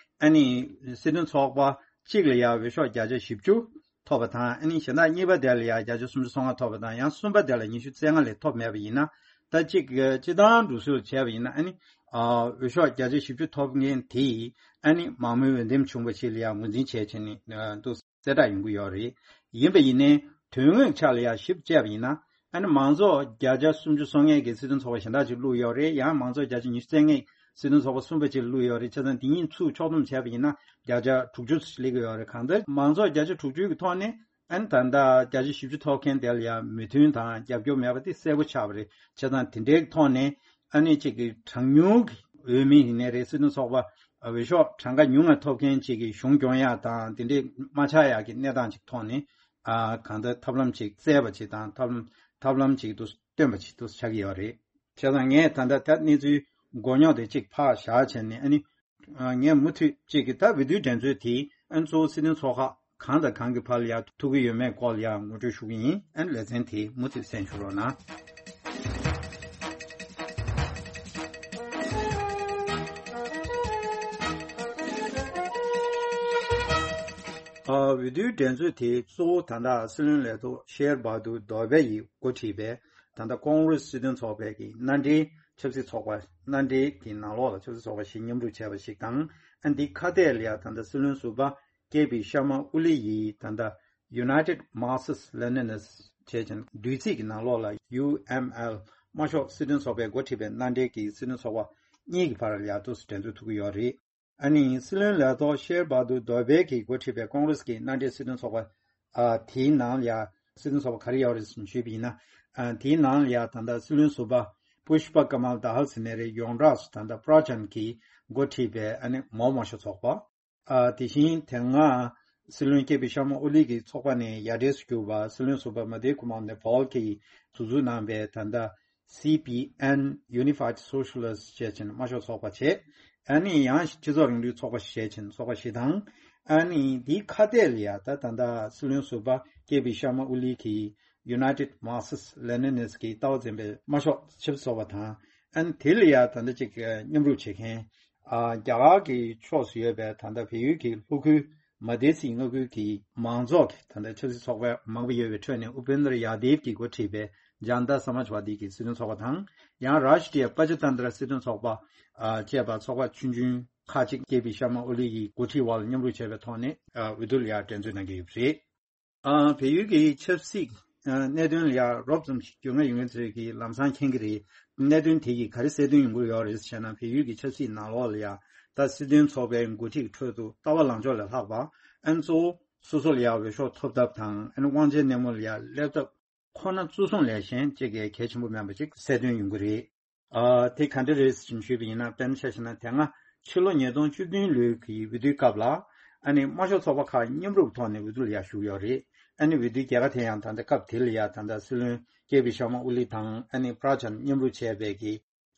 ཨ་ནི་སྲིད་དོན་ཚོགས་པ་ གཅིག་ལ་ཡང་འོས་ཤོག་བརྒྱ་ཆ་བཞི་བཅུ་ཐོབ་པ་དང་། ཨ་ནི་གཞན་དག་གཉིས་པ་དེ་ལ་ཡང་བརྒྱ་ཆ་སུམ་ཅུ་སོ་ལྔ་ཐོབ་པ་དང་། ཡང་གསུམ་པ་དེ་ལ་ཉི་ཤུ་རྩ་ལྔ་ལས་ཐོབ་མེད་པ་ཡིན་ན། ད་གཅིག་སྤྱི་བཏང་འགྲོ་སྲོལ་བྱས་པ་ཡིན་ན། ཨ་ནི་ཨ་འོས་ཤོག་བརྒྱ་ཆ་བཞི་བཅུ་ཐོབ་མཁན་དེས་ཨ་ནི་མང་མོས་འོས་འདེམས་བྱུང་བ་ཞིག་ལ་ཡང་ངོས་འཛིན་བྱས་བྱས་ནས་ཨ་འདུག་གསལ་བསྒྲགས་ཡོང་གི་ཡོད་རེད། ཡིན་པ་ཡིན་ནའི་དོན་དངོས་ཆ་ལ་ཡང་ཞིབ་དཔྱད་པ་ཡིན་ན། ཨ་ནི་མང་ཚོགས་བརྒྱ་ཆ་སུམ་ཅུ་སོ་ལྔའི་གི་སྲིད་དོན་ཚོགས་པ་གཞན་དག་ཅིག་བླུགས་ཡོད་རེད། ཡང་མང་ཚོགས་བརྒྱ་ཆ་ཉི་ཤུ་རྩ་ལྔའི་སྲིད་དོན་ཚོགས་པ་གསུམ་པ་ཅིག་བླུགས་ཡོད་རེད། བྱས་ཙང་དེ་གཉིས་ཚུར་ཕྱོགས་བསྡོམས་བྱས་པ་ཡིན་ན་བརྒྱ་ཆ་དྲུག་ཅུ་སླེབས་ཀྱི་ཡོད་རེད། གང་ལྟར་མང་ཚོགས་བརྒྱ་ཆ་དྲུག་ཅུ་གི་ཐོག་ནས་ཨ་ནི་ད་ལྟ་བརྒྱ་ཆ་བཞི་བཅུ་ཐོབ་མཁན་དེ་ལ་ཡང་མོས་མཐུན་དང་རྒྱབ་སྐྱོར་མེད་པ་དེ་གསལ་པོ་ཆགས་པ་རེད། བྱས་ཙང་དེ་འདྲའི་ཐོག་ནས་ཨ་ནི་གཅིག་གི་གྲངས་ཉུང་གི་འོས་མི་ཡིན་ནའི་རེད། སྲིད་དོན་ཚོགས་པ་འོས་ཤོག་གྲངས་ཀ་ཉུང་བ་ཐོབ་མཁན་ཅིག་གི་གཞུང་སྐྱོང་ཡག་དང་དེ་འདྲའི་མ་ཆགས་ཡག་གི་གནས་སྟངས་ཅིག་ཐོག་ནས། ཨ་གང་ལྟར་ཐབས་ལམ་ཅིག་བཙལ་བ་ཅིག་དང་། ཐབས་ལམ་ཐབས་ལམ་ཅིག་ཏུ་སྟོན་པ་ཅིག་ཏུ་ཆགས་ཀྱི་ཡོད་རེད། བྱས་ཙང་ངས་ད་ལྟ་ད་གནས་ཚུལ་མགོ་རྙོག་དེ་ཅིག་ཕར་བཞག་བྱས་ནས། ཨ་ནི་ཨ་ངས་མུ་མཐུད་ཅིག་གི་ད་འོས་བསྡུའི་འགྲན་རྩོད་དེ་ཨ་ནི་གཙོ་བོ་སྲིད་དོན་ཚོགས་ཁག་གང་དང་གང་གི་བར་ལ་ཡང་ཐུག་གི་ཡོད་མེད་སྐོར་ལ་ཡང་ངོ་སྤྲོད་ཞུ་གི་ཡིན། ཨ་ནི་ལེ་ཚན་དེ་མུ་མཐུད་གསན་ཞུ་རོགས་གནང་། ཨ་འོས་བསྡུའི་འགྲན་རྩོད་དེ་གཙོ་བོ་ད་ལྟ་སྲིད་བློན་ལས་ཐོག་ཤེར་བྷ་དུར་དོ་བྷེ་ཡིས་འགོ་ཁྲིད་པའི་ད་ལྟ་ཀོང་རེས་སྲིད་དོན་ཚོགས་པའི་གི་མནའ་འབྲེལ་ཆབ་སྲིད་ཚོགས་པ། མནའ་འབྲེལ་གྱི་ནང་ལོགས་ལ་ཆབ་སྲིད་ཚོགས་པ་ཞིག་མཉམ་རུབ་བྱས་པ་ཞིག་དང་། ཨ་འདི་ཁ་གཏད་ལ་ཡང་ད་ལྟ་སྲིད་བློན་ཟུར་པ་ཀེ་པི་ཤར་མ་ཨོ་ལི་ཡིས་ད་ལྟ་United Marxist Leninists བྱས་ཙང་བསྡུས་ཚིག་གི་ནང་ལོགས་ལ་ཡུ་ཨེམ་ཨེལ་དམར་ཤོག་སྲིད་དོན་ཚོགས་པས་འགོ་ཁྲིད་པའི་མནའ་འབྲེལ་གྱི་སྲིད་དོན་ཚོགས་པ་གཉིས་ཀྱི་བར་ལ་ཡང་འདུག་སེ་འགྲན་རྩོད་ཐུག་གི་ཡོད་རེད། ཨ་ནི་སྲིད་བློན་ལས་ཐོག་ཤེར་བྷ་དུར་དོ་བྷེ་གིས་འགོ་ཁྲིད་པའི་ཀོང་རེས་ཀྱི་མནའ་འབྲེལ་སྲིད་དོན་ཚོགས་པ། ཨ་དེའི་ནང་ལ་ཡང་སྲིད་དོན་ཚོགས་པ་ག་རེ་ཡོད་རེད་ཟེར་ཞུས་པ་ཡིན་ན། ཨ་དེའི་ནང་ལ་ཡང་ད་ལྟ་སྲིད་བློན་ཟུར་པ་པུཤ་པ་ཀ་མལ་དཱལ་ཟེར་ནའི་རེད། ཡོངས་གྲགས་སུ་ད་ལྟ་པྲ་ཅན་གྱིས་འགོ་ཁྲིད་པའི་ཨ་ནི་མའོ་དམར་ཤོག་ཚོགས་པ། ཨ་དེ་བཞིན་དེ་སྔ་སྲིད་བློན་ཀེ་པི་ཤར་མ་ཨོ་ལི་གི་ཚོགས་པ་ནས་ཡར་འབྲེལ་སུ་གྱུར་པ་སྲིད་བློན་ཟུར་པ་མ་དྷེབ་ཀུ་མར་ནེ་པཱལ་གྱིས་ཟུར་འཛུགས་གནང་པའི་ད་ལྟ་སི་པི་ཨེན་Unified Socialist བྱས་ཕྱིན་དམར་ཤོག་ཚོགས་པ་བྱས། ཨ་ནི་ཡང་སྤྱི་ཚོགས་རིང་ལུགས་ཚོགས་པ་བྱས་ཕྱིན་ཚོགས་པ་ཞིག་དང་། ཨ་ནི་འདིའི་ཁ་གཏད་ལ་ཡ་ད་ད་ལྟ་སྲིད་བློན་ཟུར་པ་ཀེ་པི་ཤར་མ་ཨོ་ལི་གིས་United Marxist Leninists གི་ལྟ་བ་འཛིན་པའི་དམར་ཤོག་ཆབ་སྲིད་ཚོགས་པ་དང་། ཨ་ནི་དེ་ལ་ཡ་ད་ལྟ་ཅིག་མཉམ་རུབ་བྱེད་མཁན། ཨ་རྒྱ་གར་གྱི་ཕྱོགས་སུ་ཡོད་པའི་ད་ལྟ་བལ་ཡུལ་གྱི་ལྷོ་ཁུལ་མ་དེ་སི་མངའ་ཁུལ་གྱི་མང་ཚོགས་ཀྱི་ད་ལྟ་ཆབ་སྲིད་ཚོགས་པ་མང་པོ་ཡོད་པའི་ཁྲོད་ནས་ཨུ་པེན་དྲ་ཡ་དེབ་ཀྱིས་འགོ་ཁྲིད་པའི་ཇན་ཏ་ས་མཱཇ་ཝ་དི་གི་སྲིད་དོན་ཚོགས་པ་དང་། ཡང་རཱ་ཤི་ཏྲི་ཡ་པ་ཅ་ཏན་ཏྲ་སྲིད་དོན་ཚོགས་པ། ཨ་བཅས་པ་ཚོགས་པ་ཆུང་ཆུང་ཁག་ཅིག་ཀེ་པི་ཤར་མ་ཨོ་ལི་ཡི་འགོ་ཁྲིད་འོག་ལ་མཉམ་རུབ་བྱས་པའི་ཐོག་ནས་ཨ་འོས་བསྡུ་ལ་ཡང་འགྲན་རྩོད་གནང་གི་ཡོད་པ་རེད། ཨ་བལ་ཡུལ་གྱི་ཆབ་སྲིད་ཨ་གནད་དོན་ལ་ཡང་རོབ་ཙམ་ཞིག་རྒྱུས་མངའ་ཡོད་མཁན་ཚོས་ཀྱིས་ལམ་སང་མཁྱེན་གྱི་རེད། གནད་དོན་དེ་ཡིས་ག་རེ་གསལ་སྟོན་ཡོང་གི་ཡོད་རེད་ཟེར་ན། བལ་ཡུལ་གྱི་ཆབ་སྲིད་ནང་ལོགས་ལ་ཡང་ད་སྲིད་དོན་ཚོགས་པའི་འགོ་ཁྲིད་ཁྲོད་དུ་ལྟ་བ་ལངས་ཕྱོགས་ལས་ལྷག་པ། ཨ་ནི་གཙོ་བོ་སོ་སོ་ལ་ཡང་འོས་ཤོག་ཐོབ་ཐབས་དང་། ཨ་ནི་དབང་ཆའི་སྣེ་མོ་ལ་ཡང་སླེབས་ཐབས་ཁོ་ན་གཙོ་བཟུང་ལས་གཞན་གཅིག་གི་གལ་ཆེན་པོ་མིན་པ་ཅིག་གསལ་སྟོན་ཡོང་གི་རེད། ཨ་དེ་ག་འདྲ་རེད་ཟེར་ཞུས་པ་ཡིན་ན། དཔེར་ན་ཆ་བཞག་ན་དེ་སྔ་ཕྱི་ལོ་ཉིས་སྟོང་བཅུ་བདུན་ལོའི་གི་འོས་བསྡུའི་སྐབས་ལ། ཨ་ནི་དམར་ཤོག་ཚོགས་པ་ཁག་མཉམ་རུབ་ཐོག་ནས་འོས་བསྡུ་ལ་ཡ་ཞུགས་ཡོད་རེད། ཨ་ནི་འོས་བསྡུའི་རྒྱལ་ཁ་དེ་ཡང་ད་ལྟ་སྐབས་དེ་ལ་ཡ་ད་ལྟ་སྲིད་བློན་ཀེ་པི་ཤར་མ་ཨོ་ལི་དང་ཨ་ནི་པྲ་ཅན་མཉམ་རུབ་བྱས་པའི་གི་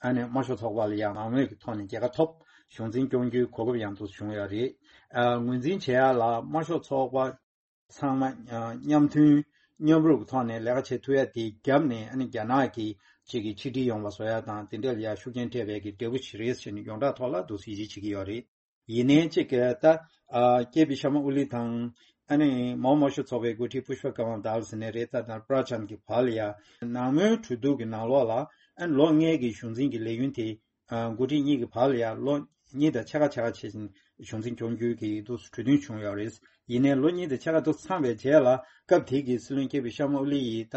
ཨ་ནི་དམར་ཤོག་ཚོགས་པ་ལ་ཡ་མང་མོས་ཀྱི་ཐོག་ནས་རྒྱལ་ཁ་ཐོབ། གཞུང་འཛིན་སྐྱོང་རྒྱུའི་གོ་སྐབས་ཡང་དུ་བྱུང་ཡོད་རེད། ཨ་ངོས་འཛིན་བྱེད་ཡ་ལ་དམར་ཤོག་ཚོགས་པ་ཚང་མ་ཨ་མཉམ་མཐུན་མཉམ་རུབ་ཀྱི་ཐོག་ནས་ལས་ཀ་བྱེད་ཐུབ་ཡ་དེའི་རྒྱབ་ནས། ཨ་ནི་རྒྱ་ནག་གི་གཅིག་གི་ཆིག་སྒྲིལ་ཡོང་བ་བཟོ་ཡ་དང་དེ་འདྲ་ལ་ཡ་ཤུགས་རྐྱེན་སྤྲད་པའི་གི་འབྲས་བུ་ཞིག་རེད་ཟེར་ནས་ཡོངས་གྲགས་ཐོག་ལ་འདུག་སེ་ཡིད་ཆེས་བྱེད་ཀྱི་ཡོད་རེད། ཡིན་ནའི་གཅིག་གི་ད་ཨ་ཀེ་པི་ཤར་མ་ཨོ་ལི་དང་། ཨ་ནི་མའོ་དམར་ཤོག་ཚོགས་པའི་འགོ་ཁྲིད་པུཤ་པ་ཀ་མལ་དཱལ་ཟེར་ནའི་རེད། ད་ད་པྲ་ཅན་གྱི་བར་ལ་ཡ་ནང་མོལ་གྲོས་བསྡུར་གྱི་ནང་ལོགས་ལ། ཨ་ནི་ལོ་ལྔའི་གི་གཞུང་འཛིན་གྱི་ལས་ཡུན་དེ། ཨ་འགོ་ཁྲིད་གཉིས་ཀྱི་བར་ལ་ཡང་ལོ་གཉིས་དང་ཕྱེད་ཀ་ཕྱེད་ཀ་བྱས་ཤིང་གཞུང་འཛིན་སྐྱོང་རྒྱུའི་གི་འདུག་གྲོས་མཐུན་བྱུང་ཡོད་རེད། ཡིན་ནའི་ལོ་གཉིས་དང་ཕྱེད་ཀ་འདུག་ཚང་བའི་རྗེས་ལ། སྐབས་དེ་གི་སྲིད་བློན་ཀེ་པི་ཤར་མ་ཨོ་ལི་ཡིས་ད་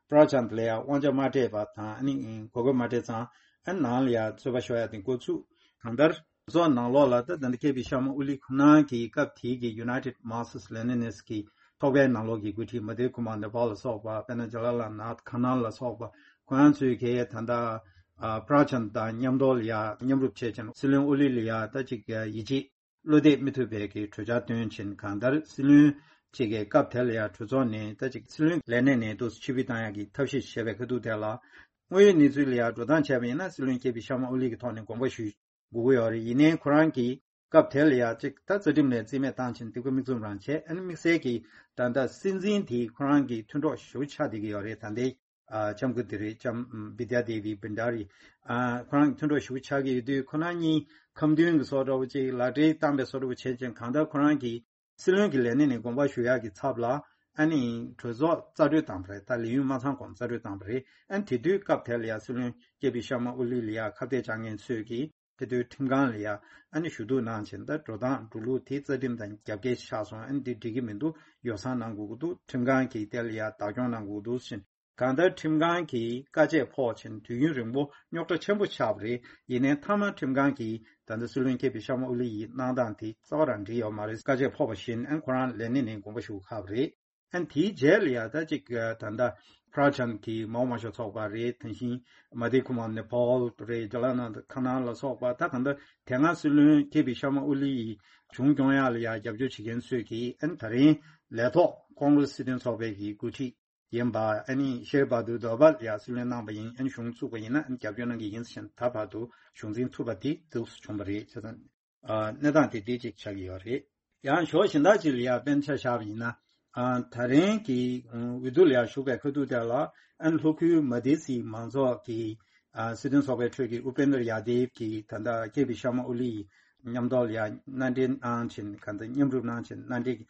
པྲ་ཅན་ལ་ཡང་དབང་ཆ་མ་སྤྲད་པ་དང་། ཨ་ནི་གོ་སྐབས་མ་སྤྲད་ཙང་། ཨ་ནང་ལ་ཡང་རྩོད་པ་ཤོར་ཡ་དེ་འགོ་ཚུགས། གང་ལྟར་གྲོས་ཚོགས་ནང་ལོགས་ལ་ད་ད་ལྟ་ཀེ་པི་ཤར་མ་ཨོ་ལི་ཁོ་ན་གི་སྐབས་དེ་གི་United Marxist Leninist གི་ཚོགས་པའི་ནང་ལོགས་ཀྱི་འགོ་ཁྲིད་མ་དྷེབ་ཀུ་མར་ནེ་པཱལ་ལ་སོགས་པ། དཔེར་ན་ཇ་ཝ་ཧར་ལཱལ་ནཱཐ་ཁ་ནཱལ་ལ་སོགས་པ། ཁོ་རང་ཚོས་གལ་ད་ལྟ་ཨ་པྲ་ཅན་དང་མཉམ་དུ་ལ་ཡ་མཉམ་རུབ་བྱས་ཕྱིན། སྲིད་བློན་ཨོ་ལི་ལ་ཡ་ད་ཅིག་ཡིད་ཆེས་བློ་གཏད་མི་ཐུབ་པའི་གི་གྲོས་འཆར་བཏོན་ཕྱིན། གང་ལྟར་སྲིད་བློན་གཅིག་གི་སྐབས་དེ་ལ་ཡ་གྲོས་ཚོགས་ནས་ད་ཅིག་སྲིད་བློན་ལས་གནས་ནས་འདུག་ཕྱིར་འབུད་བཏང་ཡག་གི་ཐབས་ཤེས་བྱས་པའི་ཁ་ཐུག་དེ་ལ། དངོས་ཡོད་གནས་ཚུལ་ལ་ཡ་འགྲོ་སྟངས་བྱས་པ་ཡིན་ན། སྲིད་བློན་ཀེ་པི་ཤར་མ་ཨོ་ལི་གི་ཐོག་ནས་དགོངས་པ་ཞུ་དགོས་ཀྱི་ཡོད་རེད། ཡིན་ནའི་ཁོ་རང་གིས་སྐབས་དེ་ལ་ཡ་གཅིག་ད་རྩ་ཁྲིམས་ནས་རྩིས་མེད་བཏང་ཕྱིན། དེ་ཁོ་མིག་བཙུམ་རང་བྱས། ཨ་ནི་དམིགས་བསལ་གྱིས་ད་ལྟ་སྲིད་འཛིན་དེ་ཁོ་རང་གི་མཐུན་གྲོགས་ཞེ་པོ་ཆགས་བསྡད་ཀྱི་ཡོད་རེད། ད་ལྟའི་ཨ་ལྕམ་སྐུ་དེ་རེད། ལྕམ་བི་དྱ་དེ་བི་བྷན་ཌ་རི། ཨ་ཁོ་རང་གི་མཐུན་གྲོགས་ཞེ་པོ་ཆགས་ཀྱི་ཡོད་དུས། ཁོ་རང་གཉིས་ཁ་འདོན་གྱི་བཟོ་འདྲ་བོ་ཅིག་ལག་འབྲེལ་བཏང་པའི་བཟོ་འདྲ་བོ་བྱས་ཙང་། གང་ལྟར་ཁོ་རང་གིས་ སྲིད་བློན་གྱི་ལས་གནས་ནས་དགོངས་པ་ཞུ་ཡག་གི་ཚབ་ལ་ཨ་ནི་གྲོས་ཚོགས་རྩ་གྲོས་བཏང་པ་རེད། ད་ལས་ཡུན་མ་ཚང་གོང་རྩ་གྲོས་བཏང་པ་རེད། ཨ་ནི་དེ་དུས་སྐབས་དེ་ལ་ཡ་སྲིད་བློན་ཀེ་པི་ཤར་མ་ཨོ་ལི་ལ་ཡ་ཁ་གཏད་བཅག་མཁན་ཚོས་ཀྱིས་དེ་དུས་ཁྲིམས་ཁང་ལ་ཡ་ཨ་ནི་ཞུ་གཏུག་གནང་བྱས། ད་འགྲོ་སྟངས་འགྲོ་ལུགས་དེ་རྩ་ཁྲིམས་དང་རྒྱབ་འགལ་ཆགས་སོང་། ཨ་ནི་དེ་འགྲིག་གི་མི་འདུག་ཡོ་བསྲང་གནང་དགོས་ཀྱི་འདུག་ཁྲིམས་ཁང་གིས་དེ་ལ་ཡ་བདག་སྐྱོང་གནང་དགོས་ཀྱི་འདུག་ཟེར། གང་ལྟར་ཁྲིམས་ཁང་གིས་བཀའ་ཆད་ཕོག་ཕྱིན་དུས་ཡུན་རིང་པོ་རྙོག་དྲ་ཆེན་པོ་ཆགས་པ་རེད། ཡིན་ནའི་མཐའ་མ་ཁྲིམས་ཁང་གིས་ད་ལྟ་སྲིད་བློན་ཀེ་པི་ཤར་མ་ཨོ་ལི་ཡི་གནང་སྟངས་དེ་རྩ་བ་རང་འགྲིག་ཡོད་མ་རེད། བཀའ་ཆད་ཕོག་པ་བཞིན་ཨན་ཁོ་རང་ལས་གནས་ནས་དགོངས་པ་ཞུ་ཁག་པ་རེད། ཨན་དེའི་རྗེས་ལ་ཡ་ད་ཅིག་ད་ལྟ་Prachand གི་མའོ་དམར་ཤོག་ཚོགས་པ་རེད། དེ་བཞིན་Madhu Kumar Nepal རེད། Jalananda Khanna ལ་སོགས་པ། ད་གང་ལྟར་དེ་སྔ་སྲིད་བློན་ཀེ་པི་ཤར་མ་ཨོ་ལི་ཡི་གཞུང་སྐྱོང་ཡག་ལ་ཡ་རྒྱབ་སྐྱོར་བྱེད་མཁན་ཚོས་ཀྱིས་ཨན་ད་རིང་ལས་ཐོག་ཀོང་རེ་སི་སྲིད་དོན་ཚོགས་པའི་གི་འགོ་ཁྲིད་ཡིན་པ་ཨ་ནི་ཤེར་བྷ་དུར་དོ་བལ་ཡ་སྲིད་བློན་གནང་པ་ཡིན། ཨ་ནི་གཞུང་བཙུགས་པ་ཡིན་ན་ཨ་ནི་རྒྱབ་སྐྱོར་གནང་གི་ཡིན་ཟེར་ནས་ད་བར་དུ་གཞུང་འཛིན་ཐུབ་པ་དེ་འདུག་སེ་བྱུང་བ་རེད། བྱས་ཙང་ཨ་གནས་སྟངས་དེ་འདི་གཅིག་ཆགས་ཀྱི་ཡོད་རེད། ཡང་ཕྱོགས་གཞན་དག་ཅིག་ལ་ཡ་དཔེར་ན་ཆ་བཞག་པ་ཡིན་ན། ཨ་ད་རིང་གི་འོས་བསྡུ་ལ་ཡ་ཞུགས་པའི་ཁ་ཐུག་དེ་ལ་ཨ་ནི་ལྷོ་ཁུལ་མ་དི་སི་མང་ཚོགས་ཀྱི་ཨ་སྲིད་དོན་ཚོགས་པའི་ཁྲོད་ཀྱི་ཨུ་པེན་དར་ཡ་དེབ་ཀྱིས་ད་ལྟ་ཀེ་པི་ཤར་མ་ཨོ་ལི་ཡི་མཉམ་ཐོག་ལ་ཡ་མནའ་འབྲེལ་གནང་བྱས། གང་ལྟར་མཉམ་རུབ་གནང་བྱས་མནའ་འབྲེལ་གྱི་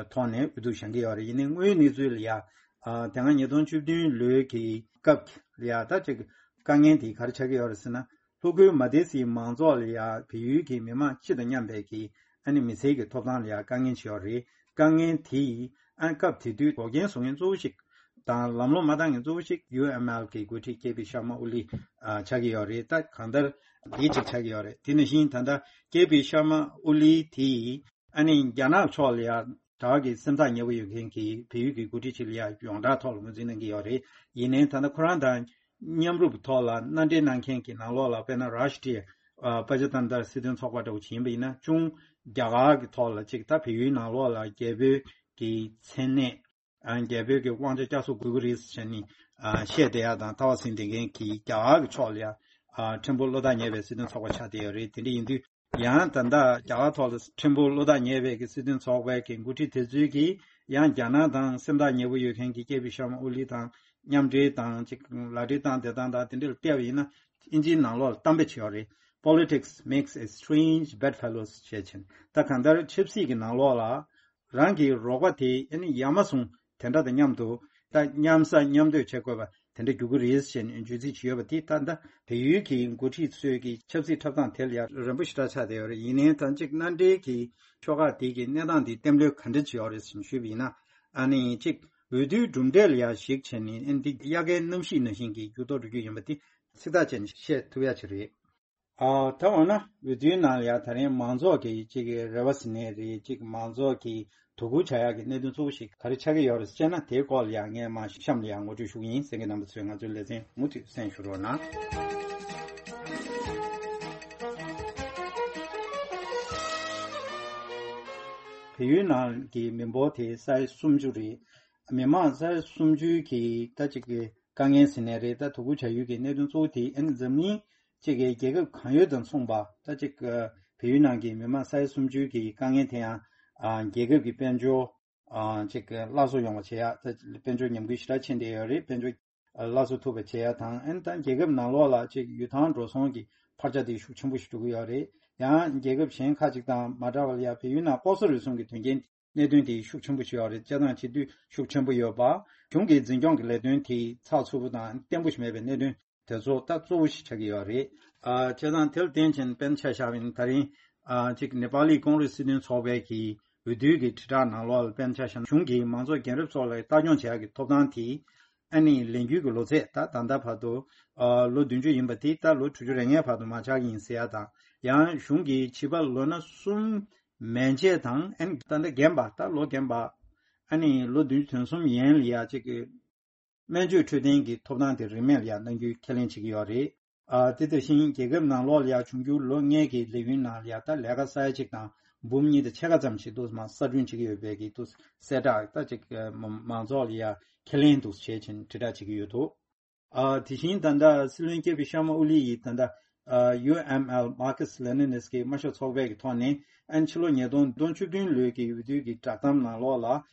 ཐོག་ནས་འོས་བསྡུ་བཞེངས་ཀྱི་ཡོད་རེད། ཡིན་ནའི་དངོས་ཡོད་གནས་ཚུལ་ལ་ཡ་ཨ་དེ་སྔ་ཉིས་སྟོང་བཅུ་བདུན་ལོའི་གི་སྐབས་ལ་ཡ་ད་ཅིག་དཀའ་ངལ་དེ་ག་རེ་ཆགས་ཀྱི་ཡོད་རེད་ཟེར་ན། ལྷོ་ཁུལ་མ་དི་སི་མང་ཚོགས་ལ་ཡ་བལ་ཡུལ་གྱི་མི་མང་སྤྱི་དང་མཉམ་པའི་གི་ཨ་ནི་མི་སེར་གྱི་ཐོབ་ཐང་ལ་ཡ་དཀའ་ངལ་ཅིག་ཡོད་རེད། དཀའ་ངལ་དེ་ཡིས་ཨ་སྐབས་དེ་དུས་འགོག་རྐྱེན་བཟོ་མཁན་གཙོ་བོ་ཞིག་དང་ལམ་ལྷོང་མ་བཏང་མཁན་གཙོ་བོ་ཞིག་ཡུ་ཨེམ་ཨེལ་གི་འགོ་ཁྲིད་ཀེ་པི་ཤར་མ་ཨོ་ལི་ཨ་ཆགས་ཀྱི་ཡོད་རེད། ད་གང་ལྟར་འདི་གཅིག་ཆགས་ཀྱི་ཡོད་རེད། དེ་ནང་བཞིན་ད་ལྟ་ཀེ་པི་ཤར་མ་ཨོ་ལི་དེ་ཡིས་ཨ་ནི་རྒྱ་ནག་ཕྱོགས་ལ་ཡ་དྲག་གི་སེམས་ཐག་ཉེ་པོ་ཡོད་མཁན་གྱི་བལ་ཡུལ་གྱི་འགོ་ཁྲིད་ཅིག་ལ་ཡ་ཡོངས་གྲགས་ཐོག་ལ་ངོས་འཛིན་གནང་གི་ཡོད་རེད། ཡིན་ནའི་ད་ལྟ་ཁོ་རང་དང་མཉམ་རུབ་ཐོག་ལ་མནའ་འབྲེལ་གནང་མཁན་གྱི་ནང་ལོགས་ལ་དཔེར་ན་རཱ་ཤི་ཏྲི་ཡ་ཨ་པ་ཅ་ཏན་ཏར་སྲིད་དོན་ཚོགས་པ་འདྲ་བོ་ཅིག་ཡིན་པ་ཡིན་ན། ཅུང་རྒྱ་གར་གྱི་ཐོག་ལ་ཅིག་ད་བལ་ཡུལ་ནང་ལོགས་ལ་རྒྱལ་པོའི་གི་མཚན་གནས་ཨ་རྒྱལ་པོའི་གི་དབང་ཆ་བསྐྱར་གསོ་དགོས་ཀྱི་རེད་ཟེར་ནས་ཨ་བཤད་བསྡད་ཡ་དང་། ཐ་བ་ཟིན་བསྡད་མཁན་གྱི་རྒྱ་གར་གྱི་ཕྱོགས་ལ་ཡ་ཨ་ཕྲན་བུ་བློ་ཐག་ཉེ་བའི་སྲིད་དོན་ཚོགས་པ་ཆགས་བསྡད་ཡོད་རེད། དེ་འདྲ་ཡིན་དུས་ཡང་ད་ལྟ་རྒྱ་གར་ཐོག་ལ་ཕྲན་བུ་བློ་ཐག་ཉེ་བའི་གི་སྲིད་དོན་ཚོགས་པའི་གི་འགོ་ཁྲིད་དེ་ཚོས་ཀྱིས་ཡང་རྒྱ་ནག་དང་སེམས་ཐག་ཉེ་པོ་ཡོད་མཁན་གྱི་ཀེ་པི་ཤར་མ་ཨོ་ལི་དང་མཉམ་འབྲེལ་དང་ཅིག་ལག་འབྲེལ་བཏང་བསྡད་སྟངས་དང་དེ་འདྲ་ལ་བལྟས་པ་ཡིན་ན། དབྱིན་ཇིའི་ནང་ལོགས་ལ་གཏམ་དཔེ་ཅིག་ཡོད་རེད། Politics makes a strange bedfellows ཞེས་བྱས། ད་གང་ལྟར་ཆབ་སྲིད་ཀྱི་ནང་ལོགས་ལ་རང་གི་རོགས་པ་དེ་ཨ་ནི་ཡ་མ་ཟུང་དེ་འདྲ་དང་མཉམ་དུ་ད་མཉམ་ཟ་མཉམ་སྡོད་བྱེད་དགོས་པ་དེ་འདྲ་འགྱུར་གྱི་རེད་ཞེས་བརྗོད་ཚིག་ཅིག་ཡོད་པ་དེ། ད་ལྟ་བལ་ཡུལ་གྱི་འགོ་ཁྲིད་ཚོས་ཀྱི་ཆབ་སྲིད་འཁྲབ་སྟངས་དེ་ལ་ཡ་རན་པོ་ཞེ་དྲག་ཆགས་བསྡད་ཡོད་རེད། ཡིན་ནའི་ད་ཅིག་མནའ་འབྲེལ་གྱི་ཕྱོགས་ཁག་དེ་གི་གནས་སྟངས་དེ་གཏན་འབེབས་ག་འདྲ་ཅིག་ཡོད་རེད་ཟེར་ཞུས་པ་ཡིན་ན། ཨ་ནི་ཅིག་འོས་བསྡུའི་གྲུབ་འབྲས་ལ་ཡ་གཞིགས་བྱས་ནས་ཨ་ནི་འདི་དབྱར་ཁའི་གནམ་གཤིས་ནང་བཞིན་གྱི་འགྱུར་ལྡོག་འགྲོ་རྒྱུ་ཡིན་པ་དེ་ཚིག་ཐག་བཅད་ནས་བཤད་ཐུབ་ཡ་ཅིག་རེད། ཨ་ད་འོ་ན་འོས་བསྡུའི་ནང་ལ་ཡ་ད་རིང་མང་ཚོགས་ཀྱི་ཅིག་རེ་བ་ཟེར་ནའི་རེད། ཅིག་མང་ཚོགས་ཀྱི་དོ་ཁུར་བྱ་ཡག་གི་གནད་དོན་གཙོ་བོ་ཞིག་ག་རེ་ཆགས་ཀྱི་ཡོད་རེད་ཟེར་ན། དེའི་སྐོར་ལ་ཡ་ངས་མར་གཤམ་ལ་ཡ་ངོ་སྤྲོད་ཞུ་གི་ཡིན། གསན་མཁན་རྣམ་པ་ཚོས་ང་ཚོའི་ལེ་ཚན་མུ་མཐུད་གསན་ཞུ་རོགས་གནང་། བལ་ཡུལ་ནང་གི་མི་འབོར་དེ་ས་ཡ་སུམ་ཅུ་རེད། མི་མང་ས་ཡ་སུམ་ཅུ་གི་ད་ཅིག་གི་དཀའ་ངལ་ཟེར་ནའི་རེད། ད་དོ་ཁུར་བྱ་ཡུལ་གྱི་གནད་དོན་གཙོ་བོ་དེ་ཨ་ནི་འཛམ་གླིང་གཅིག་གི་རྒྱལ་ཁབ་གང་ཡོད་དང་མཚུངས་པ། ད་ཅིག་བལ་ཡུལ་ནང་གི་མི་མང་ས་ཡ་སུམ་ཅུ་གི་དཀའ་ངལ་དེ་ཡང་ཨ་རྒྱལ་ཁབ་ཀྱི་དཔལ་འབྱོར་ཨ་ཅིག་སླར་གསོ་ཡོང་བ་བྱེད་ཡ། ད་དཔལ་འབྱོར་ཉམས་རྒུད་ཞེ་དྲག་ཕྱིན་བསྡད་ཡོད་རེད། དཔལ་འབྱོར་སླར་གསོ་ཐུབ་པ་བྱེད་ཡ་དང་། ཨ་ནི་ད་རྒྱལ་ཁབ་ནང་ལོགས་ལ་ཅིག་ཡུལ་ཐང་འགྲོ་སོང་གི་འཕར་ཆ་དེ་ཤུགས་ཆེན་པོ་ཞིག་འགྲོ་གི་ཡོད་རེད། ཡང་རྒྱལ་ཁབ་གཞན་ཁག་ཅིག་དང་མ་འདྲ་བ་ལ་ཡ་བལ་ཡུལ་ནང་ལྐོག་ཟ་རུལ་སུངས་ཀྱི་དོན་རྐྱེན་གནད་དོན་དེ་ཤུགས་ཆེན་པོ་ཞིག་ཡོད་རེད། སྤྱིར་བཏང་བྱེད་དུས་ཤུགས་ཆེན་པོ་ཡོད་པ། གཞུང་གི་འཛིན་སྐྱོང་གི་ལས་དོན་དེ་ཚགས་ཚུད་པོ་དང་བརྟན་པོ་ཞིག་མེད་པའི་གནད་དོན་དེ་ཚོ་ད་གཙོ་བོ་ཞིག་ཆགས་ཀྱི་ཡོད་རེད། ཨ་བྱས་ཙང་དེར་བརྟེན་བྱས་ནས་དཔེར་ན་ཆ་བཞག་པ་ཡིན་ན། ད་རིང་ཨ་ཅིག་ནེ་པ་ལི་ཀོང་རེས་སྲིད་དོན་ཚོགས་པའི་གི་འོས་བསྡུའི་གི་དྲིལ་བསྒྲགས་ནང་ལོགས་ལ་དཔེར་ན་ཆ་བཞག་ན། གཞུང་གིས་མང་ཚོགས་རྒན་རབས་ཚོ་ལ་ལྟ་སྐྱོང་བྱེད་ཡག་གི་ཐོབ་ཐང་དེ་ཨ་ནི་ལས་འགུལ་གྱི་ལོ་ཚད་ད་ད་ལྟ་བར་དུ་ཨ་ལོ་བདུན་ཅུ་ཡིན་པ་དེ་ད་ལོ་དྲུག་ཅུ་རེ་ལྔའི་བར་དུ་མར་ཆག་གི་ཡིན་ཟེར་ཡ་དང་། ཡང་གཞུང་གིས་བྱིས་པ་ལོ་ན་གསུམ་མན་ཆད་དང་། ཨ་ནི་ད་ལྟ་རྒན་པ། ད་ལོ་རྒན་པ་ཨ་ནི་ལོ་བདུན་ཅུ་དོན་གསུམ་ཡན་ལ་ཡ་ཅིག་གི་སྨན་བཅོས་འཕྲོད་བསྟེན་གྱི་ཐོབ་ཐང་དེ་རིན་མེད་ལ་ཡ་གནང་རྒྱུའི་ཁས་ལེན་བྱེད་ཀྱི་ཡོད་རེད། ཨ་དེ་དང་ཞིང་རྒྱལ་ཁབ་ནང་ལོགས་ལ་ཡ་འབྱུང་འགྱུར་ལོ་ལྔའི་གི་ལས་ཡུན་ནང་ལ་ཡ་ད་ལས་ཀ་ས་ཡ་གཅིག་དང་འབུམ་གཉིས་དང་ཕྱེད་ཀ་ཙམ་ཞིག་འདུག་མ་གསར་སྐྲུན་བྱེད་ཀྱི་ཡོད་པའི་གི་འདུག་གསལ་བསྒྲགས་ད་ཅིག་མང་ཚོགས་ལ་ཡ་ཁས་ལེན་འདུག་བྱས་ཕྱིན་དྲིལ་བསྒྲགས་བྱེད་ཀྱི་ཡོད་འདུག་ཨ་དེ་བཞིན་ད་ལྟ་སྲིད་བློན་ཀེ་པི་ཤར་མ་ཨོ་ལི་ཡིས་ད་ལྟ་ཨ་ཡུ་ཨེམ་ཨེལ་མར་ཁེ་སི་ལེ་ནིན་སི་ཀི་དམར་ཤོག་ཚོགས་པའི་གི་ཐོག་ནས་ཨ་ནི་ཕྱི་ལོ་ཉིས་སྟོང་བཅུ་བདུན་ལོའི་གི་འོས་བསྡུ་གི་བསྒྲགས་གཏམ་ནང་ལོགས་ལ་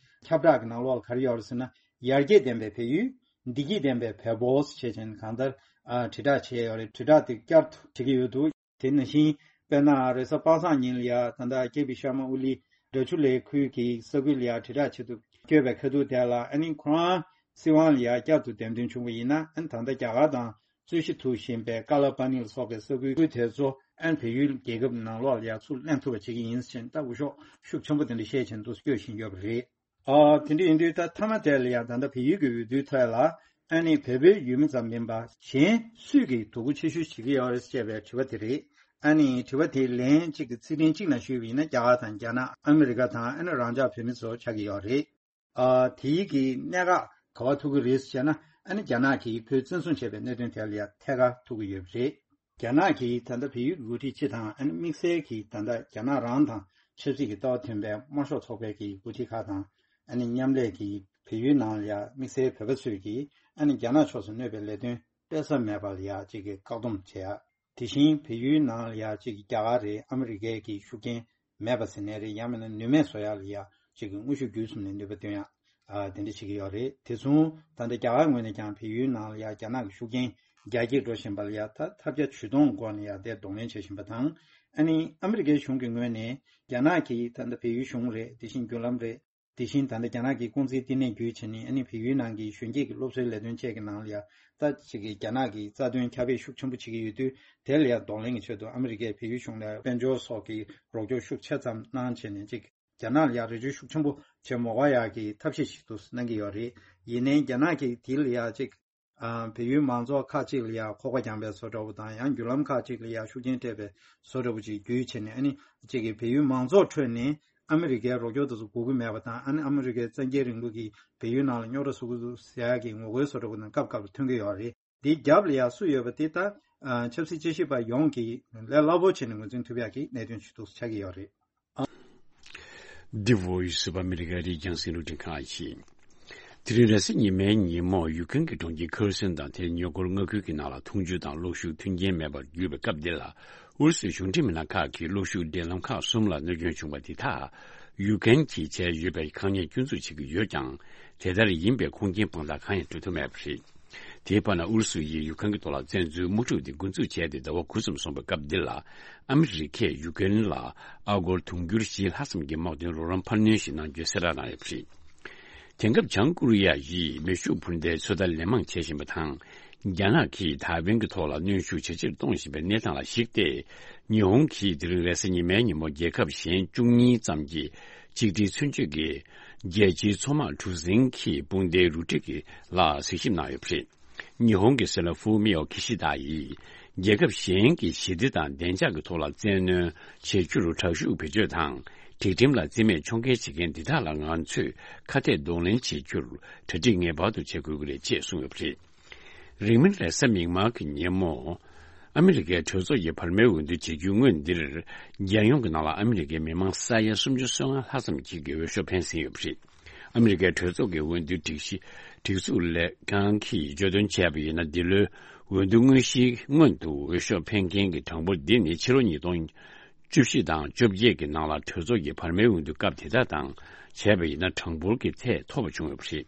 ཁྱབ་བསྒྲགས་ཀྱི་ནང་ལོགས་ལ་ག་རེ་ཡོད་རེད་ཟེར་ན། ཡར་རྒྱས་ལྡན་པའི་བལ་ཡུལ། བདེ་སྐྱིད་ལྡན་པའི་བལ་པོ་ཞེས་བྱས་ནས་གང་ལྟར་ཨ་དྲིལ་བསྒྲགས་བྱས་ཡོད་རེད། དྲིལ་བསྒྲགས་དེ་བསྐྱར་དུ་བྱེད་ཀྱི་ཡོད་འདུག་དེ་ནང་བཞིན་དཔེར་ན་རེས་གཟའ་པ་སངས་ཉིན་ལ་ཡ་ད་ལྟ་ཀེ་པི་ཤར་མ་ཨོ་ལི་ ར་ཆུ་ལའི་ཁུལ་གྱི་ས་ཁུལ་ལ་ཡ་དྲིལ་བསྒྲགས་ཆེད་དུ་བསྐྱོད་པའི་ཁ་ཐུག་དེ་ལ། ཨ་ནི་ཁོ་རང་སྲིད་དབང་ལ་ཡ་བསྐྱར་དུ་འདེམས་ཐོན་བྱུང་བ་ཡིན་ན། ཨ་ནི་ད་ལྟ་རྒྱ་གར་དང་རྩོད་གཞི་ཐུག་བཞིན་པའི་ཀ་ལ་པ་ནི་ལ་སོགས་པའི་ས་ཁུལ་དེ་ཚོ་ཨ་ནི་བལ་ཡུལ་རྒྱལ་ཁབ་ནང་ལོགས་ལ་ཡ་ཚུར་ལེན་ཐུབ་པ་བྱེད་ཀྱི་ཡིན་ཟེར་ནས། ད་འུད་ཤོག་ཤུགས་ཆེན་པོ་དེ་འདྲ་བཤད་བཞིན་དུ་བསྐྱོད་བཞིན་ཡོད་པ་རེད། ཨ། དེ་འདྲ་ཡིན་དུས་ད་མཐའ་མ་དེ་ལ་ཡང་ད་ལྟ་བལ་ཡུལ་གྱི་འོས་བསྡུའི་ཐད་ལ། ཨ་ནི་བལ་པོའི་ཡུལ་མི་ཙམ་མིན་པ་གཞན་སུས་ཀྱིས་དོ་ཁུར་ཆེ་ཤོས་བྱེད་ཀྱི་ཡོད་རེད་ཅེས་པའི་དྲི་བ་དེ་རེད། ཨ་ནི་དྲི་བ་དེའི་ལན་གཅིག་གི་ཚིག་ཕྲེང་གཅིག་ནང་ཞུས་པ་ཡིན་ན། རྒྱ་གར་དང་རྒྱ་ནག་ཨ་མི་རི་ཀ་དང་། ཨ་ནི་རང་ཅག་བོད་མི་ཚོ་ཆགས་ཀྱི་ཡོད་རེད། ཨ། དེའི་གི་གནད་འགག་ག་པར་ཐུག་གི་རེད་ཟེར་ན། ཨ་ནི་རྒྱ་ནག་གིས་བོད་བཙན་བཟུང་བྱས་པའི་གནད་དོན་དེ་ལ་ཡང་ཐད་ཀར་ཐུག་གི་ཡོད་པ་རེད། རྒྱ་ནག་གིས་ད་ལྟ་བལ་ཡུལ་གྱི་འགོ་ཁྲིད་སྤྱི་དང་། ཨ་ནི་དམིགས་བསལ་གྱིས་ད་ལྟ་རྒྱ་ནག་རང་དང་ཆབ་སྲིད་ཀྱི་ལྟ་བ་མཐུན་པའི་དམར་ཤོག་ཚོགས་པའི་གི་འགོ་ཁྲིད་ཁག་དང་། ཨ་ནི་མཉམ་ལས་ཀྱིས་བལ་ཡུལ་ནང་ལ་ཡ་དམིགས་བསལ་བོད་པ་ཚོས་ཀྱིས་ཨ་ནི་རྒྱ་ནག་ཕྱོགས་སུ་གནོད་པའི་ལས་དོན་སྤེལ་ས་མེད་པ་ལ་ཡ་གཅིག་གི་བཀག་སྡོམ་བྱེད་ཡ། དེ་བཞིན་བལ་ཡུལ་ནང་ལ་ཡ་གཅིག་གི་རྒྱ་གར་རེད། ཨ་མི་རི་ཀའི་གི་ཤུགས་རྐྱེན་མེད་པ་ཟེར་ནའི་རེད། ཡང་མིན་ན་ནུས་མེད་བཟོ་ཡ་ལ་ཡ་གཅིག་གི་དངོས་ཤུགས་བརྒྱུད་གསུམ་ནས་ནུས་པ་བཏོན་ཡ། ཨ། དེ་འདྲ་བྱེད་ཀྱི་ཡོད་རེད། དེ་མཚུངས་ད་ལྟ་རྒྱ་གར་ངོས་ནས་ཀྱང་བལ་ཡུལ་ནང་ལ་ཡ་རྒྱ་ནག་གི་ཤུགས་རྐྱེན་རྒྱ་སྐྱེད་འགྲོ་བཞིན་པ་ལ་ཡ་ད་ཐབས་བརྒྱ་ཇུས་སྟོང་སྒོ་ནས་ཡ་དེ་གདོང་ལེན་བྱེད་བཞིན་པ་དང་། ཨ་ནི་ཨ་མི་རི་ཀའི་གཞུང་གི་ངོས་ནས་རྒྱ་ནག་གིས་ད་ལྟ་བལ་ཡུལ་གཞུང་རེད། དེ་བཞིན་བརྒྱུད་ལམ་རེད། དེ་བཞིན་ད་ལྟ་རྒྱ་ནག་གི་རྐང་འཛིན་བསྟི་གནས་བརྒྱུད་བྱས་ནས། ཨ་ནི་བལ་ཡུལ་ནང་གི་གཞོན་སྐྱེས་ཀྱི་སློབ་གསོའི་ལས་དོན་བཅས་ཀྱི་ནང་ལ་ཡ་ད་ཅིག་གི་རྒྱ་ནག་གི་རྩ་དོན་ཁྱབ་སྤེལ་ཤུགས་ཆེན་པོ་བྱེད་ཀྱི་ཡོད་དུས། དེ་ལ་ཡ་གདོང་ལེན་གྱི་ཆེད་དུ་ཨ་མི་རི་ཀས་བལ་ཡུལ་གཞུང་ལ་དཔལ་འབྱོར་སོགས་ཀྱི་རོགས་སྐྱོར་ཤུགས་ཆེ་ཙམ་གནང་བྱས་ནས། ཅིག་རྒྱ་ནག་ལ་ཡ་རེ་ཞུ་ཤུགས་ཆེན་པོ་བྱེད་མ་དགོས་ཡག་གི་ཐབས་ཤེས་ཤིག་ཏུ་གནང་གི་ཡོད་རེད། ཡིན་ནའི་རྒྱ་ནག་གིས་དེ་ལ་ཡ་ཅིག་ཨ། བལ་ཡུལ་མང་ཚོགས་ཁག་ཅིག་ལ་ཡ་ཁོག་པ་རྒྱངས་པའི་བཟོ་འདྲ་བོ་དང་། ཡང་བརྒྱུད་ལམ་ཁག་ཅིག་ལ་ཡ་ཤུགས་རྐྱེན་སྤྲད་པའི་བཟོ་འདྲ་བོ་ཅིག་བརྒྱུད་བྱས་ནས། ཨ་ནི་ཅིག་གིས་བལ་ཡུལ་མང་ཚོགས་ཁྲོད་ནས་ཨ་མི་རི་ཀའི་རོགས་སྐྱོར་དེ་ཚོ་དགོས་ཀྱི་མེད་པ་དང་། ཨ་ནི་ཨ་མི་རི་ཀའི་བཙན་རྒྱལ་རིང་ལུགས་ཀྱིས་བལ་ཡུལ་ནང་ལ་རྙོག་དྲ་བཟོ་གི་འདུག་ཟེར་ཡག་གི་ངོ་རྒོལ་བཟོ་འདྲ་བོ་ནང་སྐབས་སྐབས་ལ་ཐོན་གྱི་ཡོད་རེད། འདིའི་རྒྱབ་ལ་ཡ་སུ་ཡོད་པ་དེ་ད་ཨ། ཆབ་སྲིད་དཔྱད་ཞིབ་པ་ཡོངས་ཀྱིས་ལས་སླ་པོ་བྱས་ནས་ངོས་འཛིན་ཐུབ་ཡག་གི་གནད་དོན་ཞིག་ཏུ་ཆགས་ཀྱི་ཡོད་རེད། འདི་Voice of America རེད། རྒྱང་སྲིང་རླུང་འཕྲིན་ཁང་ཡིན། དེ་རིང་རེས་གཟའ་ཉི་མའི་ཉིན་མོ་ཡུཀ་རེན་གྱི་གྲོང་ཁྱེར་ཁེར་སོན་དང་དེའི་ཉེ་འཁོར་མངའ་ཁུལ་གྱི་ནང་ལ་འཐུང་ཆུ་དང་གློག་ཤུགས་མཐུན་རྐྱེན་མེད་པར་གྱུར་བའི་སྐབས་འདི་ལ། ཨུ་རུ་སུའི་གཞུང་འབྲེལ་མི་སྣ་ཁག་གིས་གློག་ཤུགས་འབྲེལ་ལམ་ཁག་གསུམ་ལ་གནོད་སྐྱོན་བྱུང་བ་དེ་དག་ཡུཀ་རེན་གྱིས་བྱས་ཡོད་པའི་ཁག་ཉེས་སྐྱོན་འཛུགས་བྱེད་ཀྱི་ཡོད་ཀྱང་། དེ་ལྟར་ཡིན་པའི་ཁུངས་སྐྱེལ་དཔང་རྟགས་གང་ཡང་སྤྲོད་ཐུབ་མེད་པ་རེད། དེའི་བར་ན་ཨུ་རུ་སུ་ཡིས་ཡུཀ་རེན་གྱི་ཐོག་ལ་བཙན་འཛུལ་དམག་འཁྲུག་དེ་འགོ་འཛུགས་བྱས་ཏེ་ཟླ་བ་དགུ་ཙམ་སོང་བའི་སྐབས་འདི་ལ། ཨ་མི་རི་ཀས་ཡུཀ་རེན་ལ་ཨ་སྒོར་དུང་ཕྱུར་བཞི་ལྷག་ཙམ་གྱི་དམག་དོན་རོགས་རམ་འཕར་སྣོན་ཞིག་གནང་རྒྱུའི་གསལ་བསྒྲགས་གནང་ཡོད་པ་རེད། དེང་སྐབས་བྱང་ཀོ་རི་ཡ་ཡིས་མེ་ཤུགས་འཕུར་མདའི་ཚོད་ལྟ་ལན་མང་བྱེད་བཞིན་པ་དང་། རྒྱ་ནག་གིས་ཐའེ་ཝན་གྱི་ཐོག་ལ་གནོན་ཤུགས་ཇེ་ཆེར་གཏོང་བཞིན་པའི་གནས་སྟངས་ལ་གཞིགས་ཏེ། ཉི་ཧོང་གིས་དེ་རིང་རེས་གཟའ་ཉི་མའི་ཉིན་མོ་རྒྱལ་ཁབ་གཞན་བཅུ་གཉིས་ཙམ་གྱི་གཅིག་སྒྲིལ་མཚོན་བྱེད་ཀྱི་རྒྱལ་སྤྱིའི་མཚོ་དམག་གྲུ་གཟིངས་ཀྱི་དཔུང་སྡེའི་རུ་སྒྲིག་གི་ལ་གཟིགས་ཞིབ་གནང་ཡོད་པ་རེད། ཉི་ཧོང་གི་སྲིད་བློན་ཧྥུ་མི་ཡོ་ཁི་ཤི་ད་ཡིས། རྒྱལ་ཁབ་གཞན་གྱི་ཞི་བདེ་དང་བདེ་འཇགས་ཀྱི་ཐོག་ལ་བཙན་གནོན་བྱེད་རྒྱུར་དྲག་ཤུགས་བེད་སྤྱོད་དང་། སྒྲིག་ཁྲིམས་ལ་བརྩི་མེད་ཕྱོགས་འགལ་བྱེད་མཁན་འདི་དག་ལ་ང་ཚོས་ཁ་གཏད་གདོང་ལེན་བྱེད་རྒྱུར་གྲ་སྒྲིག་ངེས་པར་དུ་བྱེད་དགོས་ཀྱི་རེད་ཅེས་གསུངས་ཡོད་པ་རེད། རིང་མིན་རེས་གཟའ་མིག་དམར་གྱི་ཉིན་མོ། ཨ་མི་རི་ཀའི་གྲོས་ཚོགས་ཀྱི་བར་མའི་འོས་བསྡུ་བྱེད་རྒྱུའི་སྔོན་འདིར། རྒྱལ་ཡོངས་ཀྱི་ནང་ལ་ཨ་མི་རི་ཀའི་མི་མང་ས་ཡ་སུམ་ཅུ་སོ་ལྔ་ལྷག་ཙམ་ཞིག་གིས་འོས་ཤོག་འཕེན་ཟིན་ཡོད་པ་རེད། ཨ་མི་རི་ཀའི་གྲོས་ཚོགས་ཀྱི་འོས་བསྡུའི་སྒྲིག་གཞི་སྒྲིག་འཛུགས་ལས་ཁང་གིས་བརྗོད་དོན་བྱས་པ་ཡིན་ན། འདི་ལོའི་འོས་བསྡུ་དངོས་གཞིའི་སྔོན་དུ་འོས་ཤོག་འཕེན་མཁན་གྱི་གྲངས་འབོར་འདི་ནི་ཕྱི་ལོ་ཉིས་སྟོང་བཅུ་བཞི་དང་བཅོ་བརྒྱད་ཀྱི་ནང་ལ་གྲོས་ཚོགས་ཀྱི་བར་མའི་འོས་བསྡུ་སྐབས་དེ་དག་དང་བྱས་པ་ཡིན་ན་གྲངས་འབོར་གྱི་ཐད་མཐོ་བ་བྱུང་ཡོད་པ་རེད།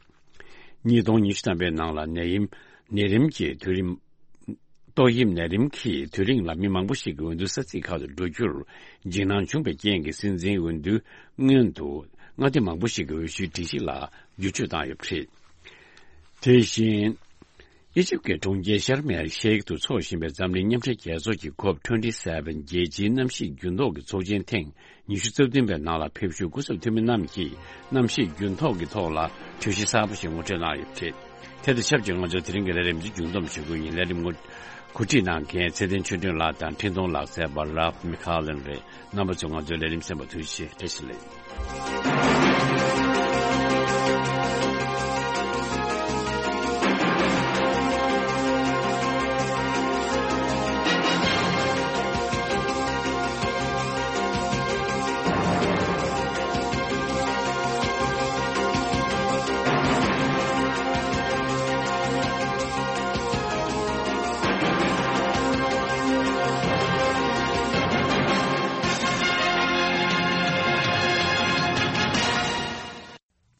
ཉིས་སྟོང་ཉི་ཤུ་ཐམ་པའི་ནང་ལ་ནད་ཡམས་ནད་རིམས་ཀྱི་དུས་རིམ། ཏོག་དབྱིབས་ནད་རིམས་ཀྱི་དུས་རིང་ལ་མི་མང་པོ་ཞིག་གི་འོས་བསྡུ་ས་ཚིགས་ཁག་ཏུ་འགྲོ་རྒྱུར་འཇིགས་སྣང་བྱུང་བའི་རྐྱེན་གྱིས། སྲིད་འཛིན་འོས་བསྡུའི་སྔོན་དུ་མངའ་སྡེ་མང་པོ་ཞིག་གི་འོས་ཤོག་སྒྲིག་གཞི་ལ་བསྒྱུར་བཅོས་བཏང་ཡོད་པ་རེད། དེ་བཞིན། ཨི་ཇིབ་ཀྱི་གྲོང་ཁྱེར་ཤར་མེ་ཤེག་ཏུ་འཚོགས་བཞིན་པའི་འཛམ་གླིང་མཉམ་འབྲེལ་རྒྱལ་ཚོགས་ཀྱི་ཁོབ་ཊུ་ཝེན་ཊི་སེ་ཝེན་རྒྱལ་སྤྱིའི་གནམ་གཤིས་འགྱུར་ལྡོག་གི་ཚོགས་ཆེན་ཐེངས་ཉི་ཤུ་རྩ་བདུན་པའི་ནང་ལ་ཕེབས་བཞུགས་སྐུ་ཚབ་འཐུས་མི་རྣམས་ཀྱིས་གནམ་གཤིས་འགྱུར་ལྡོག་གི་ཐོག་ལ་གྲོས་གཞི་གསར་པ་ཞིག་ངོ་སྤྲོད་གནང་ཡོད་པ་རེད། དེ་དང་ཆབས་ཅིག་ང་ཚོ་དེ་རིང་གི་ལས་རིམ་འདི་མཇུག་བསྡོམས་ཞུ་རྒྱུ་ཡིན། ལས་རིམ་ངོ་གོ་སྒྲིག་གནང་མཁན་ཚེ་བརྟན་ཆོས་སྒྲོན་ལགས་དང་འཕྲིན་གཏོང་ལག་རྩལ་པ་རཱབ་མི་ཁ་ལན་རེད། རྣམ་པ་ཚོས་ང་ཚོའི་ལས་རིམ་གསན་པར་ཐུགས་རྗེ་ཆེ། བཀྲ་ཤིས་བདེ་ལེགས།